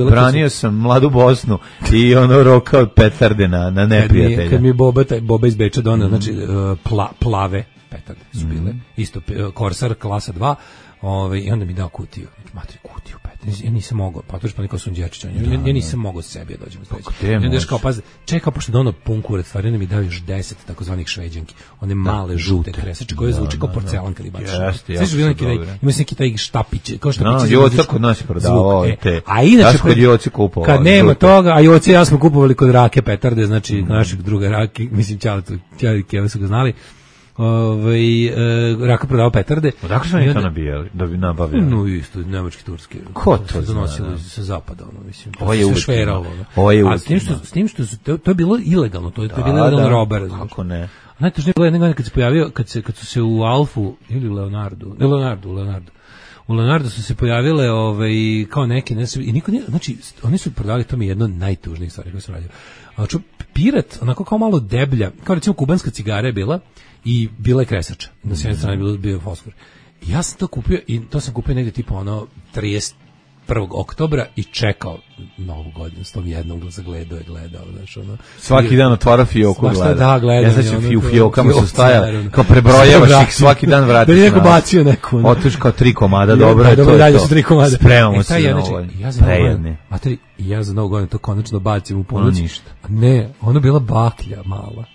Branio sam mladu Bosnu i ono rokao petarde na neprijatelja. Kad mi Boba iz Beča doneo, znači plave petarde su bile, isto Korsar klasa 2, i onda mi dao kutiju. Matri, kutiju petarde. Ja nisam mogao, pa to je pa Sun Đerčić. Ja nisam mogao sebi da dođem. I onda još kao, pazi, čekao pošto da ono pun kurac, stvari, onda mi dao još 10 takozvanih šveđanki. One male žute kresače koje zvuče kao porcelan kad ih baciš. Sve su bili ima se neki taj štapić, kao štapići. Joca kod nas je prodavao te. A inače kod Joci kupovao. Kad nema toga, a Joci ja smo kupovali kod Rake petarde, znači našeg druga Rake, mislim Ćale i Keva su ga znali. Raka prodao petarde. Odakle su oni to nabijali, da bi nabavljali? No isto, nemački, turski. Ko to donosili sa zapada, mislim. Ovo je šveralo. A s tim što to je bilo ilegalno, to je bilo ilegalno roba. Kako ne? Najtužnije bilo jedne godine kad se pojavio, kad su se u Alfu ili u Leonardu su se pojavile kao neke, i niko nije, znači oni su prodavali, to mi je jedno od najtužnijih stvari koje sam radio. Pirat, onako kao malo deblja, kao recimo kubanska cigara je bila i bila je kresača. Na s jedne strane bio fosfor. I ja sam to kupio i to sam kupio negdje tipa 31. oktobra i čekao Novu godinu, s tom jednom zagledao, znaš, ono. Svaki dan otvarao fioku, gleda. Da, gledam. Ja znači u fiokama su stajali, kao prebrojavaš ih, svaki dan vratiš. Da je neko bacio neku. Otiš kao 3 komada, dobro je to. Dobro, dalje su 3 komada. Spremamo se na ovo. Ja za Novu godinu to konačno bacim u ponoć. Ne, ono bila baklja mala.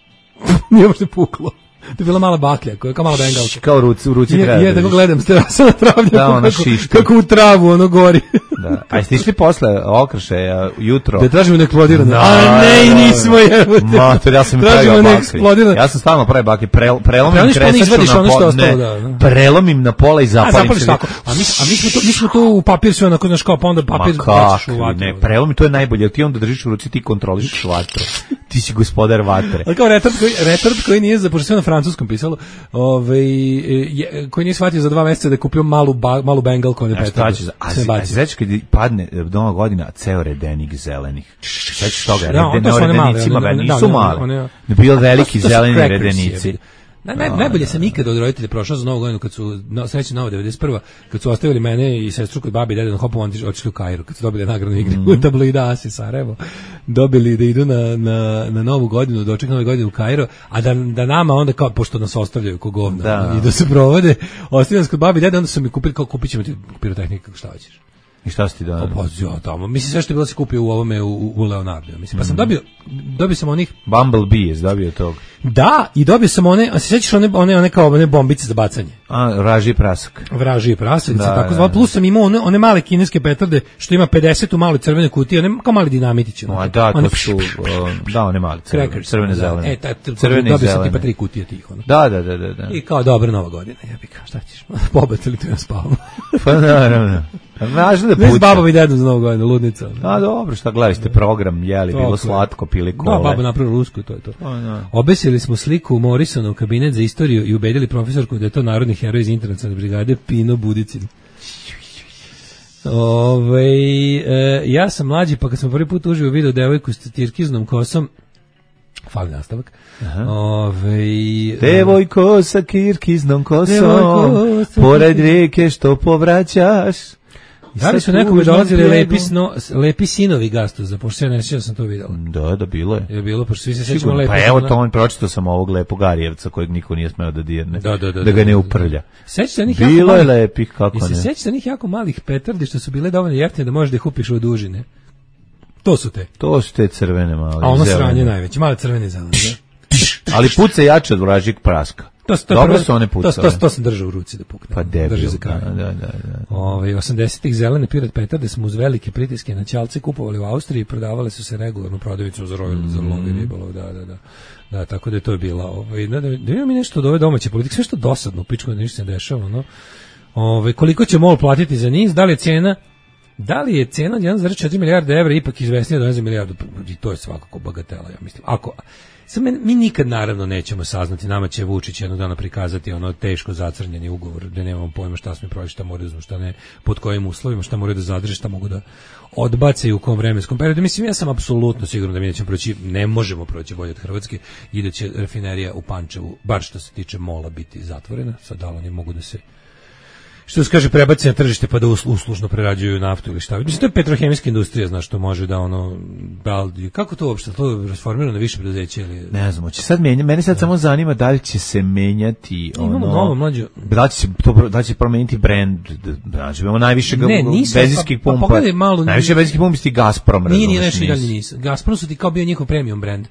Nije uopšte puklo. To je bila mala baklja, kao mala bengalka. Kao u ruci treba. Ja tako gledam, sa na travnjaku, kako u travu ono gori. Da. A jeste išli posle Okršaja jutro? Da tražimo neeksplodirane. A ne, nismo jebote. Mater, ja sam pravio bakli. Ja sam stalno pravio bakli. Prelomim kresaču na pola. Prelomim na pola i zapalim se. A mi smo to u papir sve onako, znaš, kao pa onda papir baciš u vatru. Ne, prelomim, to je najbolje. Ti onda držiš u ruci, ti kontroliš vatru. Ti si gospodar vatre. Ali kao retard koji nije, pošto sve na francuskom pisalo, koji nije shvatio za 2 mjeseca da je kupio malu bengalku, on je petardu. A sveći kad padne Nova godina, ceo redenik zelenih. Sveći toga, redenicima nisu mali. Ne bio veliki zeleni redenici. Najbolje sam ikada od roditelja prošao za Novu godinu, kad su, srećna Nova 91. kad su ostavili mene i sestru kod babi i dede na Hopovom, otišli u Kairu, kad su dobili nagradnu igru u tabloida Asi Sarajevo, dobili da idu na Novu godinu, doček Nove godine u Kairu, a da nama onda, kao, pošto nas ostavljaju ko govna i da se provode, ostavili nas kod babi i dede, onda su mi kupili, kao kupit ćemo ti pirotehnika, šta hoćeš. I šta si ti dao? Tamo. Mislim, sve što je bilo se kupio u ovome u Leonardu. Mislim, pa sam dobio sam onih... Bumblebee je dobio tog. Da, i dobio sam one, a se sjećaš one kao one bombice za bacanje? Vražiji prasak. Vražiji prasak, tako zvalo. Plus sam imao one male kineske petarde, što ima 50 u maloj crvene kutije, one kao mali dinamitići. Da, to su, one mali crvene zelene. Dobio sam tipa 3 kutije tih. Da. I kao dobra Nova godina, jebika, šta ćeš? Pobacili tu ja spavam. Pa naravno. Važno da puca. Ne s babom i dedom za Novu godinu, ludnica. A dobro, šta gledali ste program, jeli, bilo slatko, pili kole. Da, baba napravila rusku, to je to. Obesili smo sliku Morrisona u kabinet za istoriju i ubedili profesorku da je to narodni heroj iz internacionalne brigade Pino Budicin. Ja sam mlađi, pa kad sam prvi put uživo video devojku s tirkiznom kosom, fali nastavak. Devojko sa kirkiznom kosom, pored rijeke što povraćaš. Da li su nekome dolazili lepi sinovi Gastuza, pošto ja ne sjećam sam to vidjela. Da, bilo je. Je bilo, pošto svi se sjećamo lepo. Pa evo to, pročitao sam ovog lepog Arijevca kojeg niko nije smeo da dirne, da ga ne uprlja. Bilo je lepih, kako ne. I se sjećate onih jako malih petardi što su bile dovoljno jeftine da možeš da ih kupiš u dužine. To su te crvene male. A ono sranje najveće, male crvene zelene. Ali puca jače od vražjeg praska. Dobro su one pucale. To sam držao u ruci da pukne. Pa debil. Drži za kraj. Da. 80-ih zelene Pirat petarde smo uz velike pritiske na ćalce kupovali u Austriji i prodavale su se regularno prodavicom za lovi ribolov, da, tako da je to bila. Da imamo mi nešto od ove domaće politike, sve što dosadno, pičko da ništa se dešava, no. Koliko će MOL platiti za NIS, da li je cena od 1,4 milijarde evra ipak izvesnija do 1 milijardu, i to je svakako bagatela, ja mislim. Mi nikad naravno nećemo saznati, nama će Vučić jednog dana prikazati ono teško zacrnjeni ugovor, da nemamo pojma šta smo prošli, šta moraju da uzmu, šta ne, pod kojim uslovima, šta moraju da zadrže, šta mogu da odbace i u kom vremenskom periodu. Mislim, ja sam apsolutno siguran da mi nećemo proći, ne možemo proći bolje od Hrvatske i da će rafinerija u Pančevu, bar što se tiče MOL-a, biti zatvorena. Sad da li oni mogu da se, što se kaže, prebaci na tržište pa da uslužno prerađuju naftu ili šta. Mislim, to je petrohemijska industrija, znaš, što može da kako to uopšte, to je transformirano na više preduzeće ili... Ne znam, će sad mene sad samo zanima da li će se menjati imamo novo mlađe. Da li će promeniti brand, znači imamo najviše benzinskih pumpa. Najviše benzinskih pumpa ti Gazprom, razumiješ. Nije nešto i dalje NIS. Gazprom su ti kao bio njihov premium brand.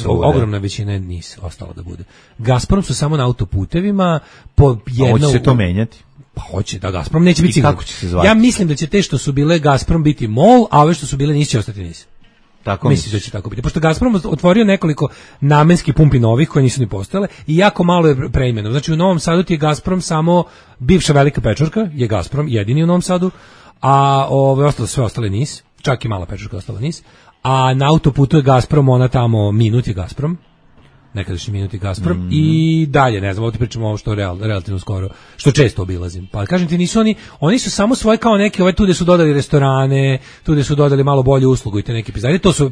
Ogromna većina NIS ostala da bude. Gazprom su samo na autoputevima po jedno... Hoće se to menjati? Pa hoće, da Gazprom neće biti sigurno. Kako će se zvati? Ja mislim da će te što su bile Gazprom biti MOL, a ove što su bile NIS će ostati NIS. Tako mislim da će tako biti. Pošto Gazprom otvorio nekoliko namenskih pumpi novih koje nisu ni postojale i jako malo je preimeno. Znači u Novom Sadu ti je Gazprom samo bivša Velika Pečurka, je Gazprom jedini u Novom Sadu, a sve ostale NIS, čak i mala Pečurka ostala NIS, a na autoputu je Gazprom, ona tamo Minut je Gazprom. Nekadašnji Minut i Gazprom i dalje, ne znam, ovdje pričamo ovo što relativno skoro, što često obilazim. Pa kažem ti, nisu oni su samo svoje kao neke, tu gde su dodali restorane, tu gde su dodali malo bolju uslugu i te neke pizarije, to su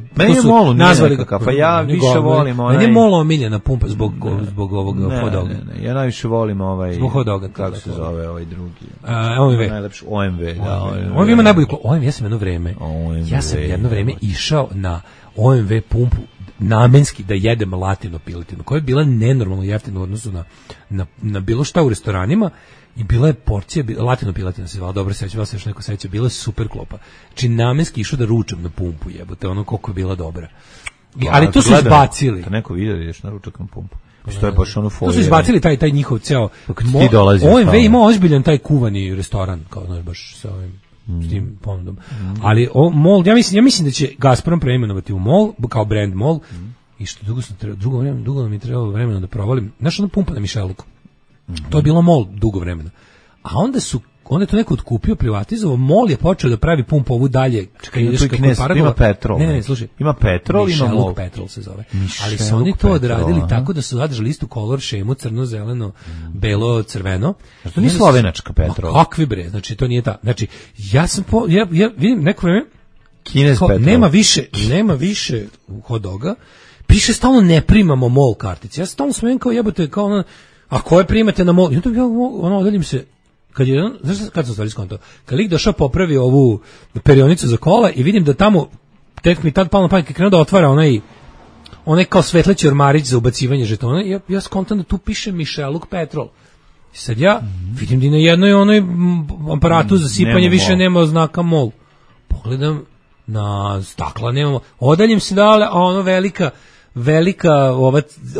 nazvali nekakav, pa ja više volim onaj... Meni je MOL omiljena pumpa zbog ovog hot doga. Ne, ja najviše volim ovaj... Zbog hot doga. Kako se zove ovaj drugi? OMV. Najlepši OMV, da. OMV ima najbolju... ja sam jedno vreme išao na OMV pumpu namenski da jedem latino piletinu, koja je bila nenormalno jeftina u odnosu na bilo šta u restoranima i bila je porcija, latino piletina se zvala, dobro sećam, se još neko seća, bila je super klopa. Znači namenski išao da ručam na pumpu, jebote, ono koliko je bila dobra. Ali to su izbacili. Kad neko vidio da ideš na ručak na pumpu. Što je baš ono to su izbacili taj njihov ceo... OMV ima ozbiljan taj kuvani restoran, kao znaš, baš sa ovim... s tim ponudom. Ali MOL, ja mislim da će Gazprom preimenovati u MOL, kao brand MOL, i što dugo nam je trebalo vremena da provalim. Znaš, ona pumpa na Mišeluku. To je bilo MOL dugo vremena. A onda je to neko otkupio, privatizovao, MOL je počeo da pravi pumpu ovu dalje. Čekaj, ima petrol. Ne, slušaj. Ima petrol, ima MOL. Petrol se zove. Ali su oni to odradili tako da su zadržali istu kolor šemu, crno, zeleno, belo, crveno. To nije slovenačka petrol. Kakvi bre, znači to nije ta. Znači, ja vidim neko vreme, Kinez petrol. Nema više hot doga. Piše stalno ne primamo MOL kartice. Ja stalno smijem kao jebote, kao ono, a koje primate na MOL? Ja odaljim se. Kad sam stvari skonto, kad lik došao popravi ovu perionicu za kola i vidim da tamo, tek mi tad palo na pamet, krenuo da otvara onaj kao svetleći ormarić za ubacivanje žetona, ja skontam da tu piše Mišeluk Petrol. I sad ja vidim da na jednoj onoj aparatu za sipanje više nema znaka MOL. Pogledam na stakla, nemamo. Odaljim se dale, a ono velika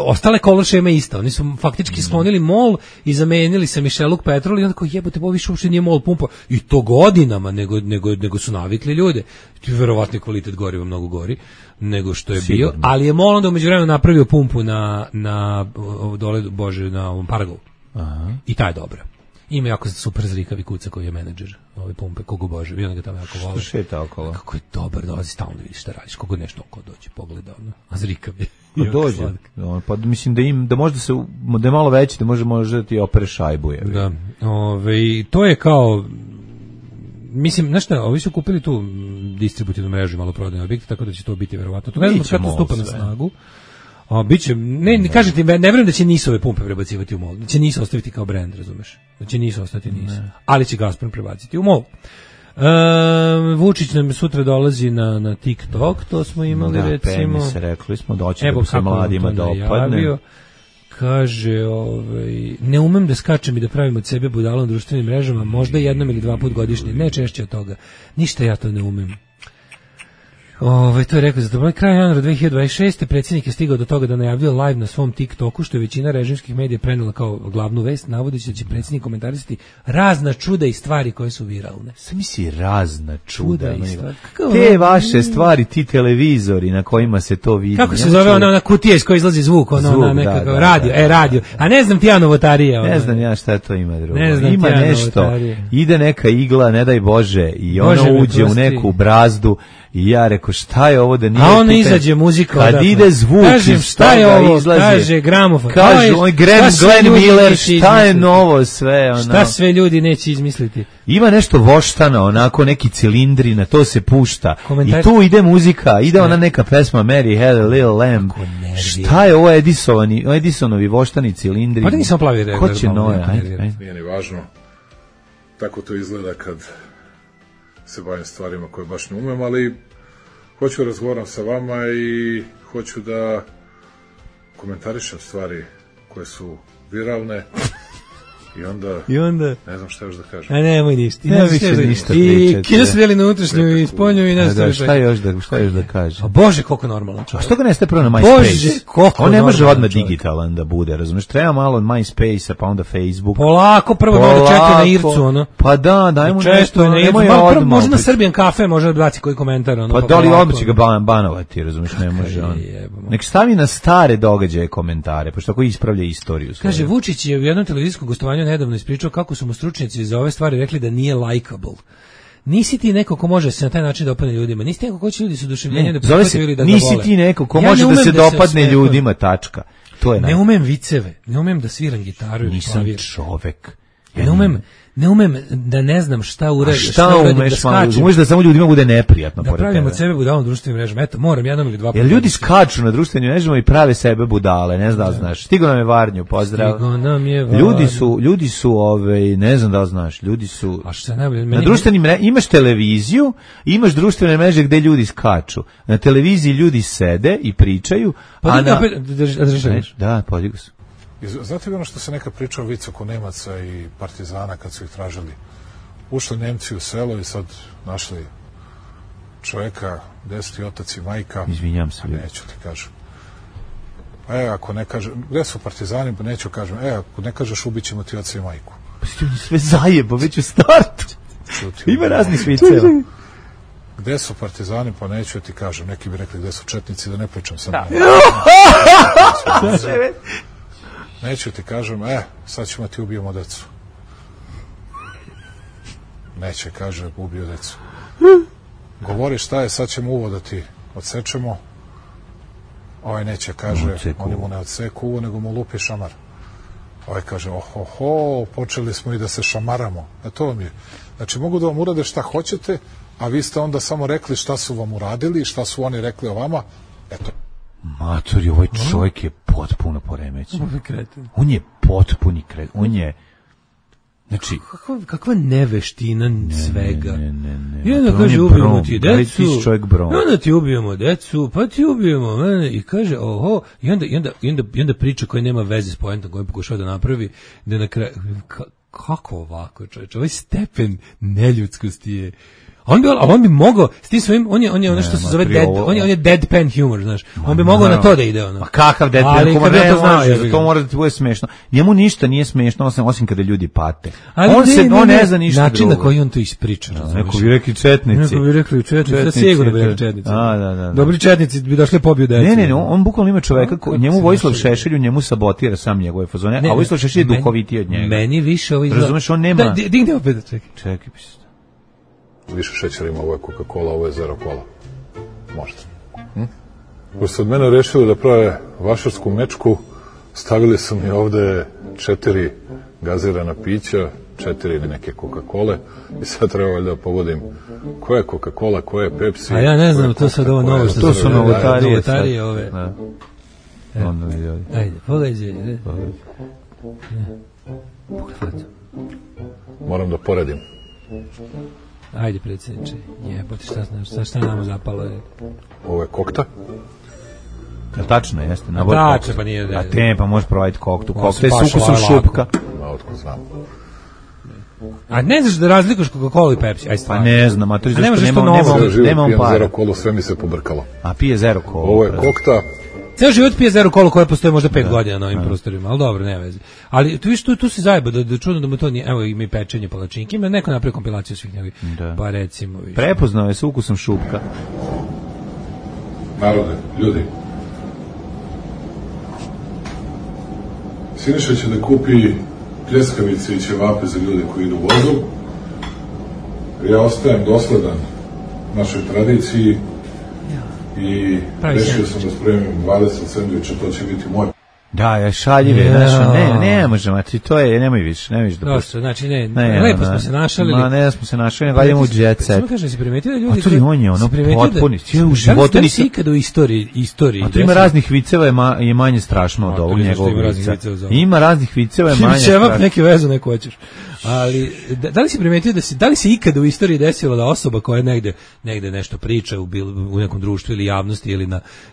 ostale kolor šema ista. Oni su faktički sklonili MOL i zamenili sa Mišeluk Petrol i onda kao jebote, ovo više uopšte nije MOL pumpa. I to godinama, nego su navikli ljude. Verovatno kvalitet goriva mnogo gori nego što je bio. Ali je MOL onda u međuvremenu napravio pumpu na dole, bože, na ovom Paragovu. I ta je dobra. Ima jako super zrikavi kuca koji je menadžer ove pumpe, kogo bože, vi onda ga tamo jako vole. Što šeta okolo? Kako je dobar, dolazi stalno da vidiš šta radiš, kogo nešto oko dođe, pogleda, a zrikav je. Dođe, pa mislim da možda da je malo veći, da može ti opere šajbu. Da, to je kao, mislim, znaš šta, ovi su kupili tu distributivnu mrežu maloprodajne objekte, tako da će to biti verovatno. To ne znam kada to stupa na snagu. Biće, ne kažem ti, ne vjerujem da će NIS ove pumpe prebacivati u MOL, da će NIS ostaviti kao brand, razumeš, da će NIS ostati NIS, ali će Gazprom prebaciti u MOL. Vučić nam sutra dolazi na TikTok, to smo imali recimo. Da, rekli smo doći da se mladima dopadne. Kaže, ne umem da skačem i da pravim od sebe budalo na društvenim mrežama, možda jednom ili dva put godišnje, ne češće od toga, ništa ja to ne umem. To je rekao, za dobro kraj januara 2026. predsjednik je stigao do toga da najavljuje live na svom TikToku, što je većina režimskih medija prenela kao glavnu vest, navodeći da će predsjednik komentarisati razna čuda i stvari koje su viralne. Sam misli razna čuda i stvari. Te vaše stvari, ti televizori na kojima se to vidi. Kako se zove ona kutija iz koje izlazi zvuk, ona nekakav radio, radio. A ne znam ti ja novotarija. Ne znam ja šta to ima drugo. Ima nešto, ide neka igla, ne daj Bože, i ona uđe u neku brazdu. I ja rekao, šta je ovo da nije... A ono izađe muzika. Kad ide zvuk, kažem, šta je ovo, izlazi, kaže gramofon. Kaže, Glenn Miller, šta je novo sve? Ono. Šta sve ljudi neće izmisliti? Ima nešto voštano, onako neki cilindri, na to se pušta. I tu ide muzika, ide ona neka pesma Mary Had a Little Lamb. Šta je ovo Edisonovi voštani cilindri? Pa da nisam plavi Ko će noje? Nije ni važno. Tako to izgleda kad se bavim stvarima koje baš ne umem, ali hoću razgovaram sa vama i hoću da komentarišem stvari koje su viralne i onda ne znam šta još da kažem. A nemoj ništa. Ne više ništa pričati. I kino se deli na unutrašnju i spolnju i nešto. Da, šta još da kaže? A Bože, koliko normalno. A što ga neste prvo na MySpace? Bože, koliko on ne može odmah digitalan da bude, razumiješ? Treba malo od MySpace-a, pa onda Facebook. Polako, prvo da čeka na Ircu, ono. Pa da, dajmo nešto, nemoj odmah. Može na Serbian Cafe, može da baci koji komentar, ono. Pa da li odmah će ga banovati, razumiješ, ne može on. Nek stavi na stare događaje komentare, pošto tako ispravlja istoriju. Kaže, Vučić je u jednom televizijskom gostovanju nedavno ispričao kako su mu stručnjaci za ove stvari rekli da nije likeable. Nisi ti neko ko može se na taj način dopadne ljudima. Nisi ti neko ko će ljudi s oduševljenjem da prihvataju ili da ga vole. Nisi ti neko ko može da se dopadne ljudima, tačka. To je ne umem viceve, ne umem da sviram gitaru ili klavir. Nisam čovek. Ne umem da ne znam šta uradim. Šta umeš, umeš da samo ljudima bude neprijatno. Da pravim od sebe budalom društvenim mrežama. Eto, moram jednom ili dva puta. Jer ljudi skaču na društvenim mrežama i prave sebe budale, ne znam da znaš. Stigo nam je Varnju, pozdrav. Stigo nam je Varnju. Ljudi su ne znam da znaš, ljudi su... A šta najbolje? Na društvenim mrežama imaš televiziju, imaš društvene mreže gde ljudi skaču. Na televiziji ljudi sede i pričaju, a na... Da, podigu se. Znate ono što se neka priča o vic oko Nemaca i partizana kad su ih tražili? Ušli Nemci u selo i sad našli čoveka, deseti otac i majka. Izvinjam se. Neću ti kažem. Ako ne kažem, gde su partizani, pa neću kažem, ako ne kažeš ubit ćemo ti oca i majku. Pa si ti sve zajebo, već u startu. Ima raznih viceva. Gde su partizani, pa neću ti kažem. Neki bi rekli gde su četnici, da ne pričam sam. Neću ti kažem, sad ćemo ti ubijemo decu. Neće, kaže, ubio decu. Govori šta je, sad ćemo uvo da ti odsečemo. Ovaj neće, kaže, oni mu ne odseku uvo, nego mu lupi šamar. Ovaj kaže, počeli smo i da se šamaramo. To vam je. Znači, mogu da vam urade šta hoćete, a vi ste onda samo rekli šta su vam uradili, šta su oni rekli o vama. Eto. Matori, ovaj čovjek je potpuno poremećen. On je potpuni kreten. On je... Znači... Kakva neveština svega. I onda kaže, ubijemo ti decu. Onda ti ubijemo decu, pa ti ubijemo mene. I kaže, i onda priča koja nema veze s poentom koju pokušava da napravi, da na kraju... Kako ovako, čovječe? Ovaj stepen neljudskosti je... On bi mogao s tim svojim, on je ono što se zove on je deadpan humor, znaš. On bi mogao na to da ide ono. Ma kakav deadpan humor, to mora da ti bude smešno. Njemu ništa nije smešno osim kada ljudi pate. On ne zna ništa drugo. Način na koji on to ispriča. Neko bi rekli četnici. Da sigurno bi rekli četnici. Da. Dobri četnici bi došli pobiju decu. Ne, on bukvalno ima čoveka, njemu Vojislav Šešelj, njemu sabotira sam njegove fazone, a Vojislav Šešelj je duhovitiji od njega. Meni više ovo izgleda. Razumeš, on nema. Digni opet, čekaj. Više šećera ima, ovo je Coca-Cola, ovo je Zero Cola. Možda. Pošto su od mene rešili da prave vašarsku mečku, stavili su mi ovde 4 gazirana pića, 4 neke Coca-Cole i sad treba da pogodim koja je Coca-Cola, koja je Pepsi. A ja ne znam, to sad ovo novo što to su novotarije ove. Ajde, pogađaj. Moram da poredim. Ajde, predsjedniče, jebote, šta nama zapalo je? Ovo je kokta. Tačno, jeste. Tačno, pa nije... A te, pa možeš provajiti koktu. Kokta je s ukusom šupka. Otko znam. A ne znaš da razlikuš Coca-Cola i Pepsi? Aj, pa ne znam, a to je zašto nemam para. Zero kolu, sve mi se pobrkalo. A pije zero kolu. Ovo je kokta. Ceo život pije zero kolu koja postoji možda 5 godina na ovim prostorima, ali dobro, ne veze. Ali tu se zajeba da čudno da mu to nije, evo ima i pečenje palačinke, ima neko napravi kompilaciju svih njegovih, pa recimo. Prepoznao je s ukusom šupka. Narode, ljudi. Siniša će da kupi pljeskavice i ćevape za ljude koji idu vozom. Ja ostajem dosledan našoj tradiciji i rešio sam da spremim 20 sendviča, to će biti moj. Da, ja šaljive, ne možemo, to je, nemoj više da pusti. Znači, lepo smo se našali. Ma, ne smo se našali, nego idemo u jet set. Samo kažem, si primetio da ljudi... A to je on je, ono, potpuni. Da li si ikada u istoriji... A to ima raznih viceva, je manje strašno od ovog njegovog vica. Ima raznih viceva, je manje strašno. Čevap neke vezu neko hoćeš. Ali, da li si primetio da li se ikada u istoriji desilo da osoba koja negde nešto priča u nekom društvu ili javnosti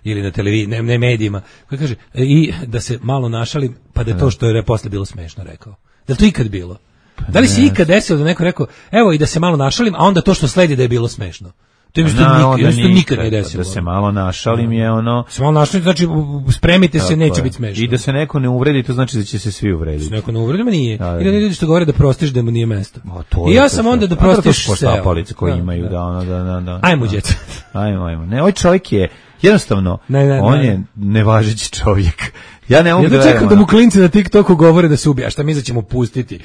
ili na televiziji, ne medijima, koja kaže, i da se malo našalim, pa da je to što je posle bilo smešno rekao. Da li to ikad bilo? Da li se ikad desilo da neko rekao, evo i da se malo našalim, a onda to što sledi da je bilo smešno? To je nikad nije desilo. Da se malo našalim je ono... Se malo našalim, znači spremite se, neće biti smešno. I da se neko ne uvredi, to znači da će se svi uvrediti. Da se neko ne uvredi, ma nije. Ili ljudi što govore da prostiš da mu nije mesto. I ja sam onda da prostiš seo. Poštapalice koji imaju, da. Ajmo, djeca. Ajmo. Ne, ovaj čovjek je, jednostavno, on je nevažeći čovjek. Ja ne mogu da čekam da mu klinci na TikToku govore da se ubija, šta mi da ćemo pustiti.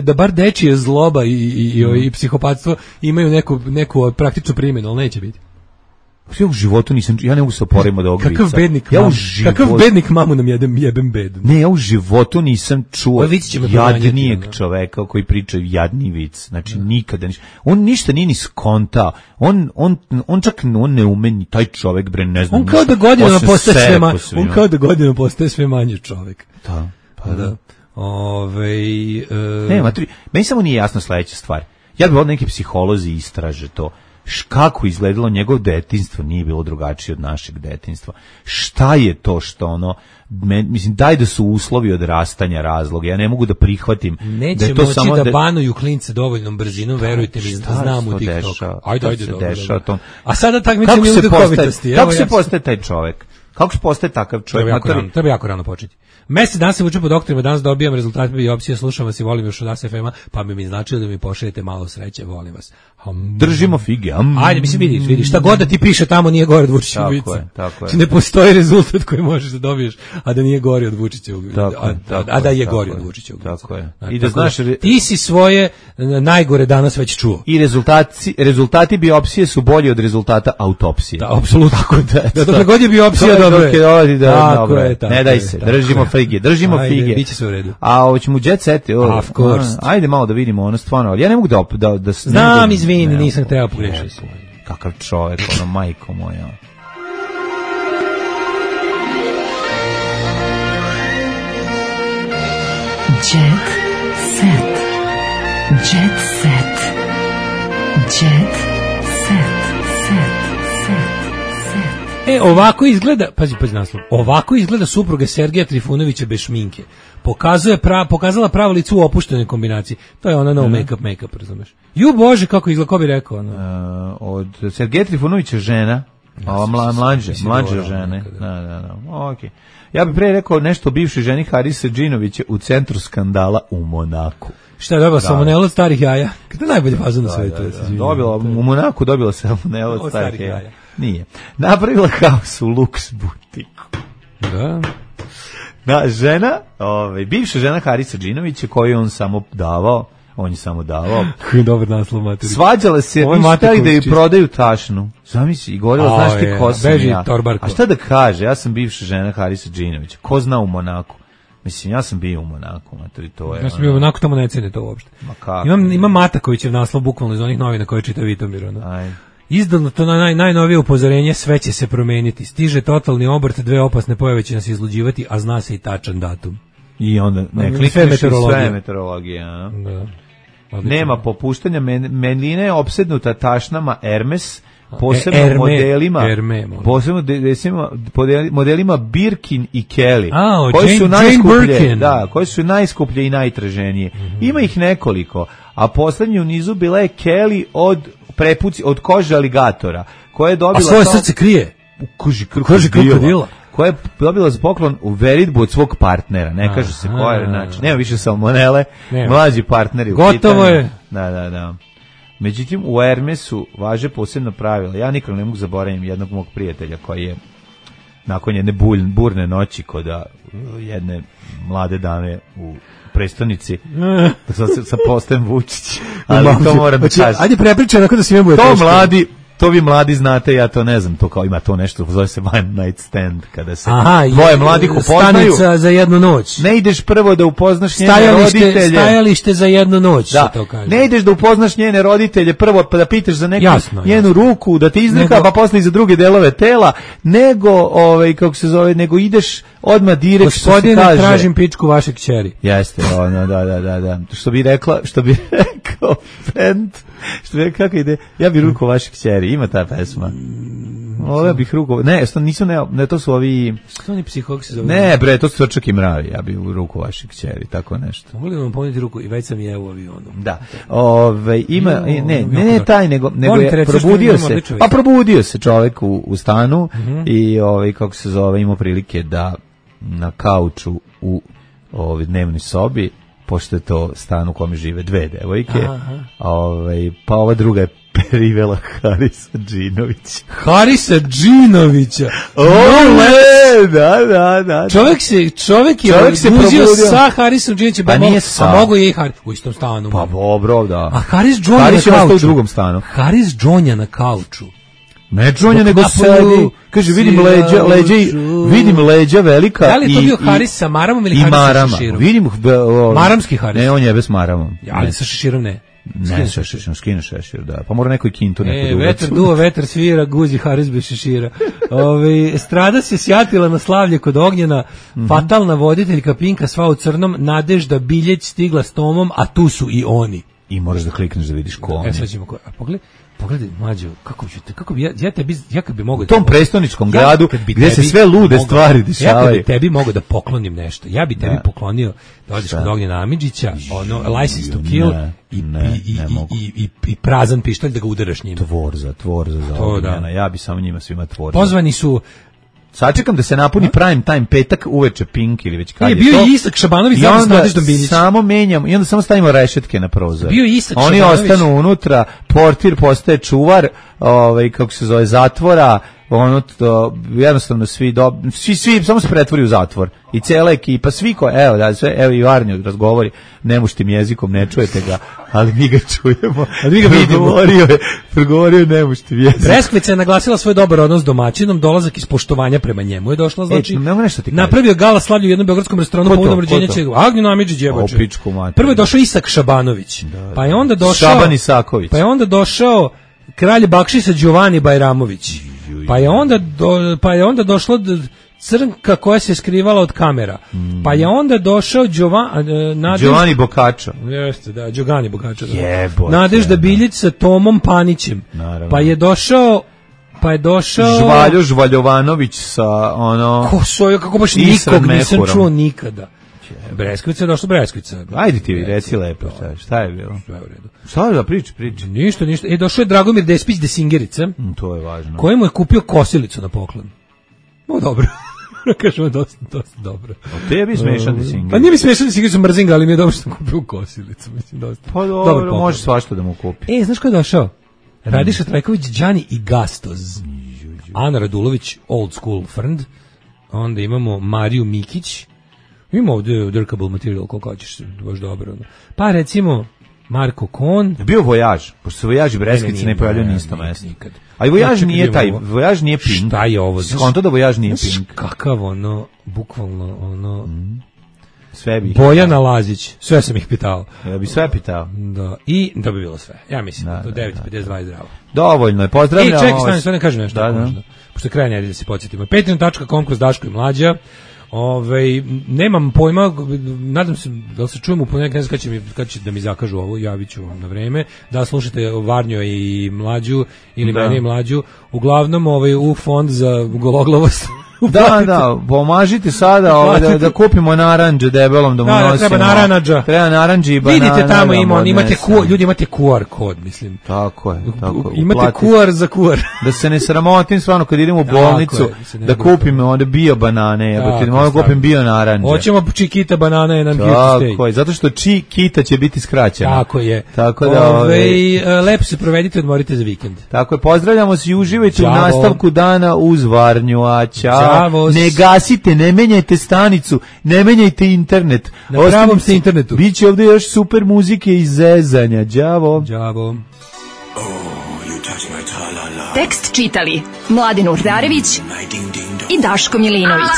Da bar dečije zloba i psihopatstvo imaju neku praktičnu primjenu, ali neće biti. Ja u životu ja ne mogu se oporaviti od ovog vica. Kakav bednik mamu nam jebem bedu. Ne, ja u životu nisam čuo jadnijeg čoveka koji priča jadni vic. Znači, nikada ništa. On ništa nije ni skontao. On čak ne ume ni taj čovek, bre, ne znam. On kao da godinama postaje sve manje čovek. Da, pa da. Ne, meni samo nije jasna sledeća stvar. Ja bih od neki psiholozi istraže to. Kako izgledalo njegovo detinjstvo nije bilo drugačije od našeg detinjstva. Šta je to što ono, mislim, daj da su uslovi odrastanja razloga, ja ne mogu da prihvatim. Neće da je to moći samo da banuju klince dovoljnom brzinom, verujte mi, znam u TikToku. Ajde, dobro. A sada takmičenje u duhovitosti. Kako se postaje taj čovjek? Kako se postaje takav čovjek? Treba jako rano početi. Mesec dan se vučem po doktorima, danas dobijam rezultate biopsije, slušam vas i volim još od ASFM-a, pa bi mi značilo da mi pošaljete malo sreće, volim vas. Držimo fige. Ajde, mislim, vidi, šta god da ti piše tamo nije gore od Vučićevog vica. Tako je. Ne postoji rezultat koji možeš da dobiješ, a da nije gori od Vučićevog vica. A da je gori od Vučićevog vica. Tako je. I da znaš, ti si svoje najgore danas već čuo. I rezultati biopsije su bolji od rezultata autopsije. Da, apsolutno. Da dokle god je biopsija dobro. Ne daj se, držimo fige. Ajde, biće sve u redu. A hoćemo jet set. Of course. Ajde malo da vidimo ono stvarno, ali ja ne mogu da znam, izvini, nisam trebao pogrešiti. Kakav čovjek, ono, majko moja. Jet set. Jet set. Jet set. Ovako izgleda, pazi naslov. Ovako izgleda supruga Sergeja Trifunovića bez šminke. Pokazala pravo lice u opuštenoj kombinaciji. To je ona no make-up, razumeš. Ju bože, kako izgleda, ko bi rekao ono. Od Sergeja Trifunovića žena, mlađe žene. Da. Okej. Ja bih pre rekao nešto o bivšoj ženi Harisa Džinovića u centru skandala u Monaku. Šta je dobila salmonelu od starih jaja? Kada je najbolje faza na svetu? U Monaku dobila salmonelu od starih jaja. Nije. Napravila haos u luks butiku. Da, žena, bivša žena Harisa Džinovića koju on samo davao. Dobar naslov, materi. Svađala se, htjeli da ju prodaju tašnu. Zamisli, i govorila, znaš ti ko sam ja. A šta da kaže, ja sam bivša žena Harisa Džinovića. Ko zna u Monaku? Mislim, ja sam bio u Monaku, materi, to je... Ja sam bio u Monaku, tamo ne cene to uopšte. Ima Matakovićev naslov, bukvalno iz onih novina koje čita Vitomir. Izdano to najnovije upozorenje, sve će se promeniti. Stiže totalni obrt, 2 opasne pojave će nas izluđivati, a zna se i tačan datum. I onda ne klikneš sve meteorologija. Da. Nema popuštanja, Melina je opsednuta tašnama Hermes posebno modelima Birkin i Kelly, koji su najskuplje, koji su najskuplje i najtraženije. Ima ih nekoliko, a poslednji u nizu bila je Kelly od kože aligatora, koja je dobila... A svoje srce krije? U koži krokodila. Koja je dobila za poklon u veritbu od svog partnera. Ne kaže se koja je, znači, nema više salmonele, mlađi partneri. Gotovo je. Da. Međutim, u Hermesu važe posebno pravila. Ja nikad ne mogu zaboraviti jednog mog prijatelja koji je nakon jedne burne noći kod jedne mlade dame u prestonici sa postajem Vučić. Ali to moram da kažem. Ajde prepričaj onako da svima bude teško. To vi mladi znate, ja to ne znam, to kao ima to nešto, zove se one night stand, kada se dvoje mladih upoznaju. Stanica za jednu noć. Ne ideš prvo da upoznaš njene roditelje. Stajalište za jednu noć, da. To kaže. Ne ideš da upoznaš njene roditelje, prvo pa da pitaš za neku njenu ruku, da ti izdrka, pa posle i za druge delove tela, nego ideš odmah direkt, što se kaže. Gospodine, tražim pičku vaše kćeri. Jeste, da. Što bi rekao friend, kako ide, ja bi ruku vaše kćeri, ima ta pesma. Ovo bih ruku, ne, to su ovi... Što oni psihologi se zove? Ne, bre, to su Svrčak i Mravi, ja bi ruku vaše kćeri, tako nešto. Mogli vam poneti ruku i već sam je u avionu. Da, ne taj, nego je probudio se, pa probudio se čovek u stanu i kako se zove, imao prilike da na kauču u dnevnoj sobi, pošto je to stan u kome žive dve devojke, pa ova druga je privela Harisa Džinovića. Harisa Džinovića? Da. Čovek je uzio sa Harisom Džinovićem, a mogo je i Haris u istom stanu. Pa dobro, da. A Haris džonja na kauču. U drugom stanu. Haris džonja na kauču. Ne džonja, nego sedi. Kaže, vidim leđa velika. Da li je to bio Haris sa maramom ili Haris sa šeširom? Vidim maramski Haris. Ne, on je bez maramom. Ali sa šeširom ne. Ne, skine šešir, da. Pa mora neko i kintu neko da uvecu. Vetar duva, vetar svira, guzi Haris bez šešira. Strada se sjatila na slavlje kod Ognjena, fatalna voditeljka Pinka sva u crnom, Nadežda Biljeć stigla s Tomom, a tu su i oni. I moraš da klikneš da vidiš ko oni. Sad ćemo pogledaj, mlađo, kako bi ja kad bi mogao... U tom prestoničkom gradu, gde se sve lude stvari dešavaju. Ja kad bi tebi mogao da poklonim nešto, ja bi tebi poklonio da odeš kod Ognjena Amidžića, License to Kill i prazan pištolj da ga udaraš njima. Tvorza za Ognjena, ja bi samo njima svima tvorza. Pozvani su... Sačekam da se napuni prime time petak uveče Pink ili već kad je to. Bio je Isak Šabanović zajedno s Nadeždom Biljić. Samo menjam i onda samo stavimo rešetke na prozor. Bio je Isak Oni Šabanović. ostanu unutra, portir postaje čuvar, kako se zove, zatvora, jednostavno svi samo se pretvori u zatvor. I cela ekipa, svi evo i Varnju razgovori nemuštim jezikom, ne čujete ga, ali mi ga čujemo. Ali mi ga vidimo. Progovorio nemuštim jezikom. Breskvica je naglasila svoj dobar odnos s domaćinom, dolazak iz poštovanja prema njemu je došla, znači napravio gala slavlju u jednom beogradskom restoranu povodom rođenja Ognjena Amidžić jeboče. Prvo je došao Isak Šabanović, pa je onda došao Šaban Isaković, pa je onda došao kralj Bakšisa Đovani Bajramović, pa je onda došlo crnka koja se skrivala od kamera. Pa je onda došao Giovanni Boccaccio. Jeste, da, Giovanni Boccaccio. Nadežda Biljić sa Tomom Panićem. Naravno. Pa je došao Žvaljo Žvaljovanović sa kako baš nikog nisam čuo nikada. Breskvica je došla Breskvica. Ajde ti reci lepo, šta je bilo? Sve u redu. Šta da priči? Ništa. Došao je Dragomir Despić Desingerica. To je važno. Kojemu je kupio kosilicu na poklon. Dobro. Kažemo dosta dobro. A tebi smešan Desingerica? Pa nije mi smešan Desingerica, mrzim ga, ali mi je dobro što sam kupio kosilicu. Mislim, dosta. Pa dobro, može svašta da mu kupi. Znaš ko je došao? Radiša Trajković, Đani i Gastoz. Ana Radulović, old school friend. Onda imamo Mariju Mikić. Ima ovdje drkable material, koliko hoćeš, baš dobro. Pa recimo Marko Kon. Bio Vojaž, pošto se Vojaž i Breskvice ne pojavljaju na isto mesto. A i Vojaž nije taj, Vojaž nije Pink. Šta je ovo? Skonto da Vojaž nije Pink. Kakav bukvalno sve bi Bojana Lazić, sve sam ih pitao. Ja bi sve pitao. Da, i da bi bilo sve. Ja mislim da 9:52 je zdravo. Dovoljno je, pozdravljamo. Čekaj, stani, kažem nešto. Pošto je kraj nedelje da se podsjetimo. Patreon.com/Daško i Mlađa. Nemam pojma, nadam se da se čujemo u ponedeljak, ne znam kad će da mi zakažu ovo, javit ću vam na vreme, da slušate Varnjo i Mlađu ili mene i Mlađu, uglavnom u fond za gologlavost. Da, pomažite sada da kupimo naranđe debelom da mu nosimo. Treba naranđa. Treba naranđe i banane. Vidite tamo ljudi imate QR kod, mislim. Tako je. Imate QR za QR. Da se ne sramotim stvarno kad idemo u bolnicu da kupimo onda bio banane, da kupim bio naranđe. Hoćemo Chiquita banane and here to stay. Tako je, zato što Chiquita će biti skraćena. Tako je. Tako da lepo se provedite, odmorite za vikend. Tako je, pozdravljamo se i uživajte u nastavku dana uz Varnju, a ćao. Ne gasite, ne menjajte stanicu, ne menjajte internet. Na pravom se internetu. Biće ovdje još super muzike i zezanja. Đavo. Tekst čitali Mladin Urdarević i Daško Milinović.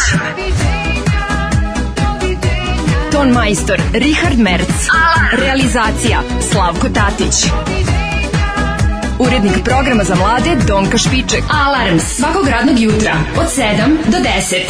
Ton majstor Richard Merc. Realizacija Slavko Tatić. Urednik programa za mlade Donka Špiček. Alarms svakog radnog jutra od 7 do 10.